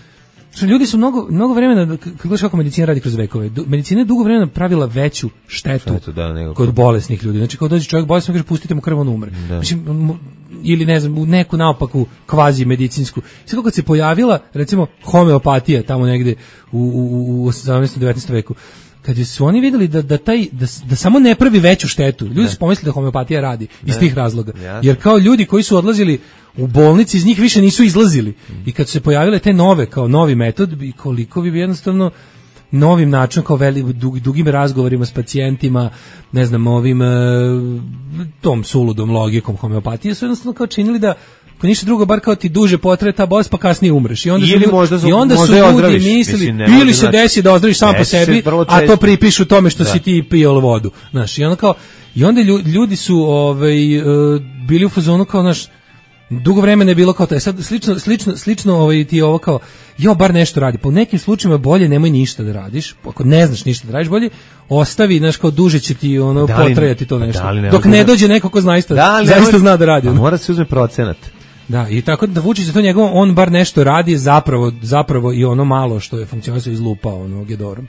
što ljudi su mnogo, mnogo vremena, kako gledaš kako medicina radi kroz vekove, medicina je dugo vremena pravila veću štetu, štetu da, nego kod bolesnih ljudi. Znači kao dođe čovjek bolestan, kaže pustite mu krv, on umre. Da. Mislim, ili ne znam, u neku naopaku kvazi medicinsku. Sve kad se pojavila, recimo, homeopatija tamo negde u, u, u osamnaestom devetnaestom veku, kad su oni vidjeli da, da, taj, da, da samo ne pravi veću štetu, ljudi ne. su pomislili da homeopatija radi iz ne. tih razloga. Jasne. Jer kao ljudi koji su odlazili u bolnici, iz njih više nisu izlazili. I kad su se pojavile te nove, kao novi metod, i koliko bi jednostavno novim načinom, kao veli, dug, dugim razgovorima s pacijentima, ne znam, ovim e, tom suludom logikom homeopatije, su jednostavno kao činili da ako ništa drugo, bar kao ti duže potraje ta bolest, pa kasnije umreš. I onda ili su, možda su, i onda su ljudi ozdraviš, mislili, mislim, ili se znači, desi da ozdraviš sam po sebi, a to pripišu tome što da. si ti pijao vodu. Znaš, i onda kao, i onda ljudi su ovaj, bili u fazonu kao, znaš, dugo vremena je bilo kao to. Sad slično slično slično ovaj ti ovo kao jo bar nešto radi. Po nekim slučajevima bolje nemoj ništa da radiš. Ako ne znaš ništa da radiš, bolje ostavi, znaš, kao duže će ti ono da li, potrajati to nešto. Da ne dok ne dođe neko ko zaista da zaista zna da radi. Mora se uzme procenat. Da, i tako da Vučić za to njegovo, on bar nešto radi, zapravo zapravo i ono malo što je funkcionisao izlupao ono Gedorom.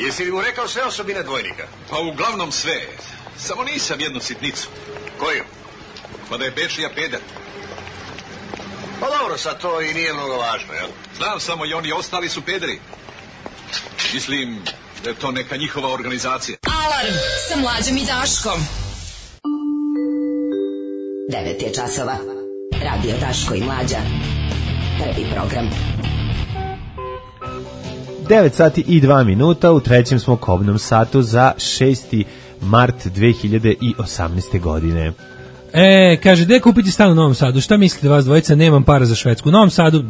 Jesi li mu rekao sve osobine dvojnika? Pa uglavnom sve. Samo nisam jednu sitnicu. Koju? Pa da je Bečija peder. Pa dobro, sad to i nije mnogo važno, jel? Znam samo i oni ostali su pederi. Mislim da je to neka njihova organizacija. Alarm sa Mlađom i Daškom. devet je časova. Radio Daško i Mlađa. Prvi program. devet sati i dva minuta, u trećem smo kobnom satu za šesti mart dve hiljade osamnaeste. godine. E, kaže, gde kupiti stan u Novom Sadu? Šta mislite vas dvojica? Nemam para za Švedsku. U Novom Sadu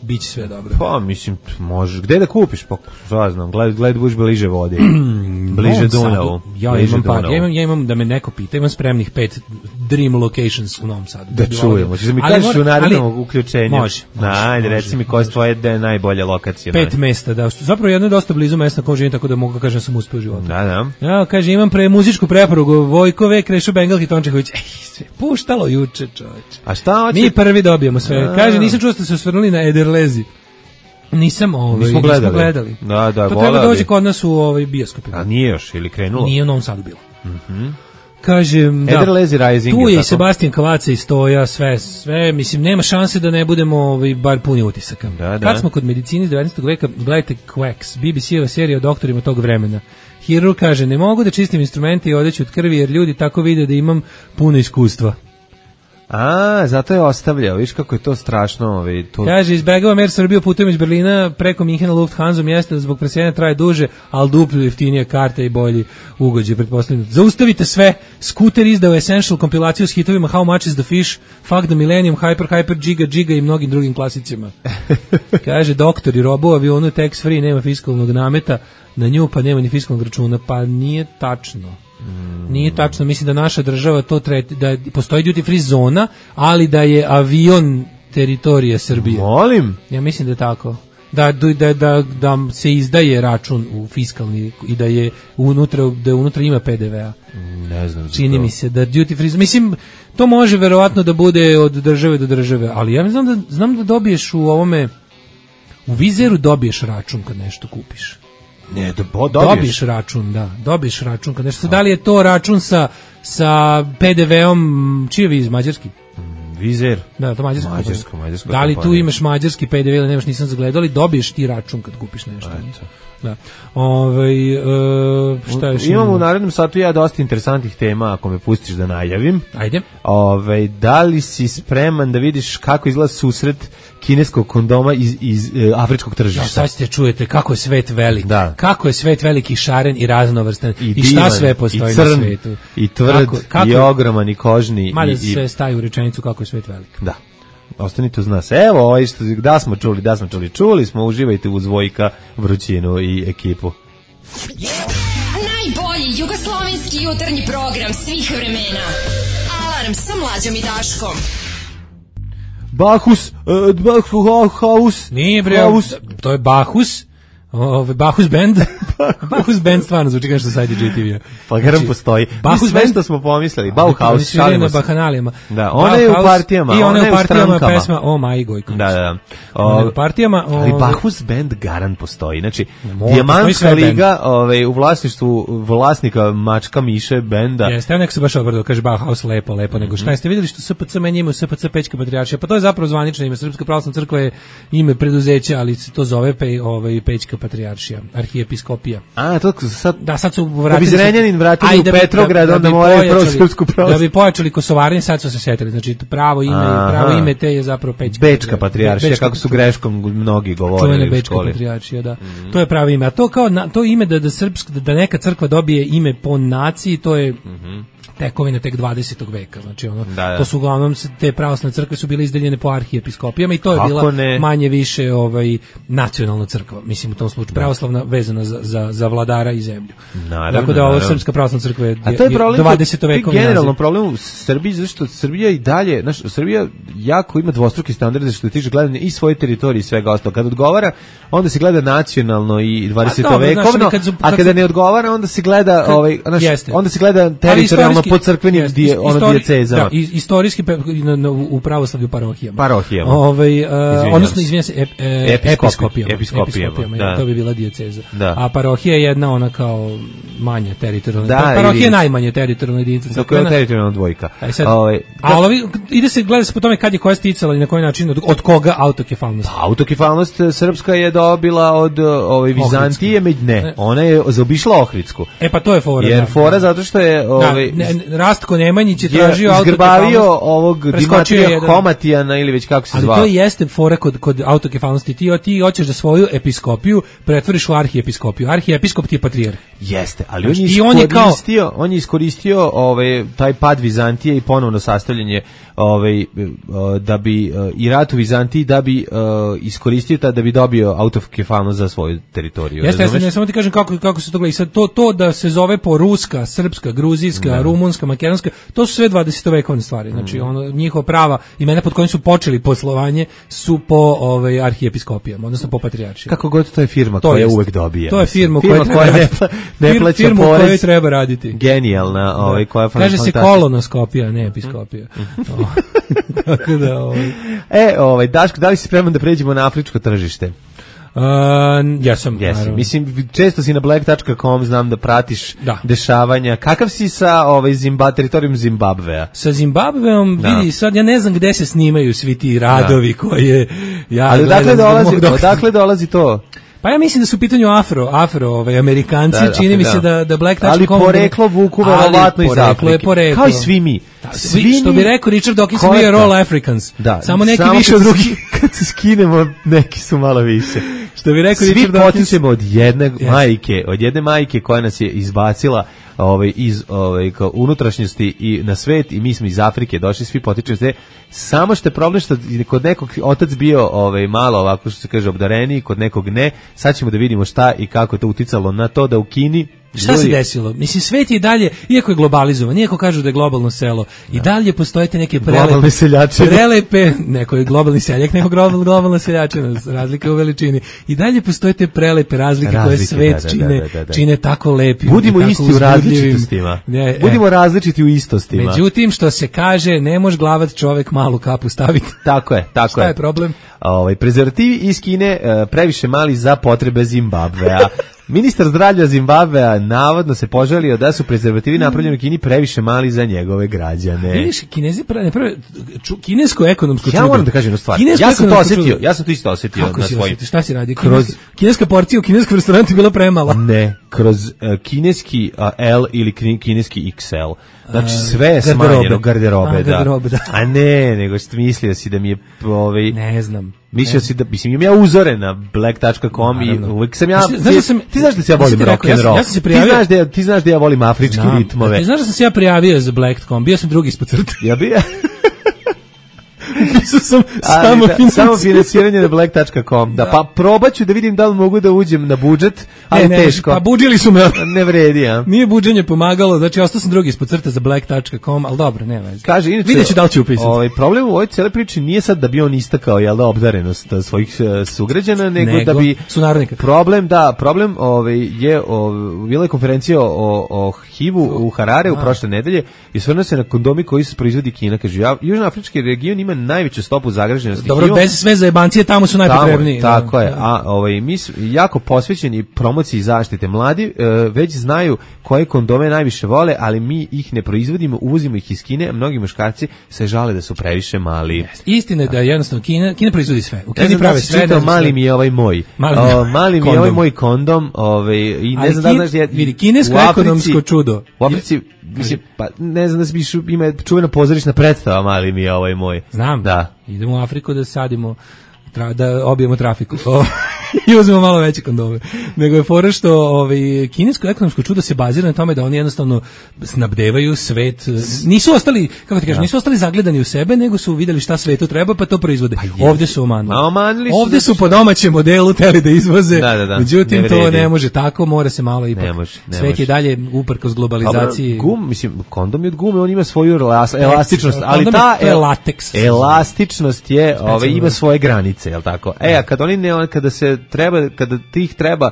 biće sve dobro. Pa, mislim, možeš. Gde da kupiš? Pa, šta znam, gled, gled buš bliže vodi. bliže Dunavu. Ja bliže imam par, Dunavu. ja imam, ja imam, da me neko pita, imam spremnih pet dream locations u Novom Sadu. Da čujemo. Če mi kažeš u narednom uključenju? Može. može Ajde, reci mi koja je tvoja najbolja lokacija. Pet mesta, da. Zapravo jedno je dosta blizu mesta na kom živim, tako da mogu kažem da sam uspeo u životu. Da, da. Ja, kaže, imam pre muzičku preporugu Vojkove, Krešo Bengal, Hitončeković. Ej, sve puštalo juče, čoveče. A šta hoće? Mi prvi dobijemo sve. Kaže, nisam čuo da ste se osvrnuli na Ederlezi. Nisam, ovaj, nismo gledali. Nismo gledali. Da, da, to treba dođe kod nas u ovaj bioskopu. A nije još, ili krenulo? Nije u Novom Sadu bilo. Mhm. Kažem, da, Ederlezi Rising, tu je je i Sebastian Kavaca i Stoja, sve, sve, mislim, nema šanse da ne budemo ovaj, bar puni utisaka. Da, da. Kad smo kod medicine iz devetnaestog veka, gledajte Quacks, B B C-eva serija o doktorima tog vremena. Hirurg kaže, ne mogu da čistim instrumente i odeću od krvi, jer ljudi tako vide da imam puno iskustva. A, zato je ostavljao, viš kako je to strašno. Ovaj, to... Kaže, izbegavam Air Srbiju putem iz Berlina preko Minhena Lufthansa, mjesta da zbog preseljenja traje duže, ali duplo jeftinija karta i bolji ugođe, pretpostavljeno. Zaustavite sve, Scooter izdao Essential kompilaciju s hitovima How Much is the Fish, Fuck the Millennium, Hyper, Hyper, Giga, Giga i mnogim drugim klasicima. Kaže, doktor i robo u avionu tax free, nema fiskalnog nameta, na nju pa nema ni fiskalnog računa, pa nije tačno. Nije tačno, mislim da naša država to treti, da postoji duty free zona, ali da je avion teritorija Srbije. Molim? Ja mislim da je tako. Da, da, da, da se izdaje račun u fiskalni i da je unutra, da je unutra ima P D V-a. Ne znam. Čini mi se da duty free, mislim, to može verovatno da bude od države do države, ali ja znam da, znam da dobiješ u ovome, u Vizeru dobiješ račun kad nešto kupiš. Ne, do, dobiješ. dobiješ račun, da, dobiješ račun kad nešto. Da li je to račun sa sa P D V-om, čiji je Viz, mađarski? Vizer. Da, to mađarsko. Mađarsko, mađarsko. Da li tu imaš mađarski P D V ili nemaš, nisam zagledao, ali dobiješ ti račun kad kupiš nešto. Eto. Da. Ovaj uh, šta još imamo u narednom satu ja dosta interesantnih tema, ako me pustiš da najavim. Ajde. Ovaj da li si spreman da vidiš kako izgleda susret kineskog kondoma iz iz e, afričkog tržišta? Ja, sad ste čujete kako je svet velik. Da. Kako je svet veliki, šaren i raznovrstan i, i šta divan, sve postoji i crn, na svetu. I tvrd, kako, kako, i ogroman, i kožni. Mada i, sve staje u rečenicu kako je svet velik. Da. Ostanite uz nas. Evo, ovaj što, da smo čuli, da smo čuli, čuli smo, uživajte uz Vojka, Vrućinu i ekipu. Najbolji jugoslovenski jutarnji program svih vremena. Alarm sa Mlađom i Daškom. Bahus, uh, Bahus. Nije bre, to je Bahus. Ove Bahus Band. Bahus Band stvarno zvuči kao što sajdi G T V-a. Pa garam postoji. Bahus Band što smo pomislili. Bauhaus, šalimo se. Da, ona je u partijama. I ona je u partijama pesma O Maji Gojković. Da, da. Ona je u partijama. Ali Bahus Band garant postoji. Znači, Dijamantska liga ovaj, u vlasništvu vlasnika Mačka Miše benda. Jeste, ja nek se baš obrdo, kaže Bauhaus lepo, lepo, nego šta jeste vidjeli što S P C menja ime u S P C Pećka patrijaršija, pa to je zapravo zvanično ime. Srpska pravoslavna crkva je ime preduzeća, ali se to zove pe, ovaj, Pećka patrijaršija, arhijepiskopija. A, to sad, da, sad su vratili. Da bi Zrenjanin vratili u Petrograd, onda moraju prvo srpsku pravoslavnu. Da bi pojačali kosovarenje, sad su se setili. Znači, pravo ime, Aha. pravo ime te je zapravo Pećka. Bečka patrijaršija, kako su greškom mnogi govorili Čuvena Bečka patrijaršija, da. Mm-hmm. To je pravo ime. A to kao, na, to ime da, da, srpsk, da neka crkva dobije ime po naciji, to je... Mm-hmm. tekovine tek dvadesetog veka, znači ono, da, da. To su uglavnom te pravoslavne crkve su bile izdeljene po arhijepiskopijama i to je Kako bila ne? manje više ovaj nacionalna crkva, mislim u tom slučaju pravoslavna vezana za, za, za vladara i zemlju. Naravno, tako da ovo srpska pravoslavna crkva je, A to je problem, dvadesetog veka. Generalno problem u Srbiji zašto Srbija i dalje, znaš, Srbija jako ima dvostruki standarde što se tiče gledanja i svoje teritorije i svega ostalog. Kad odgovara, onda se gleda nacionalno i dvadesetovekovno, a kada ne odgovara, onda se gleda kad, ovaj, znaš, onda se gleda teritorijalno po crkvenim jest, die, ono istori, dijecezama. Da, istorijski pe, na, na, u pravoslavlju parohijama. Parohijama. Ovaj, uh, odnosno, izvinjam se, ep, e, episkopijama. Episkopijama, episkopijama to bi bila dijeceza. Da. A parohija je jedna ona kao manja teritorijalna. Da, parohija je najmanje teritorijalna jedinica. Tako je teritorijalna dvojka. Sad, ovaj, a ovi, ide se, gleda se po tome kad je koja sticala i na koji način, od, od koga autokefalnost. Pa, autokefalnost srpska je dobila od ovaj, Vizantije, med, ne, ona je zaobišla Ohridsku. E pa to je fora. Jer da, fora zato što je ovaj, da, Rastko Nemanjić je tražio autokefalnost. Izgrbavio ovog Dimitrija Homatijana ili već kako se zvao. Ali to jeste fora kod, kod autokefalnosti. Ti, ti hoćeš da svoju episkopiju pretvoriš u arhiepiskopiju. Arhiepiskop ti je patrijarh. Jeste, ali on je iskoristio, on je, kao... on je iskoristio ovaj, taj pad Vizantije i ponovno sastavljanje ovaj, da bi i rat u Vizantiji da bi uh, iskoristio ta, da bi dobio autokefalnost za svoju teritoriju. Jeste, jeste, ne samo ti kažem kako, kako se to gleda. I sad to, to da se zove po ruska, srpska, gruzijska, da. rumunska, makedonska, to su sve dvadesetovekovne stvari. Znači, ono, njihova prava imena pod kojim su počeli poslovanje su po ovaj, arhiepiskopijama, odnosno po patrijaršima. Kako god to je firma to koja jest. uvek dobija. To je firma, firma koja, koja ne, ne plaća firma porez. Firma treba raditi. Genijalna. Ovaj, koja kaže se kolonoskopija, ne episkopija. Tako da, ovaj. E, ovaj, Daško, da li si spreman da pređemo na afričko tržište? Uh, ja sam, yes. Mislim, često si na black dot com, znam da pratiš da. dešavanja. Kakav si sa ovaj, Zimba, teritorijom Zimbabvea? Sa Zimbabveom, da. vidi, sad ja ne znam gde se snimaju svi ti radovi da. koje ja Ali odakle dolazi, odakle dolazi to? Pa ja mislim da su u pitanju afro, afro, ovaj Amerikanci, da, da, čini mi se da da Black Touch ali poreklo vuku verovatno iz Afrike. Kao i svi mi. Da, svi što bi rekao Richard Dawkins, we are all Africans. Da, samo neki samo više od drugih. Kad se skinemo, neki su malo više. Što bi rekao svi Richard Dawkins. Svi potičemo od jedne yes. majke, od jedne majke koja nas je izbacila ovaj iz ovaj kao unutrašnjosti i na svet i mi smo iz Afrike došli, svi potičemo se. Samo što je problem što kod nekog otac bio ovaj malo ovako što se kaže obdareni, kod nekog ne. Sad ćemo da vidimo šta i kako je to uticalo na to da u Kini šta ljudi... se desilo? Mislim, svet je i dalje, iako je globalizovan, iako kažu da je globalno selo, da. i dalje postojite neke prelepe, prelepe, neko je globalni seljak, neko globalna, globalna seljačina, razlika u veličini, i dalje postojite prelepe razlike, razlike koje svet da, da, čine, da, da, da. čine tako lepim. Budimo isti u različitostima. Ne, Budimo e. različiti u istostima. Međutim, što se kaže, ne može glavat čovek malu kapu staviti. Tako je, tako šta je. Šta je problem? Ovaj, prezervativi iz Kine previše mali za potrebe Zimbabvea. Ministar zdravlja Zimbabvea navodno se požalio da su prezervativi napravljeni u Kini previše mali za njegove građane. Vidiš, Kinezi prave, prave kinesko ekonomsko čudo. Ja moram da kažem jednu stvar. Ja sam to osetio, ja sam to isto osetio Kako na svojim. Šta si radi? Kroz kineska porcija u kineskom restorantu bila premala. Ne, kroz uh, kineski uh, L ili kineski X L. Znači sve je smanjeno, garderobe, A, da. garderobe, da. A ne, nego što mislio si da mi je ovaj ne znam. Mislio si da mislim imam ja uzore na black dot com i uvek sam ja znaš da sam, ti znaš da se ja volim rock and roll. Ja sam se prijavio, ti znaš da ti znaš da ja volim afričke znam, ritmove. Ti znaš da sam se ja prijavio za black dot com, bio sam drugi ispod crte. Ja bi Pisao sam samo, da, finansiranje. samo finansiranje na black dot com. Da, da, pa probaću da vidim da li mogu da uđem na budžet, ali ne, teško. Pa budžili su me. Ne vredi, a. Nije buđenje pomagalo, znači ostao sam drugi ispod crte za black dot com, al dobro, nema veze. Kaže, inače, videću da li ću upisati. Ovaj problem u ovoj cele priči nije sad da bi on istakao jel da obdarenost svojih uh, sugrađana, nego, nego da bi sunarodnika. Problem da, problem ovaj je ovaj bila je konferencija o o H I V-u u Harare u prošle nedelje i osvrnuo se na kondomi koji se proizvodi Kina, kaže ja, južnoafrički region ima najveću stopu zagađenosti. Dobro, bez sve zajebancije tamo su najpotrebniji. Tamo, tako da, je. A ovaj mi jako posvećeni promociji zaštite mladi, e, već znaju koje kondome najviše vole, ali mi ih ne proizvodimo, uvozimo ih iz Kine, a mnogi muškarci se žale da su previše mali. Istina je da jednostavno Kina, Kina proizvodi sve. U Kini ja prave sve. Da mali mi je ovaj moj. Mali, o, mali mi je ovaj moj kondom, ovaj i ne ali znam da znaš je vidi kinesko ekonomsko čudo. U Africi mislim, pa ne znam da se biš, ima čuvena pozorišna predstava, mali mi je ovaj moj. Znam, da. Idemo u Afriku da sadimo, tra, da obijemo trafiku. I uzmemo malo veće kondome. Nego je fora što ovaj, kinesko ekonomsko čudo se bazira na tome da oni jednostavno snabdevaju svet. Nisu ostali, kako ti kažeš, nisu ostali zagledani u sebe, nego su videli šta svetu treba, pa to proizvode. Pa ovde su omanuli. omanuli su ovde su po domaćem modelu teli da izvoze. Da, da, da. Međutim, ne to ne može tako, mora se malo ipak. Ne može, ne svet može. je dalje uprkos globalizaciji. Dobro, gum, mislim, kondom je od gume, on ima svoju elastičnost, ali ta je lateks. Elastičnost je, ovaj, ima svoje granice, je l' tako? E, a kad oni ne, kada se treba, kada tih treba,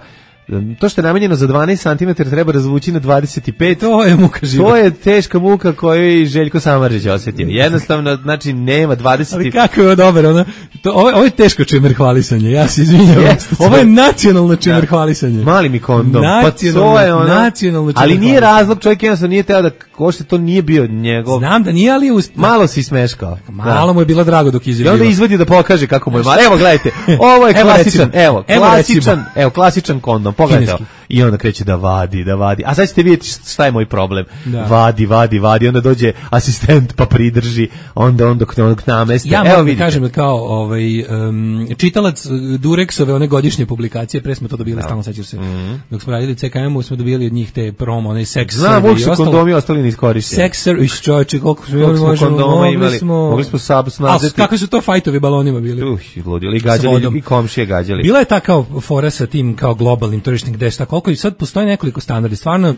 to što je namenjeno za dvanaest centimetara treba razvući na dvadeset pet. To je muka života. To je teška muka koju i Željko Samardžić osjetio. Jednostavno, znači, nema dvadeset. Ali kako je ovo dobro, ono? To, ovo, ovo je teško čemer hvalisanje, ja se izvinjam. Ovo je nacionalno čemer da. hvalisanje. Mali mi kondom. Pa to je ono, nacionalno čemer ali nije razlog, čovjek jednostavno nije teo da košte, to nije bio njegov. Znam da nije, ali usp... malo si smeškao. Malo da. mu je bilo drago dok izjavio. I onda izvadi da pokaže kako mu je malo. Evo, gledajte, ovo je klasičan, evo, klasičan, evo, klasičan kondom. Pogledajte. i onda kreće da vadi, da vadi. A sad ćete vidjeti šta je moj problem. Da. Vadi, vadi, vadi, onda dođe asistent pa pridrži, onda on dok, dok nameste. Ja moram da kažem kao ovaj, um, čitalac Durexove one godišnje publikacije, pre smo to dobili, no. stalno sećaš se, mm-hmm. dok smo radili C K M-u smo dobili od njih te promo, onaj sex Znam, survey i ostalo. Znam, kondomi ostali neiskorišteni. Sex survey, čovječe, koliko smo imali, možemo, kondoma imali, smo, mogli smo sab snazeti. A kakvi su to fajtovi balonima bili? Uh, ludili, gađali, i komšije gađali. Bila je ta kao fora sa tim kao globalnim tržišnim gde šta koliko i sad postoji nekoliko standardi. Stvarno,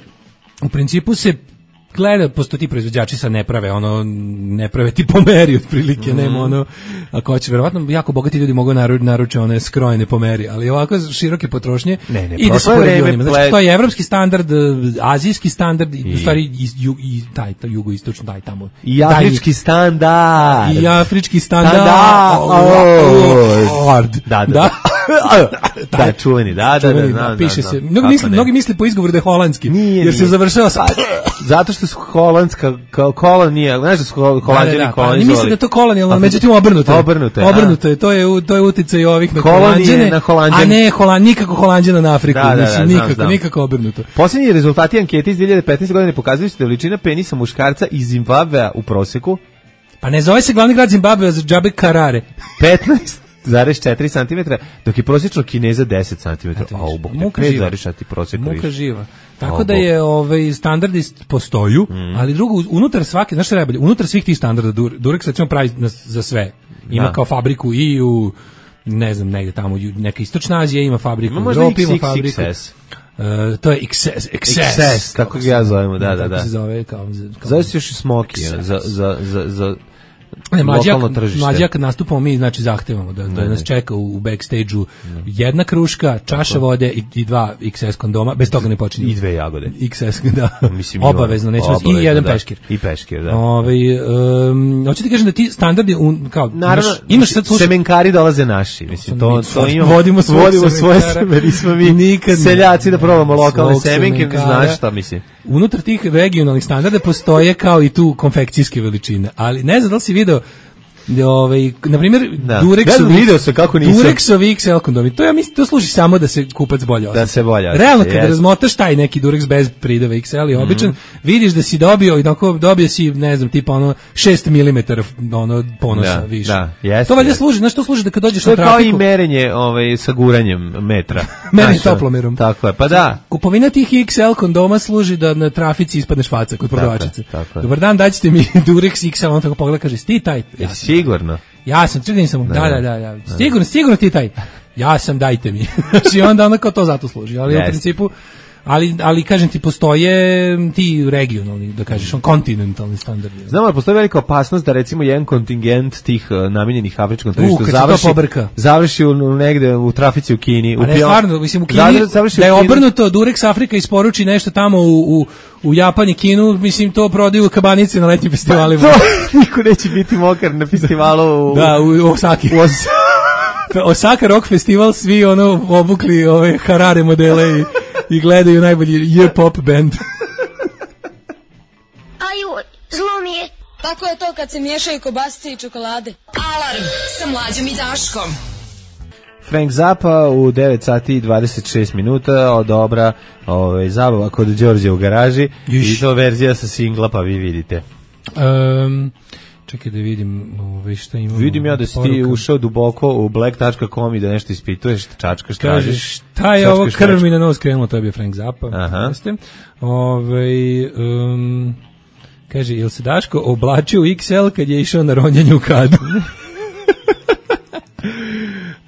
u principu se gleda, postoji ti proizvođači sa ne prave, ono, ne prave ti pomeri otprilike, mm. nema ono, ako hoće, verovatno jako bogati ljudi mogu naru, naruče one skrojene pomeri, ali ovako široke potrošnje ne, ne, ide se pored znači, to je evropski standard, azijski standard, i, u stvari i, i, i taj, taj jugoistočno, daj tamo. I afrički standard. I afrički standard. Da, da. Da, čuveni, da, da, da. Piše se, mnogi misle po izgovoru da je holandski, jer se završava sa... Zato što su holandska kolonija, znaš da su Holanđani da, kolonizovali. Ne mislim da je to kolonijalno, međutim obrnuto je. Obrnuto je. Obrnuto je, to je to je uticaj ovih na Holanđane, na Holanđane. A ne Holand, nikako Holanđana na Afriku, da, da, mislim da, nikako, znam, znam. nikako obrnuto. Posljednji rezultati ankete iz dvije hiljade petnaeste. godine pokazuju da veličina penisa muškarca iz Zimbabvea u proseku. Pa ne zove se glavni grad Zimbabvea za džabe Karare. petnaest zarez četiri centimetra, dok je prosječno Kineza deset centimetara. A u bok te pet zarez četiri prosjek. Muka živa. Tako da je ovaj standardi postoju, mm. ali drugo unutar svake, znaš šta je najbolje, unutar svih tih standarda Durex recimo pravi za sve. Ima da. Kao fabriku i u ne znam negde tamo neka istočna Azija ima fabriku, u Evropi ima fabriku. Uh, to je X S, X S, X S tako ga ja zovemo, da, da, da. Se zove kao, kao zove se još i Smoky za za za za Ne, mlađa kad nastupamo mi znači zahtevamo da, da nas čeka u backstage-u jedna kruška, čaša vode i, i dva X S kondoma, bez toga ne počinje. I dve jagode. X S, da. Mislim, obavezno, nećemo obavezno, i jedan da. peškir. I peškir, da. Ovaj um, hoćete ti kažem da ti standardi un, kao naravno, imaš, imaš sad slušaj, semenkari dolaze naši, mislim to to imamo. Vodimo svoje, vodimo svoje seme, nismo mi nikad seljaci da probamo lokalne semenke, znaš šta mislim. Unutar tih regionalnih standarda postoje kao i tu konfekcijske veličine, ali ne znam da li si video ovaj na primjer Durexovi video se kako nisam Durexovi X L kondomi. To ja mislim to služi samo da se kupac bolje osjeća. Da se bolje. Realno kad yes. razmotaš taj neki Durex bez prideva X L i običan, mm-hmm. vidiš da si dobio i tako dobio si ne znam tipa ono šest milimetara ono ponosa da, više. Da, yes, to valjda yes. služi, znaš što služi da kad dođeš to na trafiku. To je kao i merenje ovaj sa guranjem metra. Merenje toplomerom. Tako je, pa da. Kupovina tih X L kondoma služi da na trafici ispadneš faca kod prodavačice. Dobar dan, daćete mi Durex X L, on tako pogleda kaže sti taj. Ja, sigurno. Ja sam, čekaj nisam, da, da, da, da, sigurno, sigurno ti taj, ja sam, dajte mi. Znači onda ono kao to zato služi, ali yes. u principu, ali, ali kažem ti, postoje ti regionalni, da kažeš, on kontinentalni standardi. Znamo da postoji velika opasnost da recimo jedan kontingent tih uh, namijenjenih afričkom tržištu uh, završi, završi u, u negde u trafici u Kini. A u ne, stvarno, mislim, u Kini, da je obrnuto, Durex Afrika isporuči nešto tamo u, u u Japanu, Kinu, mislim, to prodaju u kabanice na letnjim festivalima. To niko neće biti mokar na festivalu u... Da, u Osaki. U Os... Osaka Rock Festival, svi ono obukli ove Harare modele i, i gledaju najbolji J-pop band. Aju, zlo mi je. Tako je to kad se miješaju kobasice i čokolade. Alarm sa Mlađom i Daškom. Frank Zappa u devet sati i dvadeset šest minuta odobra ovaj, zabava kod Đorđe u garaži. Iš. I to verzija sa singla, pa vi vidite. Um, čekaj da vidim ovaj, šta imamo. Vidim ja da si ti ušao duboko u black dot com i da nešto ispituješ, čačkaš, tražiš. Šta je ovo, krv mi na nos krenulo, to je bio Frank Zappa. Aha. Ovaj, um, kaže, jel se Daško oblačio u X L kad je išao na ronjanje u kadu?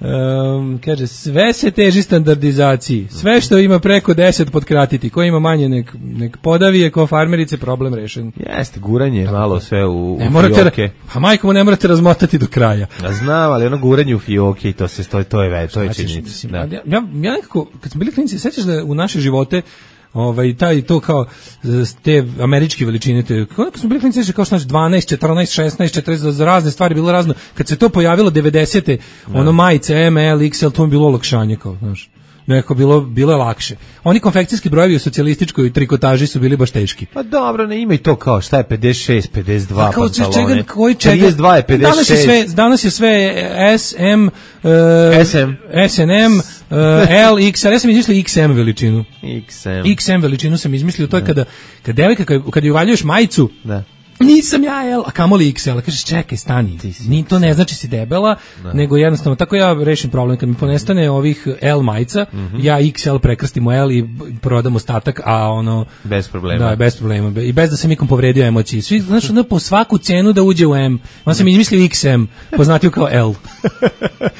Um, kaže, sve se teži standardizaciji, sve što ima preko deset podkratiti, ko ima manje nek, nek podavije, ko farmerice, problem rešen. Jeste, guranje tako, malo sve u, ne u morate, fioke. A majko mu ne morate razmotati do kraja. Ja znam, ali ono guranje u fioke i to, se, to, to je već, to je činjenica. Da. Ja, ja, ja nekako, kad smo bili klinici, sećaš da u naše živote ovaj taj to kao te američke veličine te kako smo bili klinici kao što znači dvanaest, četrnaest, šesnaest, četrnaest za razne stvari bilo razno kad se to pojavilo devedesete ono majice M L X L to je bilo olakšanje kao znaš neko bilo bilo je lakše. Oni konfekcijski brojevi u socijalističkoj trikotaži su bili baš teški. Pa dobro, ne ima i to kao šta je pedeset šest, pedeset dva pa pantalone. Čega, koji čega? pedeset dva, pedeset šest. Danas je sve, danas je sve S M, uh, S M, S N M, Uh, L, X L, ja sam izmislio X M veličinu. X M. X M veličinu sam izmislio, to je kada, kada devojka, kad, kad ju uvaljuješ majicu, da. Nisam ja L, a kamoli X L. Kažeš, čekaj, stani. Ni to ne znači si debela, da. Nego jednostavno, tako ja rešim problem. Kad mi ponestane ovih L majica, mm-hmm. ja X L prekrstim u L i prodam ostatak, a ono... Bez problema. Da, bez problema. I bez da sam ikom povredio emocije. Svi, znači, ono, po svaku cenu da uđe u M. On sam izmislio X M, poznatio kao L.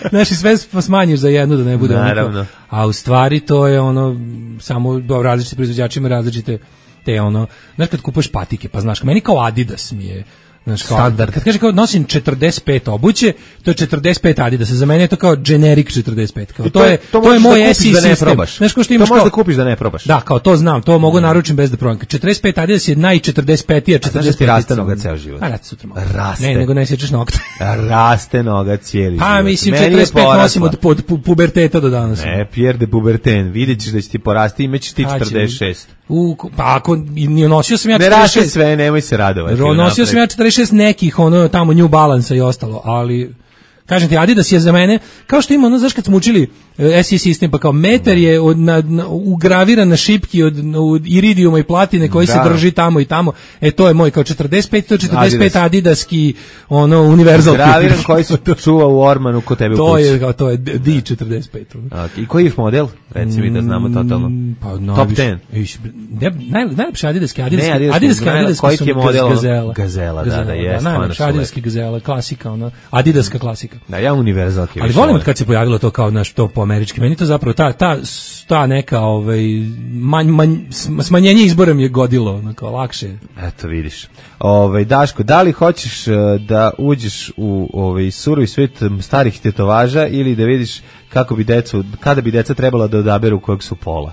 Znači, sve smanjiš za jednu da ne bude naravno. Ono, a u stvari to je ono, samo do različite proizvođačima različite te ono, znaš kad kupuješ patike, pa znaš, meni kao Adidas mi je, znaš, kao, standard. Kad kaže kao nosim četrdeset pet obuće, to je četrdeset pet Adidas, za mene je to kao generic četrdeset pet, kao, to, to je, to, to je moj S I da sistem. Znaš kao što imaš to možeš kao, da kupiš da ne probaš. Da, kao to znam, to mogu naručim bez da probam. četrdeset pet Adidas je naj četrdeset petija, četrdeset pet. A raste noga ceo život. A raste sutra malo. Raste. Ne, nego ne sjećaš nokte. Raste noga cijeli život. Pa mislim četrdeset pet nosim od, od pu, puberteta do danas. Ne, Pierre de puberten, vidjet ćeš da će ti porasti, imaćeš ti četrdeset šest. U, pa ako nosio sam ja četrdeset šest. Ne raste sve, nemoj se radovati. Nosio sam ja četrdeset šest nekih, ono tamo New Balance i ostalo, ali kažem ti, Adidas je za mene, kao što ima, ono, znaš kad smo učili S I sistem, pa kao metar je od, na, na, ugraviran na šipki od, od iridijuma i platine koji da. Se drži tamo i tamo, e to je moj, kao četrdeset pet, to je četrdeset pet Adidas. Adidaski, ono, univerzal. Ugraviran koji se čuva u ormanu kod tebe u kući. To je, kao, to je D četrdeset pet. Okay. I koji je model? Reci mi da znamo totalno. Pa, no, top deset. Naj, najlepši Adidaski, Adidaski, ne, Adidaski, Adidaski, Adidaski koji je model? Gazela. Gazela, da, da, jest. Najlepši Adidaski Gazela, klasika, ono, Adidaska klasika. Da, ja univerzalke. Ali volim kad se pojavilo to kao naš to po američki. Meni to zapravo ta ta ta neka ovaj manj, manj, smanjenje izbora mi je godilo, onako lakše. Eto vidiš. Ovaj Daško, da li hoćeš da uđeš u ovaj surovi svet starih tetovaža ili da vidiš kako bi decu, kada bi deca trebala da odaberu kojeg su pola?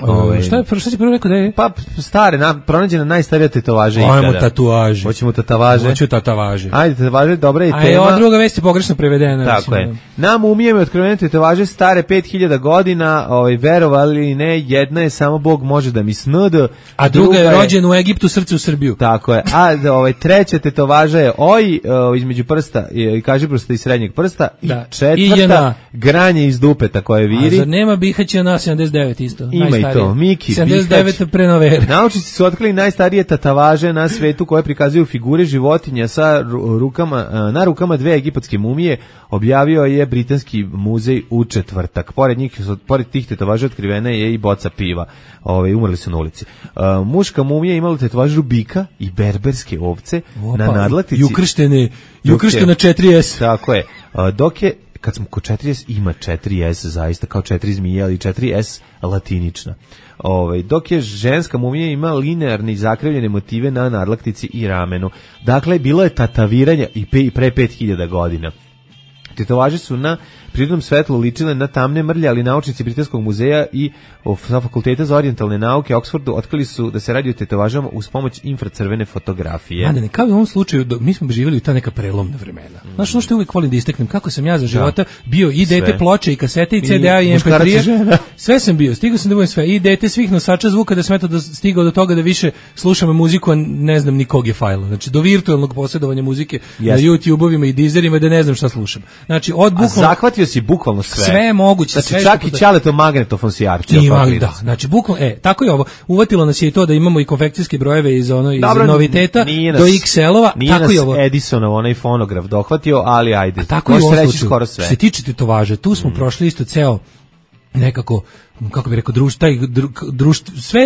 Ove, šta je prvo što si prvo rekao da je? Pa stare, na, pronađena najstarija tetovaža ikada. Ajmo tatuaže. Hoćemo tatuaže. Hoću tatuaže. Ajde, tatuaže, dobra je tema. A je ova druga vest je pogrešno prevedena. Tako je. Nam umijeme otkrivene tatuaže stare pet hiljada godina, ovaj, verovali ili ne, jedna je samo Bog može da mi snud. A, a druga je rođena u Egiptu, srce u Srbiju. Tako je. A ovaj, treća tetovaža je oj, o, između prsta, i kaži prsta i srednjeg prsta. Da. I četvrta, I granje iz dupeta koje viri. A zar nema Bihaća na sedamdeset devet isto? Ima i to, Miki, sedamdeset devet prenovere. Naučnici su otkrili najstarije tatuaže na svetu koje prikazuju figure životinja sa rukama, na rukama dve egipatske mumije, objavio je Britanski muzej u četvrtak. Pored njih, pored tih tatuaža otkrivena je i boca piva. Ove, umrli su na ulici. Uh, muška mumija imala tatuažu bika i berberske ovce. Opa, na nadlaktici. I ukrštene, i ukrštena četiri S. Tako je. Uh, dok je kad smo kod četiri S, ima četiri S zaista kao četiri zmije, ali četiri S latinična. Ovaj, dok je ženska mumija ima linearne i zakrivljene motive na nadlaktici i ramenu. Dakle, bilo je tataviranja i, pe, i pre pet hiljada godina. Tetovaže su na prirodnom svetlu ličile na tamne mrlje, ali naučnici Britanskog muzeja i sa Fakulteta za orijentalne nauke Oxfordu otkrili su da se radi o tetovažama uz pomoć infracrvene fotografije. A ne, kao u ovom slučaju, mi smo živjeli u ta neka prelomna vremena. Mm. Znaš, ono što uvijek volim da isteknem, kako sam ja za života da. bio i dete ploče, i kasete, i C D A, i M P tri. Sve sam bio, stigao sam da budem sve. I dete svih nosača zvuka, da sam eto da stigao do toga da više slušam muziku, a ne znam nikog je fajla. Znači, do virtualnog posjedovanja muzike yes. na YouTube-ovima i Deezerima da ne znam šta slušam. Znači, od bukvalno... A zahvatio si bukvalno sve. Sve je moguće. Znači, sve čak i Ćaleto magnetofon si jarčio. Ima, da, znači, bukvalno, e, tako je ovo. Uvatilo nas je i to da imamo i konfekcijske brojeve iz, ono, iz Dobro, noviteta do X L-ova. Nije tako nas Edisonov onaj fonograf dohvatio, ali ajde. A tako je ovo skoro sve. Što se tiče tetovaže, tu smo mm. prošli isto ceo nekako, kako bih rekao, društvo, taj društvo, sve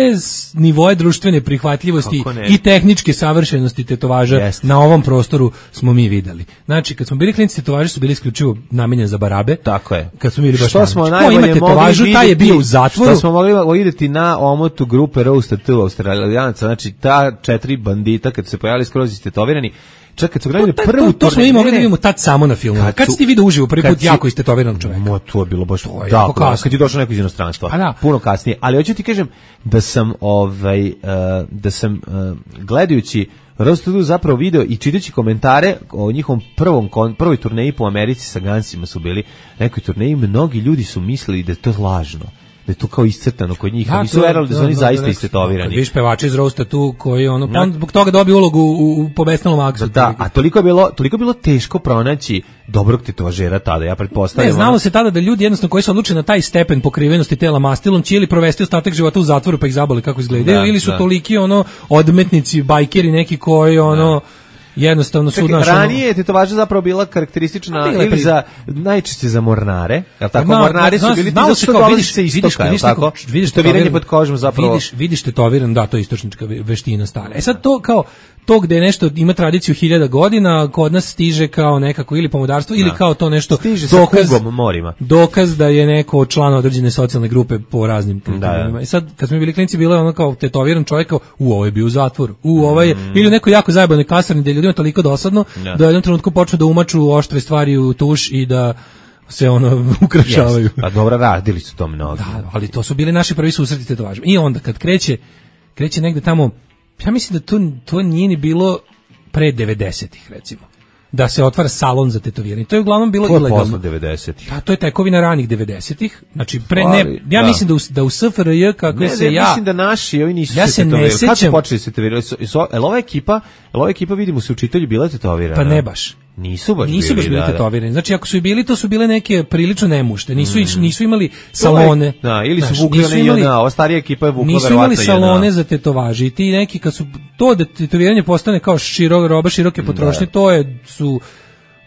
nivoje društvene prihvatljivosti i tehničke savršenosti tetovaža yes. na ovom prostoru smo mi videli. Znači, kad smo bili klinci, tetovaže su bili isključivo namenjene za barabe. Tako je. Kad smo bili baš što smo najbolje mogli tetovažu, taj je bio u zatvoru. Što smo mogli vidjeti na omotu grupe Roasted two Australijanaca, znači ta četiri bandita kad su se pojavili skroz istetovirani. Čak kad su gledali prvu to, to smo i mogli da vidimo tad samo na filmu. Kad, kad si ti vidio uživo prvi put jako istetoviranog čoveka? Mo, to je bilo baš to je da, da, kad je došao neko iz inostranstva. Da. Puno kasnije. Ali hoću ti kažem da sam ovaj uh, da sam uh, gledajući Roasted zapravo video i čitajući komentare o njihovom prvom prvoj turneji po Americi sa Gunsima su bili nekoj turneji, mnogi ljudi su mislili da je to lažno. da je to kao iscrtano kod njih, Da, a nisu to- verovali da su da, oni da, zaista da, istetovirani. Viš pevači iz Roasta tu koji ono, pa Da. on zbog toga dobio ulogu u, u Pobesnelom aksu. Da, a toliko je bilo, toliko je bilo teško pronaći dobrog tetovažera tada, ja pretpostavljam. Ne, znalo se tada da ljudi jednostavno koji se odluče na taj stepen pokrivenosti tela mastilom će ili provesti ostatak života u zatvoru pa ih zaboli kako izgledaju, Da, ili su da. toliki ono odmetnici, bajkeri neki koji ono jednostavno su Čekaj, naš ranije je tetovaža zapravo bila karakteristična A bila je ili pri- za, najčešće za mornare, jel tako? Ma, Mornari zna- su bili ti znalo zato se što kao, dolazi vidiš- sa vidiš- istoka, jel vidiš tako? neko- vidiš Tetoviranje tetoviran- pod kožom zapravo. Vidiš, vidiš tetoviran, da, to je istočnička ve- veština stara. E sad to kao to gde je nešto ima tradiciju hiljada godina, kod nas stiže kao nekako ili pomodarstvo ili Da. kao to nešto Stiže sa dokaz, kugom morima. dokaz da je neko član određene socijalne grupe po raznim kriterijima. da. I sad kad smo bili klinci bilo je ono kao tetoviran čovjek kao u ovo je bio u zatvoru. U ovaj je Mm. ili u nekoj jako zajebanoj kasarni gde je ljudima toliko dosadno Da. da u jednom trenutku počnu da umaču oštre stvari u tuš i da se ono ukrašavaju. Jeste. Pa dobro, radili su to mnogi. Da, ali to su bili naši prvi susreti tetovažima. I onda kad kreće, kreće negde tamo, ja mislim da to, to nije ni bilo pre devedesetih recimo. Da se otvara salon za tetoviranje. To je uglavnom bilo To je ilegalno. posle devedesetih. Da, to je tekovina ranih devedesetih. Znači pre Ali, ne, ja da. mislim da u, da u S F R J kako Ne, se ne, ja mislim da naši, ovi nisu Ja se se ne tetovirali. Kad su sećam- počeli se tetovirali? Su- su- Jel ova ekipa, jel ova ekipa vidimo se učitelji bila tetovirana? Pa ne baš. Nisu baš nisu bili, baš bili da, da. tetovirani. Znači ako su i bili, to su bile neke prilično nemušte. Nisu iš- nisu imali To je- salone. Da, ili su Znaš, vukli nisu one imali- J N A, ova starija ekipa je vukla Nisu verovatno imali salone J N A. za tetovaže i ti neki kad su to da tetoviranje postane kao širo, roba široke potrošnje, to je su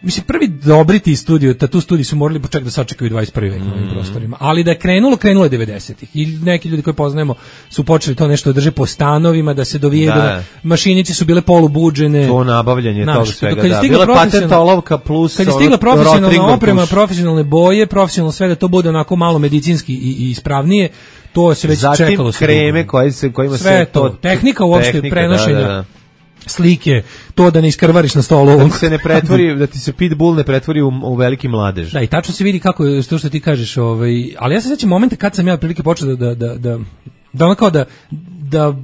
mislim prvi dobri ti studio, tatu studiji su morali počekati da sačekaju dvadeset prvi vek na ovim prostorima. Ali da je krenulo, krenulo je devedesetih. I neki ljudi koji poznajemo su počeli to nešto da drže po stanovima, da se dovijaju, Da. da. mašinice su bile polubuđene. To nabavljanje Znaš, toga svega, kad je da. stigla Bila je patent profesionalna- olovka plus Kad je ono, stigla profesionalna Rotringom oprema, tuš. profesionalne boje, profesionalno sve da to bude onako malo medicinski i, i ispravnije, to se već Zatim čekalo. se kreme dugo. koje se, kojima Sve se to, tehnika uopšte tehnika, prenošenja. da, da, da. Slike, to da ne iskrvariš na stolu. Da ti se ne pretvori, da ti se pitbull ne pretvori u, u veliki mladež. Da, i tačno se vidi kako je to što ti kažeš, ovaj, ali ja se sećam momenta kad sam ja prilike počeo da da da da da ono kao da da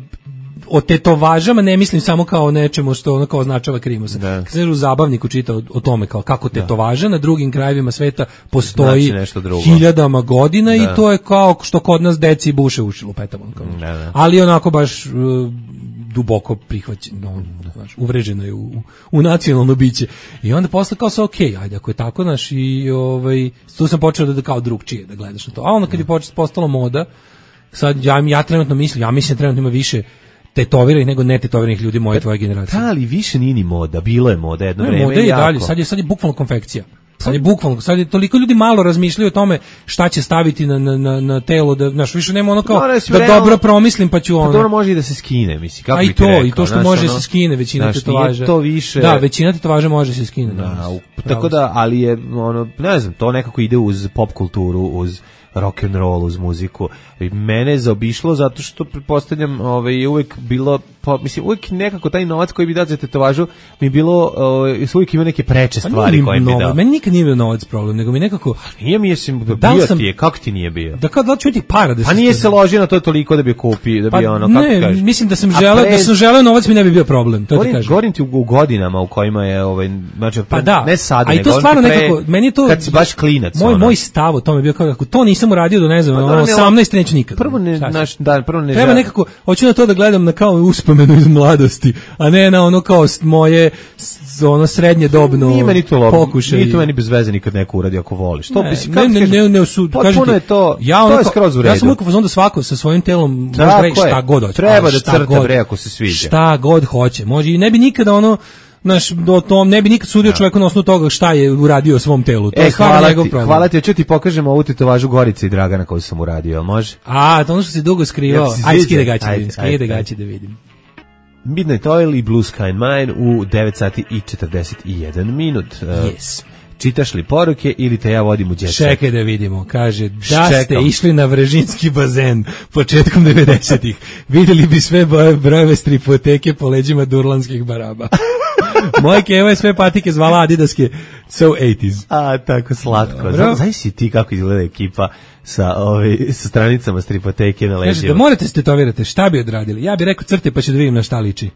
o tetovažama ne mislim samo kao o nečemu što ono kao označava krimosa. Da. Kad se u zabavniku čita o, o tome kao kako tetovaža na drugim krajevima sveta postoji Znači nešto drugo. hiljadama godina Da. i to je kao što kod nas deci buše uši lupetamo. Kao. Da, da. Ali onako baš uh, duboko prihvaćeno, znaš, uvreženo je u, u, u nacionalno biće. I onda posle kao sa okej, ajde, ako je tako, znaš, i ovaj, tu sam počeo da, da kao drugčije da gledaš na to. A onda kad je počeo, postalo moda, sad ja, ja trenutno mislim, ja mislim da trenutno ima više tetoviranih nego ne tetoviranih ljudi moje tvoje generacije. Da, ali više nije ni moda, bilo je moda jedno Ne, vreme. moda je i jako. dalje, sad je, sad je bukvalno konfekcija. Sad je bukvalno, sad je toliko ljudi malo razmišljaju o tome šta će staviti na, na, na, na telo, da, znaš, više nema ono kao Mora se da realno- dobro promislim pa ću Pa ono. dobro može i da se skine, mislim, kako A bi i ti to, rekao, i to što znaš, može ono, se skine većina znaš, tetovaža. nije to više. Da, većina tetovaža može se skine. Da, u- tako da, ali je, ono, ne znam, to nekako ide uz pop kulturu, uz rock and roll, uz muziku. I mene je zaobišlo zato što pretpostavljam, ovaj je uvek bilo, pa mislim uvek nekako taj novac koji bi dao za tetovažu mi je bilo, ovaj uvek ima neke preče Pa stvari nije koje mi bi novac, dao. meni nikad nije bio novac problem, nego mi nekako Nije mi jesim Da li bio sam- ti je, kako ti nije bio? da kao da li ću ti para da Pa nije se ložio na to toliko da bi kupio, da bi pa ono, kako ti ne, kažeš. mislim da sam A želeo, pre- da sam želeo novac mi ne bi bio problem, to ti Govorim, kažem. govorim ti u, u godinama u kojima je ovaj znači Pa da, ne sad, a i nego to govorim stvarno ti pre- nekako, meni je to kad si baš klinac. Moj ono. moj stav o tome je bio kao kako to nisam uradio do ne znam, Pa ono, dobro, ne, osamnaest neću nikad. Prvo ne, Šta ću? naš, da, prvo ne Treba želim. nekako, hoću na to da gledam na kao uspomenu iz mladosti, a ne na ono kao s- moje s- ono srednje dobno Nije meni to lobo, pokušaj. nije to meni bez veze nikad neko uradi ako voliš. To Ne, bi si, ne, kako ti ne, kažem, ne, ne, su, potpuno kažem ti, je to, ja to ono je kao- skroz u redu. Ja sam uvijek u fazonu da svako sa svojim telom može Tako da reći je. šta god hoće. Treba ali da šta crta, god- bre, ako se sviđa. Šta god hoće. Može i ne bi nikada ono naš do tom ne bi nikad sudio čovjeku na osnovu toga šta je uradio svom telu. To E, je stvarno hvala njegov ti, problem. hvala ti, hoću ti pokažemo ovu tetovažu Gorice i Dragana koju sam uradio, jel može? A, to ono što si dugo skrivao. Jel si Ajde, sviđa? skide gaće da Ajde, vidim. Skide ajde, gaće da vidim. Midnight Oil i Blue Sky and Mine u devet sati i četrdeset jedan minut. Uh, Yes. Čitaš li poruke ili te ja vodim u jet set? Čekaj da vidimo, kaže, da ste Čekam. išli na Vrežinski bazen početkom devedesetih, vidjeli bi sve boje- brojeve stripoteke po leđima durlanskih baraba. Moja keva je sve patike zvala Adidaske so eighties. A, tako slatko. Dobro. Znam, znaš si ti kako izgleda ekipa sa, ovaj, sa stranicama stripoteke na Kaže, da leđima. morate se tetovirati, šta bi odradili? Ja bih rekao crte pa ću da vidim na šta liči.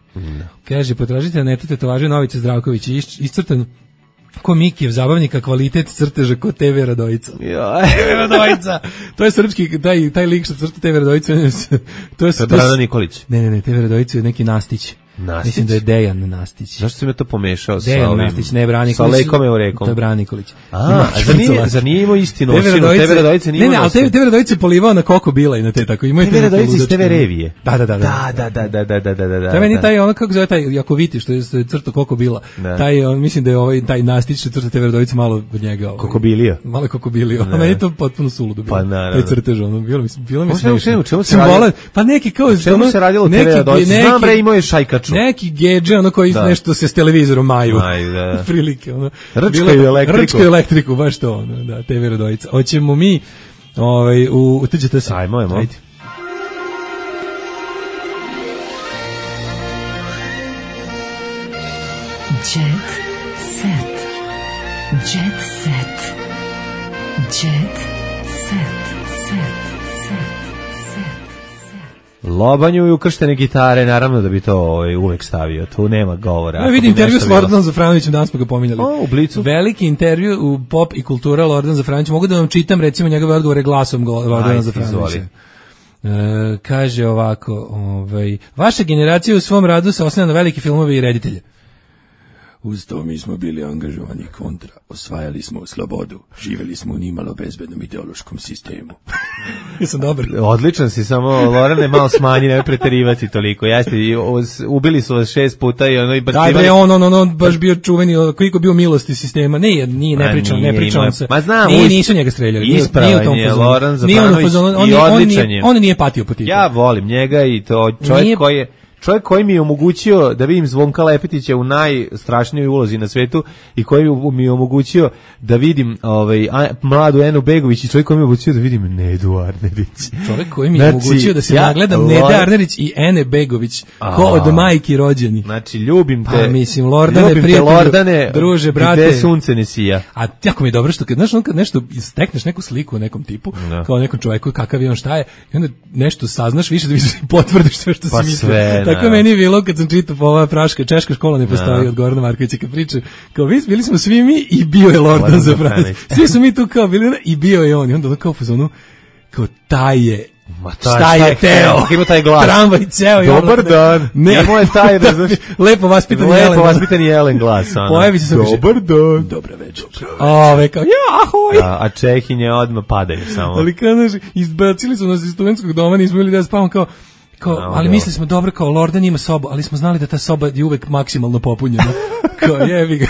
Kaže, potražite na netu tetovaže Novice Zdravković, is- iscrtan Ko Mikijev zabavnika, kvalitet crteža ko te ve Radojica. te ve Radojica. To je srpski, taj, taj lik što crta te ve Radojica. To je Brano Nikolić. Ne, ne, ne, te ve Radojica je neki Nastić. Nastić? Mislim da je Dejan Nastić. Zašto si me to pomešao Dejan sa ovim? Nastić, ne Bran Nikolić. Sa Lekom Eurekom. To je Bran Nikolić. A, a za nije, za nije imao istinu. Te ve Radojice nije imao. Ne, ne, ali te ve Radojice je polivao na Koko Bila i na te tako. Te ve Radojice iz te ve Revije. Da, da, da. Da, da, da, da, da, da, da, da. To je meni taj, ono kako zove taj Jakoviti, što je crto Koko Bila. Taj, on, mislim da je ovaj, taj Nastić što crta te ve Radojice malo od njega. Ovaj, Kokobilija. Malo Kokobilija. A meni je to potpuno suludo bilo. Pa naravno. Taj crtež, ono, bilo mi, bilo mi smešno. smešno. Čemu se radilo? Pa neki kao... Čemu se radilo te ve Radojice? Znam bre, imao je šajkaču. Neki gedže, ono koji nešto se s televizorom maju. Maju, da. Prilike, ono. Rčkaju elektriku. Rčkaju elektriku, baš to, ono, da, te ve Radojica. Hoćemo mi, ovaj, u, utrđete se. Ajmo, ajmo. Ajde. Jet set. Jet set. Jet set. Set. Lobanju i ukrštene gitare, naravno da bi to ovaj, uvek stavio, tu nema govora. Ja vidim intervju s Lordanom Zafranovićem, danas smo ga pominjali. O, u Blicu. Veliki intervju u Pop i kultura Lordan Zafranović, mogu da vam čitam recimo njegove odgovore glasom Lordana Zafranovića. E, kaže ovako, ovaj, vaša generacija u svom radu se oslanja na velike filmove i reditelje. Uz to mi smo bili angažovani kontra, osvajali smo slobodu, živjeli smo u nimalo bezbednom ideološkom sistemu. Jesam dobar. Odličan si, samo Lorane malo smanji, ne preterivati toliko. Jeste, ubili su vas šest puta i ono i baš... Da, bre, on, on, on, on baš bio čuveni, koliko bio milosti sistema. Ne, nije, ne pričam, ne pričam se. Ma znam, nije, nisu njega streljali. Ispravan je Loran Zafranović i odličan je. On nije patio po tipu. Ja volim njega i to čovjek koji je... Čovjek koji mi je omogućio da vidim Zvonka Lepetića u najstrašnijoj ulozi na svetu i koji mi je omogućio da vidim ovaj, a, mladu Enu Begović i čovjek koji mi je omogućio da vidim Nedu Arnerić. Čovjek koji mi je znači, omogućio da se ja, nagledam Lord... Nede Arnerić i Ene Begović ko od majki rođeni. Znači, ljubim te. Pa mislim, Lordane, ljubim prijatelju, te, Lordane, druže, brate. Gde sunce ne sija. A jako mi je dobro što kad, znaš, kad nešto stekneš neku sliku o nekom tipu, no. kao nekom čovjeku, kakav je on, šta je, i onda nešto saznaš više da više potvrdiš sve što pa si mislio. Sve, tako no. meni je bilo kad sam čitao po ova praška, češka škola ne postoji no. od Gorana Markovića kad priča, kao vi, bili smo svi mi i bio je Lordan Zafranović. Svi su mi tu kao bili i bio je on. I onda kao fazonu, kao taj je Ma taj, šta je teo? Ima taj glas. Tramvaj ceo. Dobar dan. Ne, moj taj, znaš, lepo vaspitan Jelen. Lepo vaspitan Jelen glas. Pojavi se dobar dan. Dobra večer. Ove, kao, ja, ahoj. A, a Čehinje odmah padaju samo. Ali kao, znaš, izbacili su nas iz studentskog doma, nismo bili da spavamo kao, Kao, no, ali mislili smo dobro kao Lordan ima sobu, ali smo znali da ta soba je uvek maksimalno popunjena. Kao jebi ga.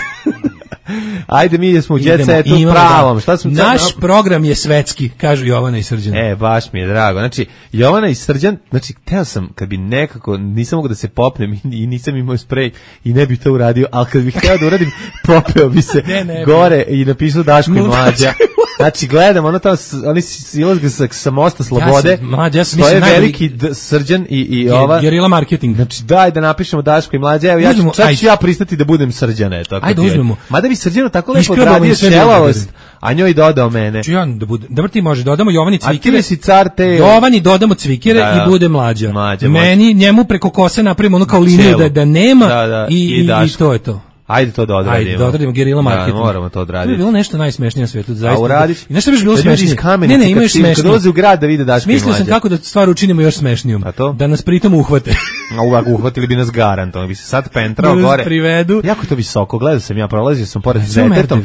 Ajde, mi smo u jet setu pravom. Šta smo Naš sad... program je svetski, kažu Jovana i Srđan. E, baš mi je drago. Znači, Jovana i Srđan, znači, teo sam, kad bi nekako, nisam mogu da se popnem i nisam imao sprej i ne bi to uradio, ali kad bih hteo da uradim, popeo bi se ne, ne, gore bi. I napisao Daško i Mlađa. Znači, gledam, ono tamo, oni silazga sa, sa Mosta Slobode, ja sam, mlađa, ja sam, stoje veliki d, Srđan i, i ova... Gerila marketing. Znači, daj da napišemo Daško i Mlađa, evo, ja ću, čak ću ja pristati da budem Srđan, eto. Ajde, uzmemo. Mada bi Srđanu tako lepo odradio šelavost, a njoj dodao mene. Ču ja da bude, dobro ti može, dodamo Jovani cvikere. A ti si car te... Jovani dodamo cvikere da, i bude Mlađa. Mlađa Meni, može. Njemu preko kose napravimo ono kao liniju da, da nema da, da, i, i, i to je to. Ajde to da odradimo. Ajde da odradimo gerila marketing. Da, moramo to odraditi. To je bilo nešto najsmešnije na svetu, zaista. A uradiš? I nešto bi bilo smešnije. Ne, ne, imaš smešnije. Kad dolaze u grad da vide Daško i Mlađa. Smislio sam kako da stvar učinimo još smešnijom. A to? Da nas pritom uhvate. A uvak uhvatili bi nas garantom. Bi se sad pentrao da gore. Privedu. Jako to visoko. Gledao sam ja, prolazio sam pored s detetom.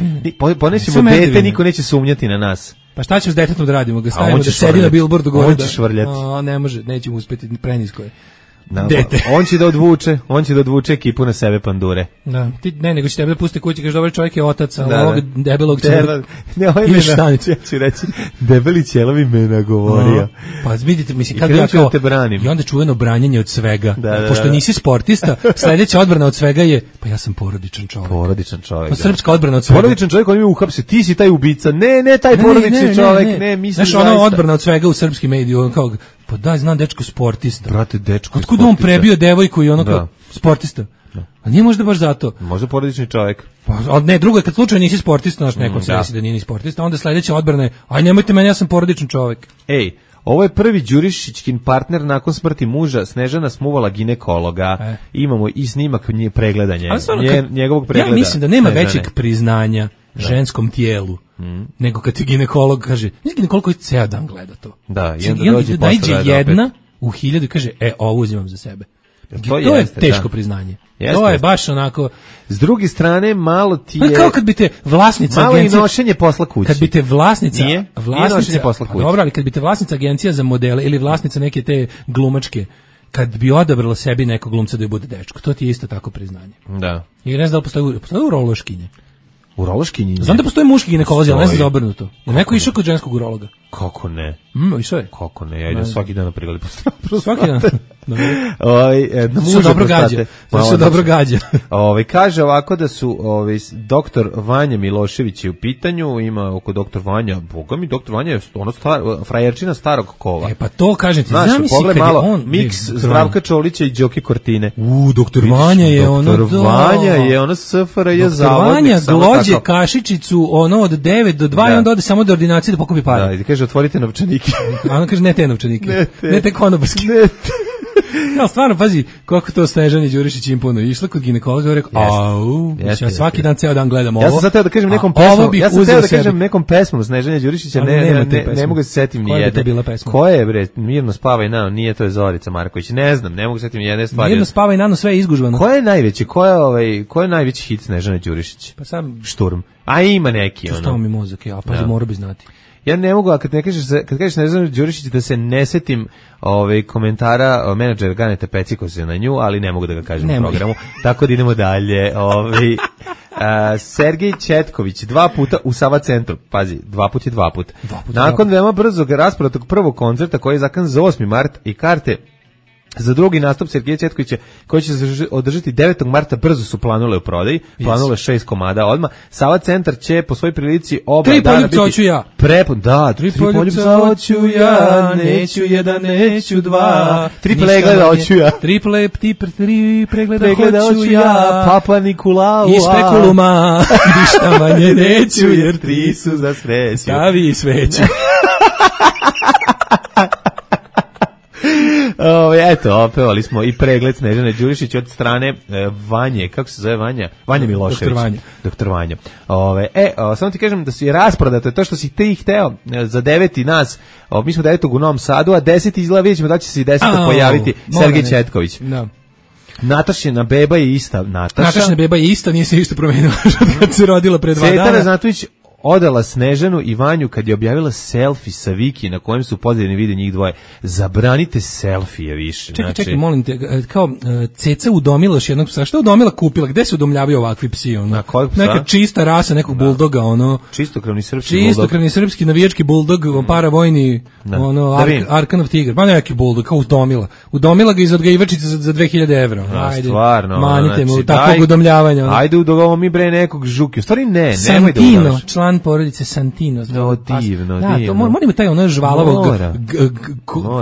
Ponesimo dete, niko neće sumnjati na nas. Pa šta ćemo s detetom da radimo? Ga stavimo da sedi na billboardu gore. On će švrljati. A, ne može, nećemo uspeti, prenisko je. Da, on će da odvuče, on će da odvuče ekipu na sebe pandure. Da, ti ne, nego će tebe da pusti kući, kaže dobar čovjek je otac, a da, ovog debelog ćela. Ne, ovaj me štanicu. Ja ću reći, debeli ćelovi me nagovorio. No, pa vidite, mislim, kako ja kao, te branim. I onda čuveno branjenje od svega. Da, da, pošto da. nisi sportista, sledeća odbrana od svega je, pa ja sam porodičan čovjek. Porodičan čovjek. Pa srpska odbrana od svega. Porodičan čovjek, on mi uhapsi, ti si taj ubica. Ne, ne, taj ne, porodični ne, ne, čovjek, ne, ne misliš zaista. Znaš, ona odbrana od svega u srpskim mediju, kao, pa daj, znam dečko sportista. Brate, dečko otkud on prebio devojku i ono kao sportista? Da. A nije možda baš zato. Možda porodični čovjek. Pa, ne, drugo je kad slučajno nisi sportista, znaš, neko mm, se desi da nije ni sportista, onda sledeća odbrana je, aj nemojte meni, ja sam porodični čovjek. Ej, Ovo je prvi Đurišićkin partner nakon smrti muža. Snežana smuvala ginekologa. E. Imamo i snimak nje pregledanja. Stvarno, Nje, njegovog pregleda. Ja mislim da nema Snežane. većeg priznanja da. ženskom tijelu mm. nego kad ti ginekolog kaže, nije ginekolog koji ceo dan gleda to. Da, i onda dođe posle jedna opet. u hiljadu i kaže, e, ovo uzimam za sebe. To, to jeste, je teško da. priznanje. Jeste, to je baš onako. S druge strane, malo ti je... Kao kad bi te vlasnica malo agencije... Malo i nošenje posla kući. Kad bi te vlasnica... Nije? vlasnica, Nije posla kući. Pa dobro, ali kad bi te vlasnica agencija za modele ili vlasnica neke te glumačke, kad bi odabrala sebi nekog glumca da je bude dečko, to ti je isto tako priznanje. Da. I ne znam da li postoje, postoje urološkinje. Urološkinje? Znam da postoje muški ginekolozi, ali ne znam za obrnuto. Je neko išao kod ženskog urologa? Kako ne? Mm, išao je. Kako ne? Ja idem svaki dan na pregled prostate. Svaki dan? Ovaj da su dobro gađa. To se dobro gađa. Ovaj kaže ovako da su ovaj doktor Vanja Milošević je u pitanju, ima oko doktor Vanja, boga mi doktor Vanja je ono star, frajerčina starog kova. E pa to kažem ti, znam si malo on miks Zdravka Čolića i Đoki Kortine. U doktor Vanja je ono doktor Vanja je ono S F R J zavodnik. Vanja glođe kašičicu ono od devet do dva i onda ode samo do ordinacije da pokupi pare. Da, i kaže otvorite novčanike. A on kaže ne te novčanike. Ne te, ne te konobarske. Ne te. Ja, stvarno, pazi, koliko to Snežani Đurišić imponuje. Išla kod ginekologa i rekao, au, ja svaki dan ceo dan gledam ovo. Ja sam sad teo da kažem nekom pesmom, ja sam teo da kažem nekom pesmom Snežanja Đurišića, ne, ne, ne, ne mogu se setim ni jedne. Koja je bila pesma? Koja je, bre, Mirno spavaj nano, nije to je Zorica Marković, ne znam, ne mogu se setim ni jedne stvari. Mirno spavaj nano, sve je izgužvano. Koja je najveći, koja je, ovaj, koja je najveći hit Snežana Đurišić? Pa sam... Šturm. A ima neki, ono. Stao mi mozak, ja, pa mora bi znati. Ja ne mogu, a kad ne kažeš, kad kažeš Snežana Đurišić da se ne setim ovaj komentara menadžera Ganeta Pecikosa na nju, ali ne mogu da ga kažem u programu. Tako da idemo dalje. Ovaj a, Sergej Četković dva puta u Sava centru. Pazi, dva put je dva put. Dva put Nakon veoma brzog rasporednog prvog koncerta koji je zakan za osmi mart i karte za drugi nastup Sergeja Četkovića koji će se održati devetog marta brzo su planule u prodaji, planule šest komada odmah. Sava centar će po svojoj prilici oba tri dana biti hoću ja. Prepun, da, tri, tri poljubca hoću ja, neću jedan, neću dva, tri pregleda hoću ja. Tri ple, ti tri pregleda, pregleda hoću ja, Papa Nikolau. I spekuluma, ništa manje neću jer tri su za sreću. Stavi sveću. O, eto, opevali smo i pregled Snežane Đurišić od strane e, Vanje, kako se zove Vanja? Vanja Milošević. Doktor Vanja. Doktor Vanja. Ove, e, o, samo ti kažem da si rasprodato, to što si ti hteo e, za deveti nas, o, mi smo devetog u Novom Sadu, a deseti izgleda, vidjet ćemo da će se i desetog oh, pojaviti Sergej Četković. Da. Natašina beba je ista. Nataša. Natašina beba je ista, nije se ništa promenila kad se rodila pre dva Cetara dana. Cetara Znatović odala Snežanu i Vanju kad je objavila selfie sa Viki na kojem su podeljeni vide njih dvoje. Zabranite selfije više. Čekaj, znači... čekaj, molim te, kao Ceca udomila još jednog psa. Šta udomila kupila? Gde se udomljavaju ovakvi psi? Ono? Na kojeg psa? Neka čista rasa, nekog da. buldoga. Ono, čistokrvni srpski buldog. Čistokrvni srpski navijački buldog, mm. paravojni da. ono, Ar Arkanov tigar. Ma neki buldog, kao udomila. Udomila ga iz odgajivačice za, za dve hiljade evra. Da, ajde, stvarno. manite znači, mu takvog udomljavanja. Ono. Ajde udovamo mi bre nekog žuki. U stvari ne, Santino, nemoj da udomaš. Član porodice Santino. No, divno, da, divno. To moramo taj ono žvalavog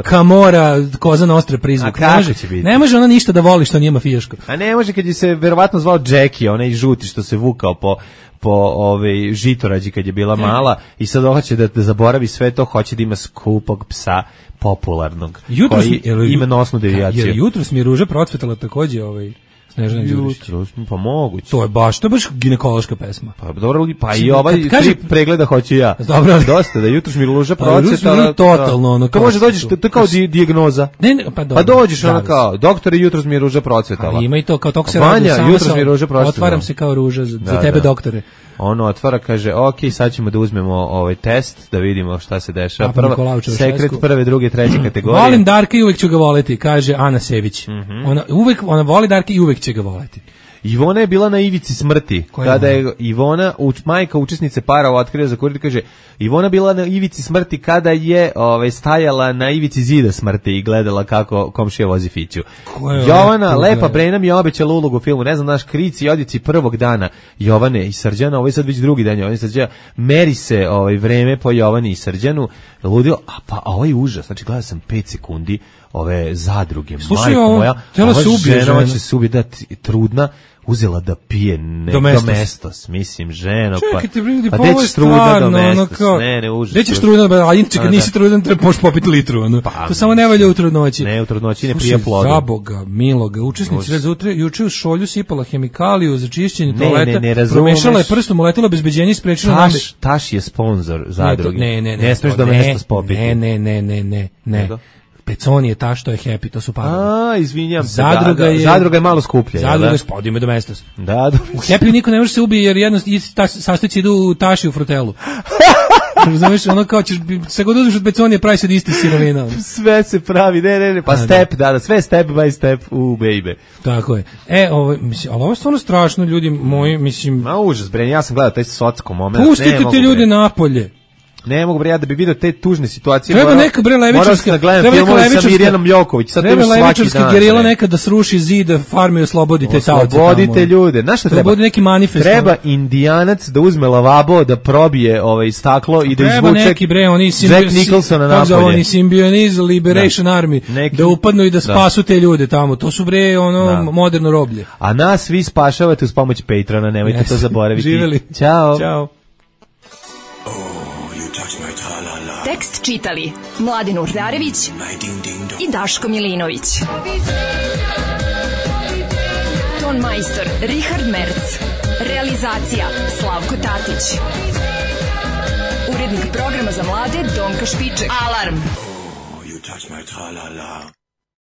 kamora, koza nostra prizvuk. Ne može, ne može ona ništa da voli što nije mafijaško. A ne može kad je se verovatno zvao Jackie, onaj žuti što se vukao po po ove žitorađi kad je bila mala i sad hoće da, da zaboravi sve to, hoće da ima skupog psa popularnog jutros koji mi, ima nosnu devijaciju. Jer jutros mi je Ruža procvetala takođe ovaj Snežana Đurišić. Pa moguće. To je baš, to je baš ginekološka pesma. Pa dobro, pa i ovaj kaže pregleda hoću ja. Dobro, dosta da jutros mi Ruža procvetala. Totalno ono. To može dođeš, to je kao dijagnoza. Ne, ne, pa dobro. Pa dođeš ono kao, doktore, jutros mi Ruža procvetala. Ali ima i to kao toko se radi sama. Jutros mi Ruža procvetala. Otvaram se kao Ruža za, za tebe doktore. Ono otvara, kaže, ok, sad ćemo da uzmemo ovaj test, da vidimo šta se dešava. Prva, sekret prve, druge, treće kategorije. Volim Darka i uvek ću ga voleti, kaže Ana Sević. Mm -hmm. Ona, uvek, ona voli Darka i uvek će ga voleti. Ivona je bila na ivici smrti. Koja kada je, je Ivona, uč, majka učesnice para otkrio za kurir, kaže, Ivona bila na ivici smrti kada je ove, stajala na ivici zida smrti i gledala kako komšija vozi fiću. Jovana, lepa Brena mi je obećala ulogu u filmu, ne znam, naš Krici i odjeci prvog dana Jovane i Srđana, ovo je sad već drugi dan Jovane i Srđana, meri se ovaj, vreme po Jovani i Srđanu, ludilo, a pa a ovaj užas, znači gledao sam pet sekundi, ove zadruge. Slušaj, majko ovo, moja, htjela ova se ubije žena žena. će se ubije, da, ti- trudna, uzela da pije ne, Domestos. domestos, mislim, ženo, Čekaj, ti brini, pa, pa pa ovo gde je ćeš trudna stvarno, ono domestos, kao, ne, ne, užas. gde ćeš trudna, a inače kad nisi trudan, treba možeš popiti litru, ono. Pa, to samo ne valja u trudnoći. Ne, u trudnoći ne Slušaj, prija plodom. za Boga, miloga, učesnici rezutre, juče u šolju sipala hemikaliju za čišćenje Ne, toaleta, ne, ne razumeš. promešala je prstom, uletela bezbeđenje i sprečila nam... Taš, Taš je sponsor zadruge. Ne, ne, ne. Ne smeš to domestos popiti. Ne, ne, ne, ne, ne, ne. Nego? Peconi je ta što je happy, to su parovi. A, izvinjam se. Zadruga da, da, je... Zadruga je malo skuplja. Zadruga da? je spodime domestos. Da, da. U Happy niko ne može se ubije jer jedno ta sastojci idu u taši u frutelu. Razumeš, ono kao ćeš sve god uzmeš od peconije pravi se od iste sirovina. Sve se pravi, ne, ne, ne, pa A, step, da, da, sve step by step u baby. Tako je. E, ovo, mislim, ali ovo je stvarno strašno, ljudi moji, mislim... Ma užas, bre, ja sam gledao taj socko moment. Pustite te ljude napolje. Ne mogu bre ja da bi video te tužne situacije. Treba neka bre levičarska, treba neka levičarska. Sa Mirjanom Ljoković, sad treba levičarska gerila ne. neka da sruši zid farme i oslobodite taoce. Oslobodite ljude. Znaš šta treba? Treba neki manifest. Treba Indijanac da uzme lavabo, da probije ovaj staklo i da izvuče. Treba neki bre, oni Jack Nicholsona napolje. Oni Symbionese Liberation da. Army neki, da upadnu i da spasu da. te ljude tamo. To su bre ono da. moderno roblje. A nas vi spašavate uz pomoć Patrona, nemojte yes. to zaboraviti. Živeli. Ćao. Ćao. Tekst čitali Mladin Urdarević i Daško Milinović. Ton majstor Richard Merc. Realizacija Slavko Tatić. Urednik programa za mlade Donka Špiček. Alarm! Oh, you touch my tra-la-la.